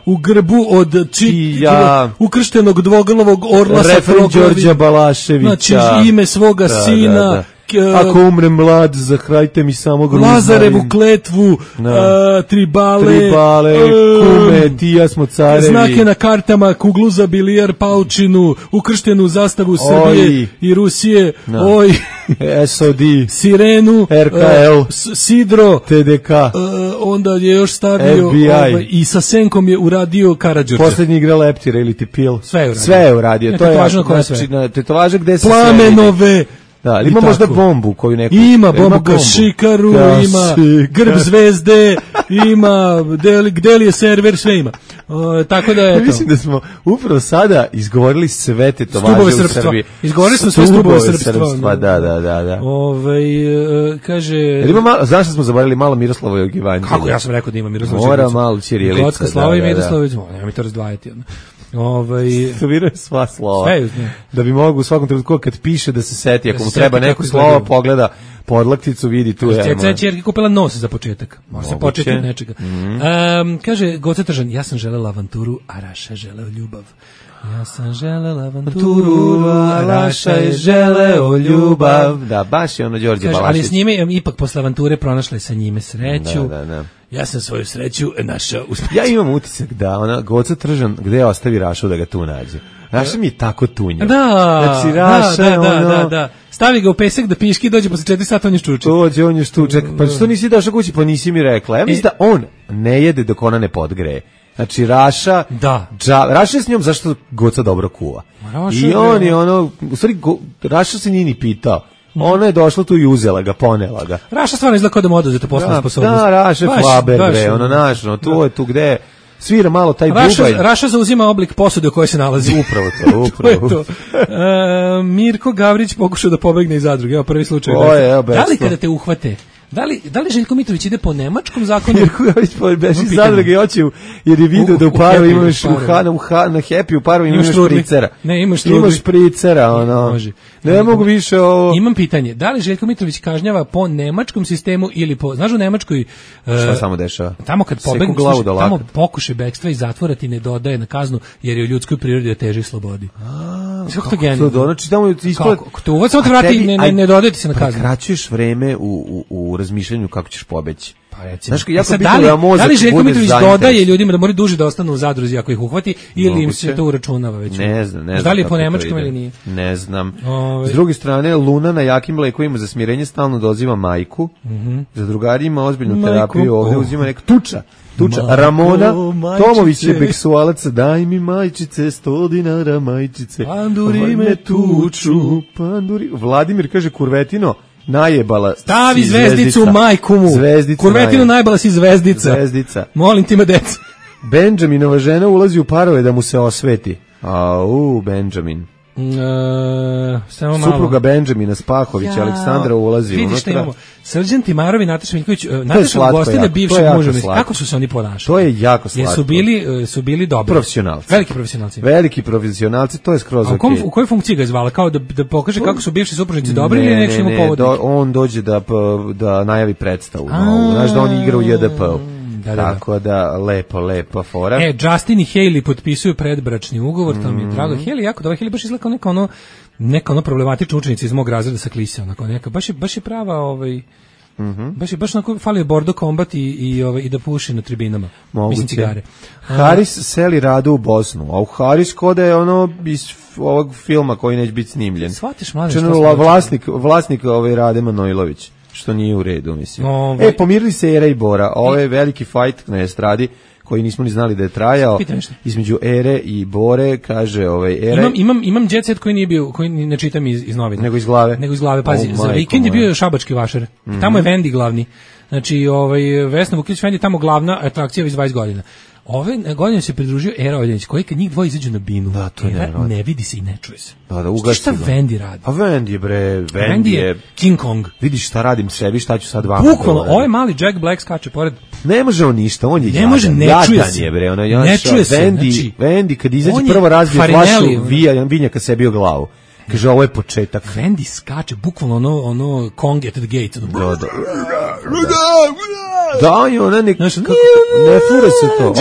u grbu od ukrštenog dvoglavog orla sa Đorđa Balaševića. Znači, ime svoga sina. Ako umrem mlad, zahrajte mi samo gruzna. Lazarevu kletvu, tribale, kume, ti ja smo carevi. Znake na kartama, kuglu za bilijar, paučinu, ukrštenu zastavu Srbije i Rusije, SOD, sirenu, RKL, sidro, TDK, onda je još stavio i sa senkom je uradio Karađorđe. Posljednji igra Leptira ili ti pil. Sve je uradio. To je važno koje sve. Tetovaža gde se Plamenove. Da, ima možda bombu koju neko... Ima bombu Kašikaru, ima grb zvezde, ima gde li je server, sve ima. Tako da je to. Mislim da smo upravo sada izgovorili sve tetovaže u Srbiji. Izgovorili smo sve stubove srpstva. Da. Kaže... Znaš što smo zaboravili malo Miroslavovog Evanđelja? Kako ja sam rekao da ima Miroslav Mora malo ćirilica. Gotska slava i Miroslavić, nema mi to razdvajati. Studiraju sva slova. Da bi mogu u svakom trenutku kad piše da se seti, ako mu treba neko slovo, pogleda podlakticu, vidi tu je. Ceca je čerka kupila nos za početak. Može se početi od nečega. Kaže Goca Tržan, ja sam želela avanturu, a Raša je želeo ljubav. Ja sam želela avanturu, a Raša je želeo ljubav. Da, baš je ono Đorđe Balašić. Ali s njime, ipak posle avanture pronašla je sa njime sreću. Da. Ja sam svoju sreću našao uspeć. Ja imam utisak da ona Goca Tržan gde ostavi Rašu da ga tu nađe. Raša mi je tako tunja. Da. Stavi ga u pesak da piški, dođe posle 4 sata, on je štuček. On je štuček. Pa što nisi došao kući, pa nisi mi rekla. Ja mislim da on ne jede dok ona ne podgreje. Znači Raša, Raša je s njom zašto Goca dobro kuva. I on je ono, u stvari Raša se nije ni pitao. Ona je došla tu i uzela ga, ponela ga. Raša stvarno izgleda kao da mu oduzete poslovnu sposobnost. Da, Raša je Faber, bre, ono našno, tu je tu gde svira malo taj bubaj. Raša zauzima oblik posude u kojoj se nalazi. Upravo to. Mirko Gavrić pokušao da pobegne iz zadruge, evo prvi slučaj. Da li kada te uhvate, da li Željko Mitrović ide po nemačkom zakonu? Mirko Gavrić beži iz zadruge i hoće, jer je vidio da u paru imaš na Happy u paru imaš špricera. Ne, imaš špricera, ono. Može. Ne mogu više ovo. Imam pitanje, da li Željko Mitrović kažnjava po nemačkom sistemu ili po, znaš u Nemačkoj... Šta samo dešava? Tamo kad pobegneš, tamo pokušaj bekstva i zatvora ti ne dodaje na kaznu, jer je u ljudskoj prirodi da teži slobodi. Kako to genijalno? Znači tamo isplati... Kako te uvod samo te vrati i ne dodaje ti se na kaznu. Prekraćuješ vreme u razmišljanju kako ćeš pobeći. Pa recimo. Da li Željko Mitrović dodaje ljudima da moraju duže da ostanu u zadruzi ako ih uhvati ili im se to uračunava već? Ne znam. Da li je po nemačkom ili nije? Ne znam. S druge strane, Luna na jakim lekovima za smirenje stalno doziva majku. Za drugari ima ozbiljnu terapiju, ovdje uzima neka tuča. Ramona Tomović je beksualac, daj mi majčice, 100 dinara majčice. Panduri me tuču. Vladimir kaže Kurvetino, najebala. Stavi zvezdicu majku mu. Kurvetinu najbala si zvezdica. Molim ti me deca. Benjaminova žena ulazi u parove da mu se osveti. Benjamin. Supruga Benjamina Spahovića, Aleksandra ulazi unutra. Vidiš šta imamo. Srđan Timarov i Nataša Miljković, Nataša ugostila bivšeg muža. Kako su se oni ponašali? To je jako slatko. Su bili dobri. Profesionalci. Veliki profesionalci, to je skroz okej. U kojoj funkciji ga je zvala? Kao da pokaže kako su bivši supružnici dobri ili neki ima povod? On dođe da najavi predstavu. Znaš da on igra u JDP-u. Tako da, lepa fora. Justin i Hailey potpisuju predbračni ugovor, to mi je drago. Hailey jako dobro, Hailey baš izgleda kao neka problematična učenica iz mog razreda sa klise, onako neka, baš je prava, baš onako fali Bordo Combat i da puši na tribinama. Mislim cigare. Haris seli Radu u Bosnu, a u Haris kod je ono iz ovog filma koji neće biti snimljen. Shvatiš, mladen, vlasnik Rade Manojlović. Što nije u redu, mislim. Pomirili se Era i Bora. Ovo je veliki fight na estradi koji nismo ni znali da je trajao. Između Ere i Bore, kaže Era. Imam jet set koji nije bio, koji ne čitam iz novina. Nego iz glave. Pazi, za vikend je bio šabački vašar. Tamo je Vendi glavni. Znači, Vesna Vukić Vendi tamo glavna atrakcija već 20 godina. Ove godine se pridružio Era Oljanić, koji kad njih dvoje izađu na binu, da, to ne vidi se i ne čuje se. Da, ugasi. Šta Vendi radi? Pa Vendi je bre, Vendi je King Kong. Vidiš šta radim sebi, šta ću sad vama. Bukvalno, ovaj mali Jack Black skače pored. Ne može on ništa, on je ne može, ne čuje se. Je, bre, ne čuje se. Vendi kad izađe prvo razbije flašu vinjaka sebi u glavu. Kaže, ovo je početak. Vendi skače, bukvalno ono Kong at the gate. Da, i ona ne fura se to.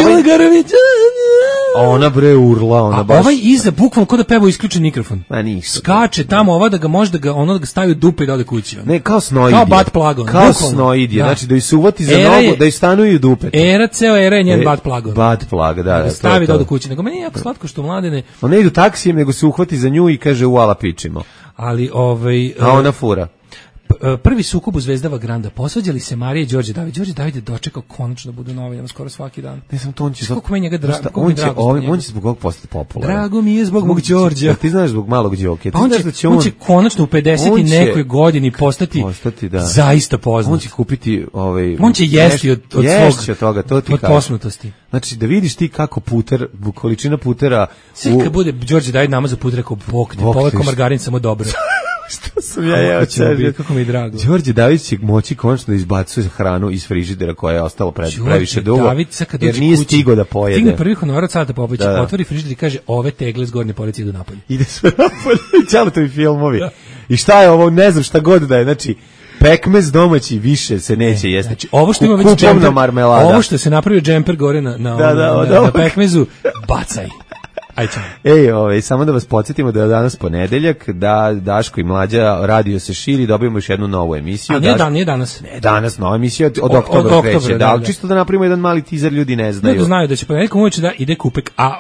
A ona bre urla, ona baš. Ovaj iza bukvalno kod da peva isključen mikrofon. Ma ništa. Skače tamo ova da ga može da ga stavi u dupe i da ode kući. Ne, kao snoidija. Kao butt plug. Kao snoidija, znači da ju se uvati za nogu, da ju stanuju dupe. Ceo era je njen butt plug. Butt plug, da. Stavi da ode kući. Nego meni je jako slatko što mladene. On ne idu taksijem, nego se uhvati za nju i kaže uala pičimo. Ali a ona fura. Prvi sukob u Zvezdava Granda. Posvađali se Marija i Đorđe David. Đorđe David je dočekao konačno da bude novinar skoro svaki dan. Ne znam, to on će kako meni njega on će zbog ovog postati popularan. Drago mi je zbog mog Đorđa. Ti znaš zbog malog Đoke. Pa on će konačno u 50 i nekoj godini postati zaista poznat. On će kupiti on će jesti od svog toga, to ti od posnutosti. Znači da vidiš ti kako puter, količina putera. Sve kad bude Đorđe David namazao puter kao bok, poveko margarin samo dobro. Što sam ja jeo čežnje. Kako mi je drago. Đorđe David će moći konačno da izbacuje hranu iz frižidera koja je ostala previše dugo, jer nije stigo da pojede. Stigne prvi honorar od Salata Popovića, otvori frižider i kaže, ove tegle s gornje police idu napolje. Ide sve napolje, Ćaletovi filmovi. Da. I šta je ovo, ne znam šta god da je, znači, pekmez domaći više se neće jesti. Znači, ovo što ima već džemper, ovo što se napravio džemper gore na pekmezu, bacaj. Samo da vas podsjetimo da je danas ponedeljak, da Daško i Mlađa radio se širi, dobijemo još jednu novu emisiju. A nije danas? Ne, danas nova emisija od oktobra kreće. Da, čisto da napravimo jedan mali teaser, ljudi ne znaju. Ljudi znaju da će ponedeljkom uveče da ide Kupek, a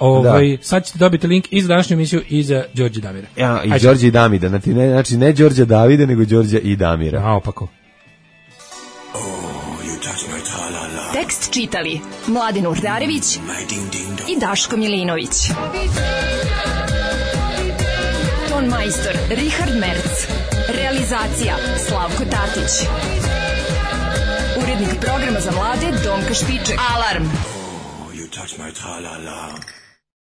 sad ćete dobiti link i za današnju emisiju i za Đorđe Damira. I Đorđe i Damida, znači ne Đorđe Davide, nego Đorđe i Damira. A, opako. Tekst čitali Mladen Urdarević i Daško Milinović. Ton majstor Richard Merc. Realizacija Slavko Tatić. Urednik programa za mlade Donka Špiček. Alarm! Oh, you touch my tra-la-la.